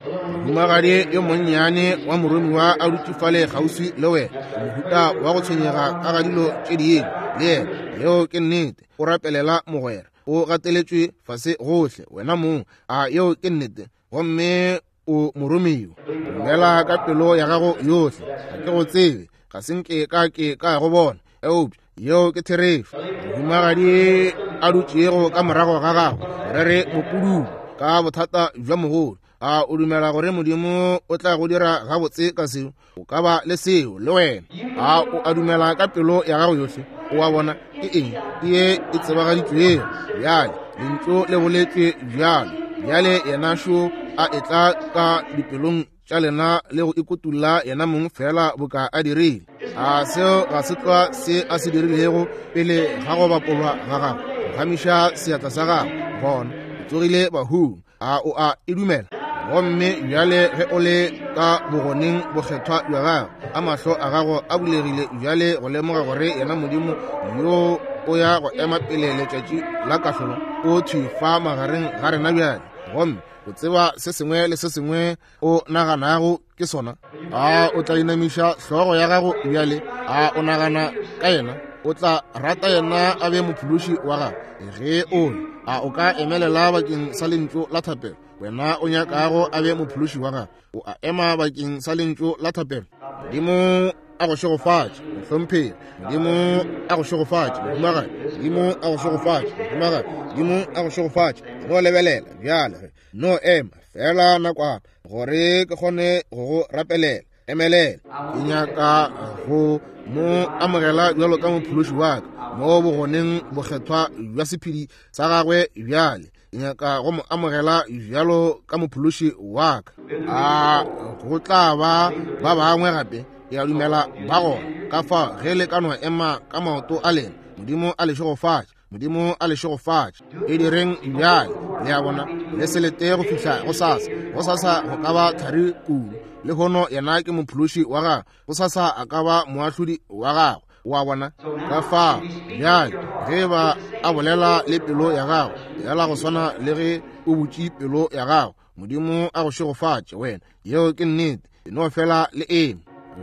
Mohumagadi yo monnyane wa moromiwa a dutše fale kgauswi le wena, mohuta wa go tshwenyega ka ga dilo tše dingwe le yena. Yeo ke nnete. O rapelela mogwera. O gateletšwe fase gohle wena mong. A yeo ke nnete? Gomme o moromiwa. Dumela ka pelo ya gago yohle. Ga ke go tsebe, ga se nke ka ke ka go bona, eupša yeo ke therešo. Mohumagadi a dutšego ka morago ga gago, re re mopudumo ka bothata bja mogolo. A o dumela gore Modimo o tla go dira gabotse ka seo? O ka ba le seo le wena. A o a dumela ka pelo ya gago yohle? O a bona ke eng? Ke ye e tsebagaditšwego bjale. Lentšu le boletšwe bjalo. Bjale yena šo a etla ka dipelong tša lena le go ikutulla yena mong fela boka a dirile. A seo ga se tlwa se a se dirilego pele ga go bapolwa ga gago? Phagamiša seatla sa gago. Bona, o tsogile bahung. A o a e dumela? Gomme bjale ge o le ka bogoneng bokgethwa bja gago, a mahlo a gago a bulegile bjale go lemoga gore yena Modimo yo o ya go ema pele letšatši la kahlolo o thwi fa magareng ga rena bjale, gomme o tseba se sengwe le se sengwe o naganago ke sona. A o tla inamiša hlogo ya gago bjale? A o nagana ka yena? O tla rata yena a be mophološi wa gago? Ge o a o ka emelela bakeng sa lentšu la thapelo, wena o nyakago a be mophološi wa gago, o a ema bakeng sa lentšu la thapelo. Modimo a go šegofatše, mohlomphegi. Modimo a go šegofatše, mohumagadi. Modimo a go šegofatše, mohumagadi. Modimo a go šegofatše. No lebelela bjale, no ema fela nakwana gore ke kgone go go rapelela. Emelela. Ke nyaka go mo amogela bjalo ka mophološi wa ka mo bogoneng bokgethwa bja sephedi sa gagwe bjale. Ke nyaka go mo amogela bjalo ka mophološi wa ka. A go tla ba ba bangwe gape? Ke a dumela ba gona. Ka fao ge le ka no ema ka maoto a lena, Modimo a le šegofatše. Modimo a le šegofatše. E direng bjale. Le a bona, le se lete go fihla go sasa. Go sasa go ka ba thari kudu. Lehono yena ke mophološi wa gago, go sasa a ka ba moahlodi wa gago. O a bona? Ka fao bjale ge ba a bolela le pelo ya gago, yala go swana le ge o butše pelo ya gago, Modimo a go šegofatše wena. Yeo ke nnete. E no fela le eme.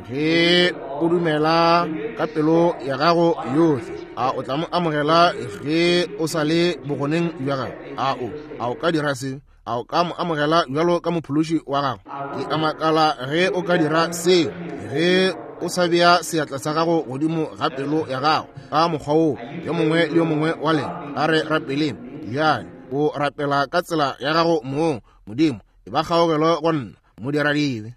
Ge o dumela ka pelo ya gago yohle, a o tla mo amogela ge o sa le bogoneng bja gago? A o a o ka dira se? A o ka mo amogela bjalo ka mophološi wa gago? Ke a makala ge o ka dira seo, ge o sa bea seatla sa gago godimo ga pelo ya gago ka mokgwa wo. Yo mongwe le yo mongwe wa lena, a re rapeleng bjale. O rapela ka tsela ya gago mong. Modimo, e E ba kgaogelo go nna, modiradibe.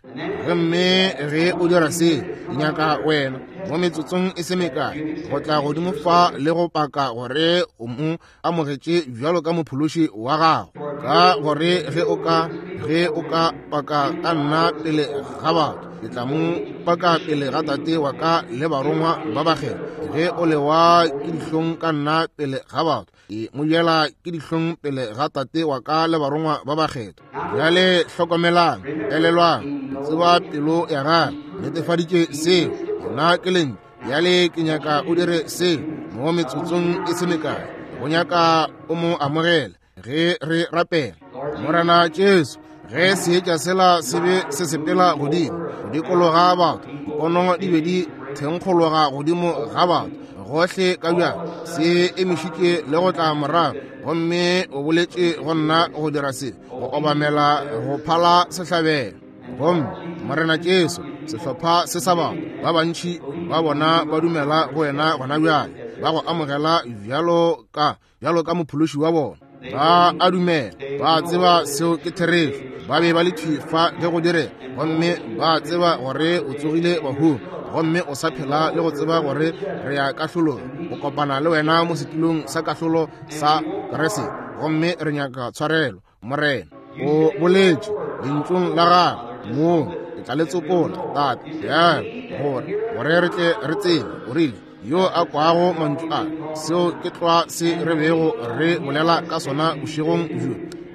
Gomme ge o dira se, ke nyaka wena mo metsotsong e se mekae go tla godimo fa le go paka gore o mo amogetše bjalo ka mophološi wa gago. Ka gore ge o ka ge o ka paka ka nna pele ga batho, ke tla mo paka pele ga Tate wa ka le barongwa ba bakgethwa. Ge o lewa ke dihlong ka nna pele ga batho, ke mo jela ke dihlong pele ga Tate wa ka le barongwa ba bakgethwa. Bjale hlokomelang, elelwang, tseba pelo ya gagwe, netefaditše seo. Nna ke lentšu. Bjale ke nyaka o dire seo mo metsotsong e se mekae. Go nyaka o mo amogele ge re rapela. Morena Jesu, ge seetša sela se be se sepela godimo go dikologa batho, pono di be di thenkgologa godimo ga batho gohle ka bjang, se emišitše le go tla morago, gomme o boletše go nna go dira se, go obamela go phala sehlabelo. Gomme Morena Jesu, sehlopha se sa batho ba bantši ba bona ba dumela go wena gona bjale, ba go amogela bjalo ka bjalo ka mophološi wa bona. Ba a dumela, ba tseba seo ke therešo. Ba be ba le thwi fa ge go dire, gomme ba tseba gore o tsogile bahung, gomme o sa phela le go tseba gore re ya kahlolong, go kopana le wena mo setulong sa kahlolo sa Kriste. Gomme re nyaka tshwarelo, Morena. O boletše lentšung la gago mo, ke tla le tsopola, Tate, bjale gore gore re tle re tsebe. O rile, yo a kwago mantšu a, seo ke tlwa se re bego re bolela ka sona bošegong bjo,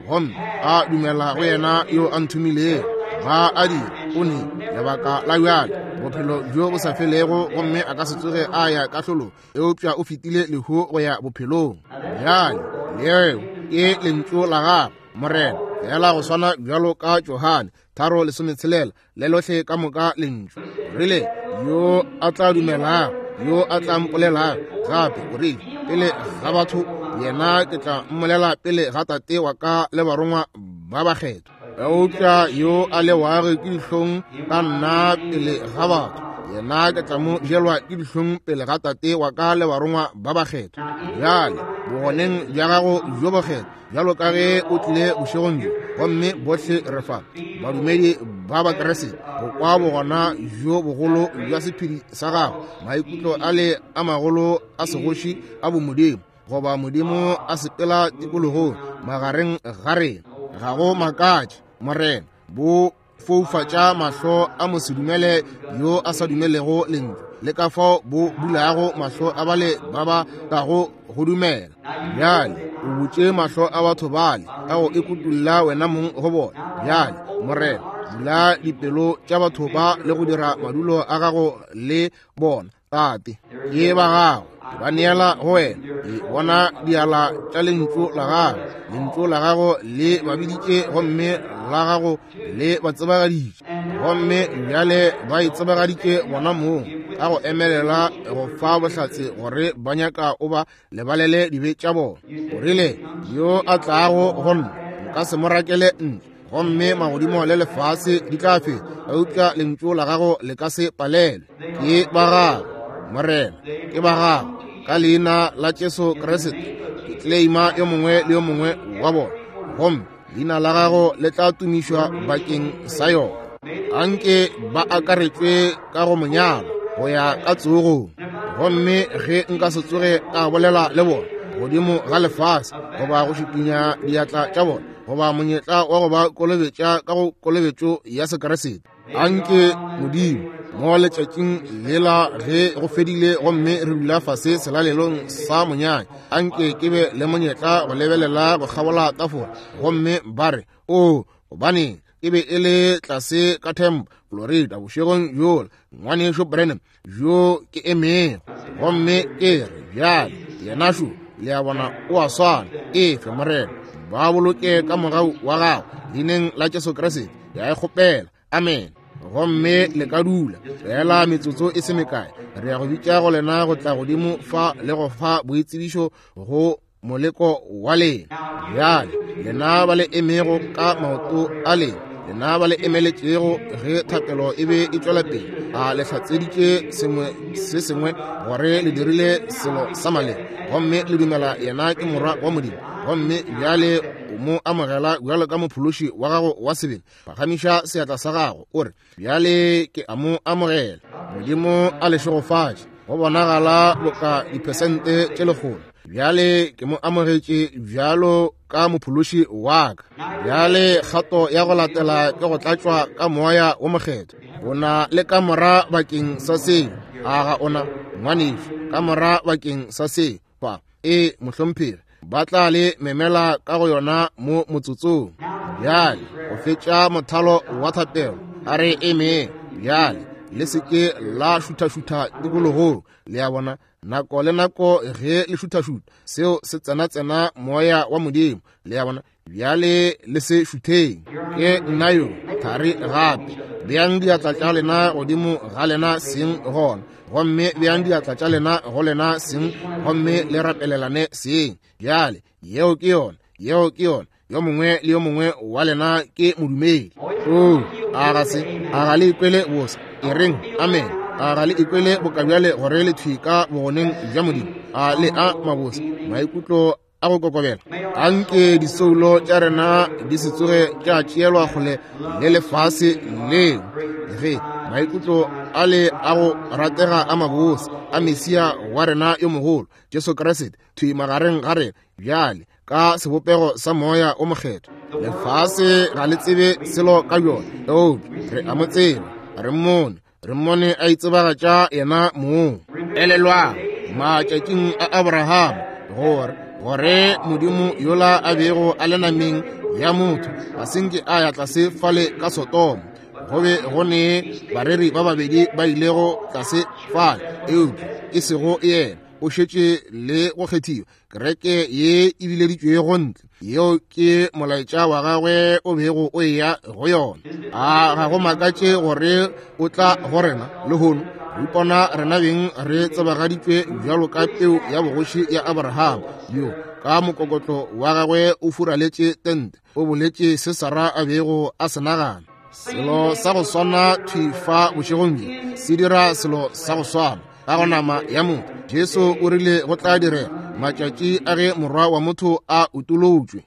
gomme a dumela go yena yo a nthomilego, ga a dira, o ne lebaka la bjale bophelo bjo bo sa felego, gomme a ka se tsoge a ya kahlolong, eupša o fetile lehu go ya bophelong. Bjale leo ke lentšu la gago, Morena, fela go swana bjalo ka Johane tharo lesometshelela le lohle ka moka lentšu. O rile, yo a tla dumelago, yo a tla mpolelago gape, o rile, pele ga batho, yena ke tla mmolela pele ga Tate wa ka le barongwa ba bakgethwa. Eupša yo a lewago ke dihlong ka nna pele ga batho, yena ke tla mo jelwa ke dihlong pele ga Tate wa ka le barongwa ba bakgethwa. Bjale bogoneng bja gago bjo bokgethwa, bjalo ka ge o tlile bošegong bjo, gomme bohle re fa badumedi ba Bakriste go kwa bogona bjo bogolo bja sephiri sa gago, maikutlo a le a magolo a segoši a bomodimo, goba Modimo a sepela tikologong magareng ga rena. Ga go makatše, Morena, bo foufatša mahlo a mosedumele yo a sa dumelego lentšu, le ka fao bo bulago mahlo a bale ba ba kago go dumela. Bjale o butše mahlo a batho bale ka go ikutulla wena mong go bona. Bjale Morena, bula dipelo tša batho ba le go dira madulo a gago le bona. Tate, ke ba gago, ba neela go wena. Ke bona diala tša lentšu la gago, lentšu la gago le ba biditše, gomme la gago le ba tsebagaditše, gomme bjale ba itsebagaditše bona mong ka go emelela go fa bohlatse gore ba nyaka o ba lebalele dibe tša bona. O rile, yo a tlago go nna nka se mo rakele ntle, gomme magodimo le lefase di tla feta, eupša lentšu la gago le ka se palelwe. Ke ba gago, Morena, ke ba gago. Ka leina la Jesu Kriste ke claima yo mongwe le yo mongwe wa bona, gomme leina la gago le tla tumišwa bakeng sa yona. Anke ba akaretšwe ka go monyalo go ya ka tsogong, gomme ge nka se tsoge ka bolela le bona godimo ga lefase, goba go šikinya diatla tša bona, goba monyetla wa go ba kolobetša ka go kolobetšo ya Sekriste, anke Modimo mo letšatšing lela ge go fedile gomme re dula fase selalelong sa monyanya, anke ke be le monyetla go lebelela go kgabola tafola, gomme ba re, o gobaneng e be e le tlase ka Tampa, Florida, bošegong bjola, ngwanešo Branham bjo ke emego, gomme ke re bjale yena šo, le a bona, o a swana. Efe Morena, ba boloke ka mogau wa gago, leineng la Jesu Kriste ke a e kgopela, amen. Gomme le ka dula fela metsotso e se mekae, re ya go bitša go lena go tla godimo fa le go fa boitsebišo go moleko wa lena. Bjale lena ba le emego ka maoto a lena, lena ba le emeletšego ge thapelo e be e tšwela pele, a le hlatseditše sengwe se sengwe gore le dirile selo sa maleba, gomme le dumela yena ke morwa wa Modimo, gomme bjale o mo amogela bjalo ka mophološi wa gago wa sebele, phagamiša seatla sa gago o re, bjale ke a mo amogela. Modimo a le šegofatše. Go bonagala boka diphesente tše lekgolo. Bjale ke mo amogetše bjalo ka mophološi wa ka. Bjale kgato ya go latela ke go tlatšwa ka moya wo mokgethwa. O na le kamora bakeng sa seo? A ga ona, ngwanešu? Kamora bakeng sa seo? Fa e mohlomphegi, ba tla le memela ka go yona mo motsotsong. Bjale go fetša mothalo wa thapelo, a re emeng. Bjale le se ke la šuthašutha tikologong. Le a bona, nako le nako ge le šuthašutha, seo se tsena-tsena moya wa Modimo. Le a bona, bjale le se šutheng. Ke nna yo thari gape. Beang diatla tša lena godimo ga lena seng gona, gomme beang diatla tša lena go lena seng, gomme le rapelelane seng. Bjale yeo ke yona, yeo ke yona. Yo mongwe le yo mongwe wa lena ke modumedi. O a ga se, a ga le ikwele bose? E reng amen. A ga le ikwele bokabjale gore le thwi ka bogoneng bja Modimo? A le a mabose maikutlo a go kokobela? Anke disoulo tša rena di se tsoge tša tšeelwa kgole le lefase leo, ge maikutlo a le a go ratega a mabose a Mesia wa rena yo mogolo Jesu Kriste thwi magareng ga rena bjale ka sebopego sa moya o mokgethwa. Lefase ga le tsebe selo ka bjona, eupša re a mo tseba, re mmone, re mmone a itsebagatša yena mong. Elelwang matšatšing a Abrahama gore gore Modimo yola a bego a le nameng ya motho ga se nke a ya tlase fale ka Sodoma. Go be go ne bareri ba babedi ba ilego tlase fale, eupša e sego yena. O šetše le go kgethiwa. Kereke ye e bileditšwego ntle, yeo ke molaetša wa gagwe o bego o eya go yona. A ga go makatše gore o tla go rena lehono? Re ipona rena beng re tsebagaditšwe bjalo ka peu ya bogoši ya Abraham, yo ka mokokotlo wa gagwe o furaletše tente, o boletše se Sara a bego a se nagana. Selo sa go swana thwi fa bošegong bjo se dira selo sa go swana ka go nama ya motho. Jesu o rile go tla direga matšatši a ge morwa wa motho a utolotšwe.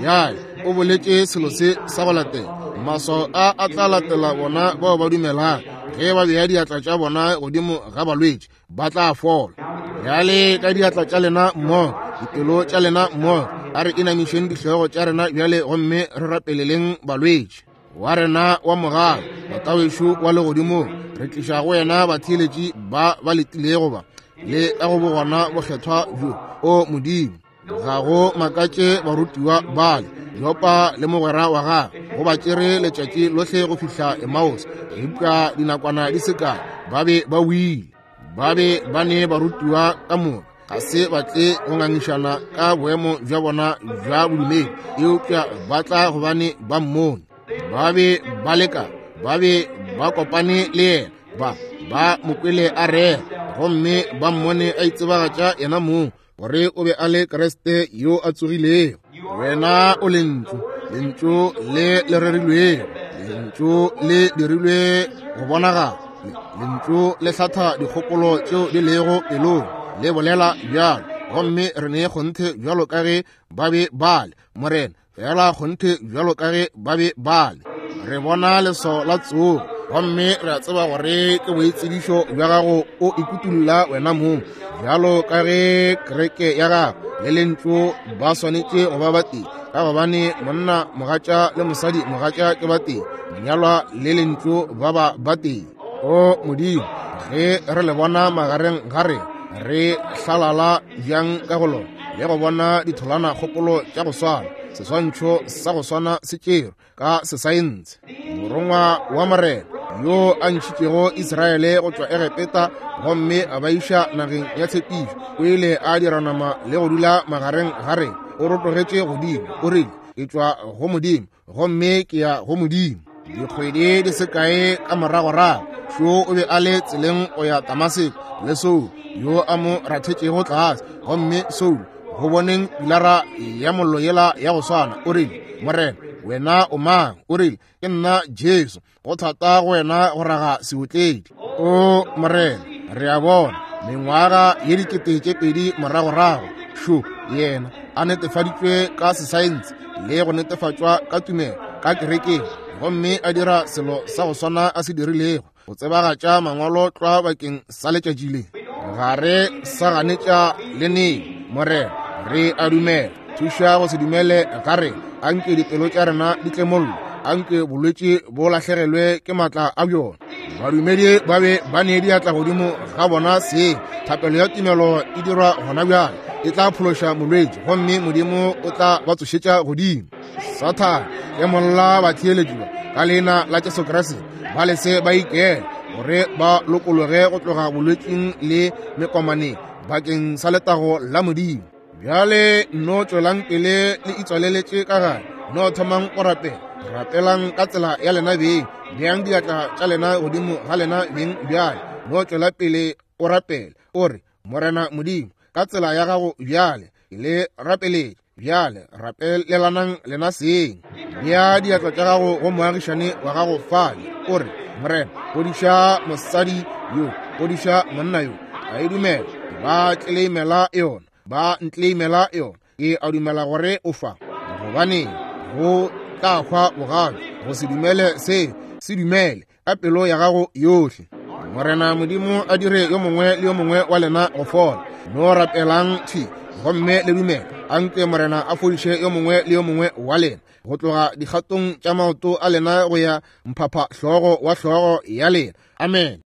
Bjale o boletše selo se sa go latela. Maswao a a tla latela bona bao ba dumelang. Ge ba bea diatla tša bona godimo ga balwetši, ba tla fola. Bjale ka diatla tša lena mmogo, dipelo tša lena mmogo, a re inamišeng dihlogo tša rena bjale gomme re rapeleleng balwetši. Wa rena wa mogala, Tatawešo wa legodimong, re tliša go wena batheeletši ba ba letilego ba le ka go bogona bokgethwa bjo. O Modimo, ga go makatše barutiwa bale Jopa le mogwera wa gagwe go ba tšere letšatši lohle go fihla Emmaus, eupša dinakwana di se kae ba be ba wile. Ba be ba ne barutiwa ka moka, ga se ba tle go ngangišana ka boemo bja bona bja bodumedi, eupša ba tla gobane ba mmone. Ba be ba leka, ba be ba kopane le yena, ba ba mo kwele a rera, gomme ba mmone a itsebagatša yena mong gore o be a le Kriste yo a tsogilego. Wena o lentšu, lentšu le le rerilwego, lentšu le dirilwe go bonagala, lentšu le hlatha dikgopolo tšeo di lego pelong, le bolela bjalo, gomme re ne kgonthe bjalo ka ge ba be ba le, Morena, fela kgonthe bjalo ka ge ba be ba le. Re bona leswao la tsogo, gomme re a tseba gore ke boitsebišo bja gago o ikutulla wena mong, bjalo ka ge kereke ya gago le lentšu ba swanetše go ba batee, ka gobane monna mogatša le mosadi mogatša ke batee, monyalwa le lentšu ba ba batee. O Modimo, ge re le bona magareng ga rena, re hlalala bjang ka go lona le go bona ditholwana kgopolo tša go swana, seswantšho sa go swana se tšerwe ka sesaense. Morongwa wa Morena yo a ntšhitšego Israele go tšwa Egepeta gomme a ba iša nageng ya tshepišo, o ile a dira nama le go dula magareng ga rena. O rotogetše godimo, o rile, ke tšwa go Modimo gomme ke ya go Modimo. Dikgwedi di se kae ka moragorago, šo o be a le tseleng go ya Damaseko le Saul yo a mo rathetšego tlase, gomme Saul go boneng pilara ya mollo yela ya go swana, o rile, Morena, wena o mang? O rile, ke nna Jesu, go thata go wena go raga seotledi. O Morena, re a bona mengwaga ye dikete tše pedi moragorago, šo yena a netefaditšwe ka sesaense le go netefatšwa ka tumelo ka kerekeng, gomme a dira selo sa go swana a se dirilego go tsebagatša mangwalo tlwa bakeng sa letšatši le. Ga re sa ganetša le neng, Morena, re a dumela. Thuša go se dumele ga rena. Anke dipelo tša rena di tlemollo, anke bolwetši bo lahlegelwe ke maatla a bjona. Badumedi ba be ba ne diatla godimo ga bona seng. Thapelo ya tumelo e dirwa gona bjale, e tla phološa molwetši gomme Modimo o tla ba tsošetša godimo. Sathane, tlemolla batheeletši ba ka leina la Jesu Kriste, ba lese ba ikele gore ba lokologe go tloga bolwetšing le mekomaneng bakeng sa letago la Modimo. Bjale no tšwelang pele le itswaleletše ka gare, no thomang go rapela. Rapelang ka tsela ya lena beng, beang diatla tša lena godimo ga lena beng bjale. No tšwela pele o rapele, o re, Morena Modimo, ka tsela ya gago bjale ke le rapeletše. Bjale rapelelanang lena seng. Bea diatla tša gago go moagišane wa gago fale, o re, Morena, fodiša mosadi yo, fodiša monna yo. A e dumela, ba tleleimela yona, ba ntleimela yona. Ke a dumela gore o fa, gobane go tla hwa bogale. Go se dumele se, se dumele ka pelo ya gago yohle. Morena Modimo a dire yo mongwe le yo mongwe wa lena go fola. No rapelang thwi gomme le dumele. Anke Morena a fodiše yo mongwe le yo mongwe wa lena go tloga dikgatong tša maoto a lena go ya mphapha hlogo wa hlogo ya lena. Amen.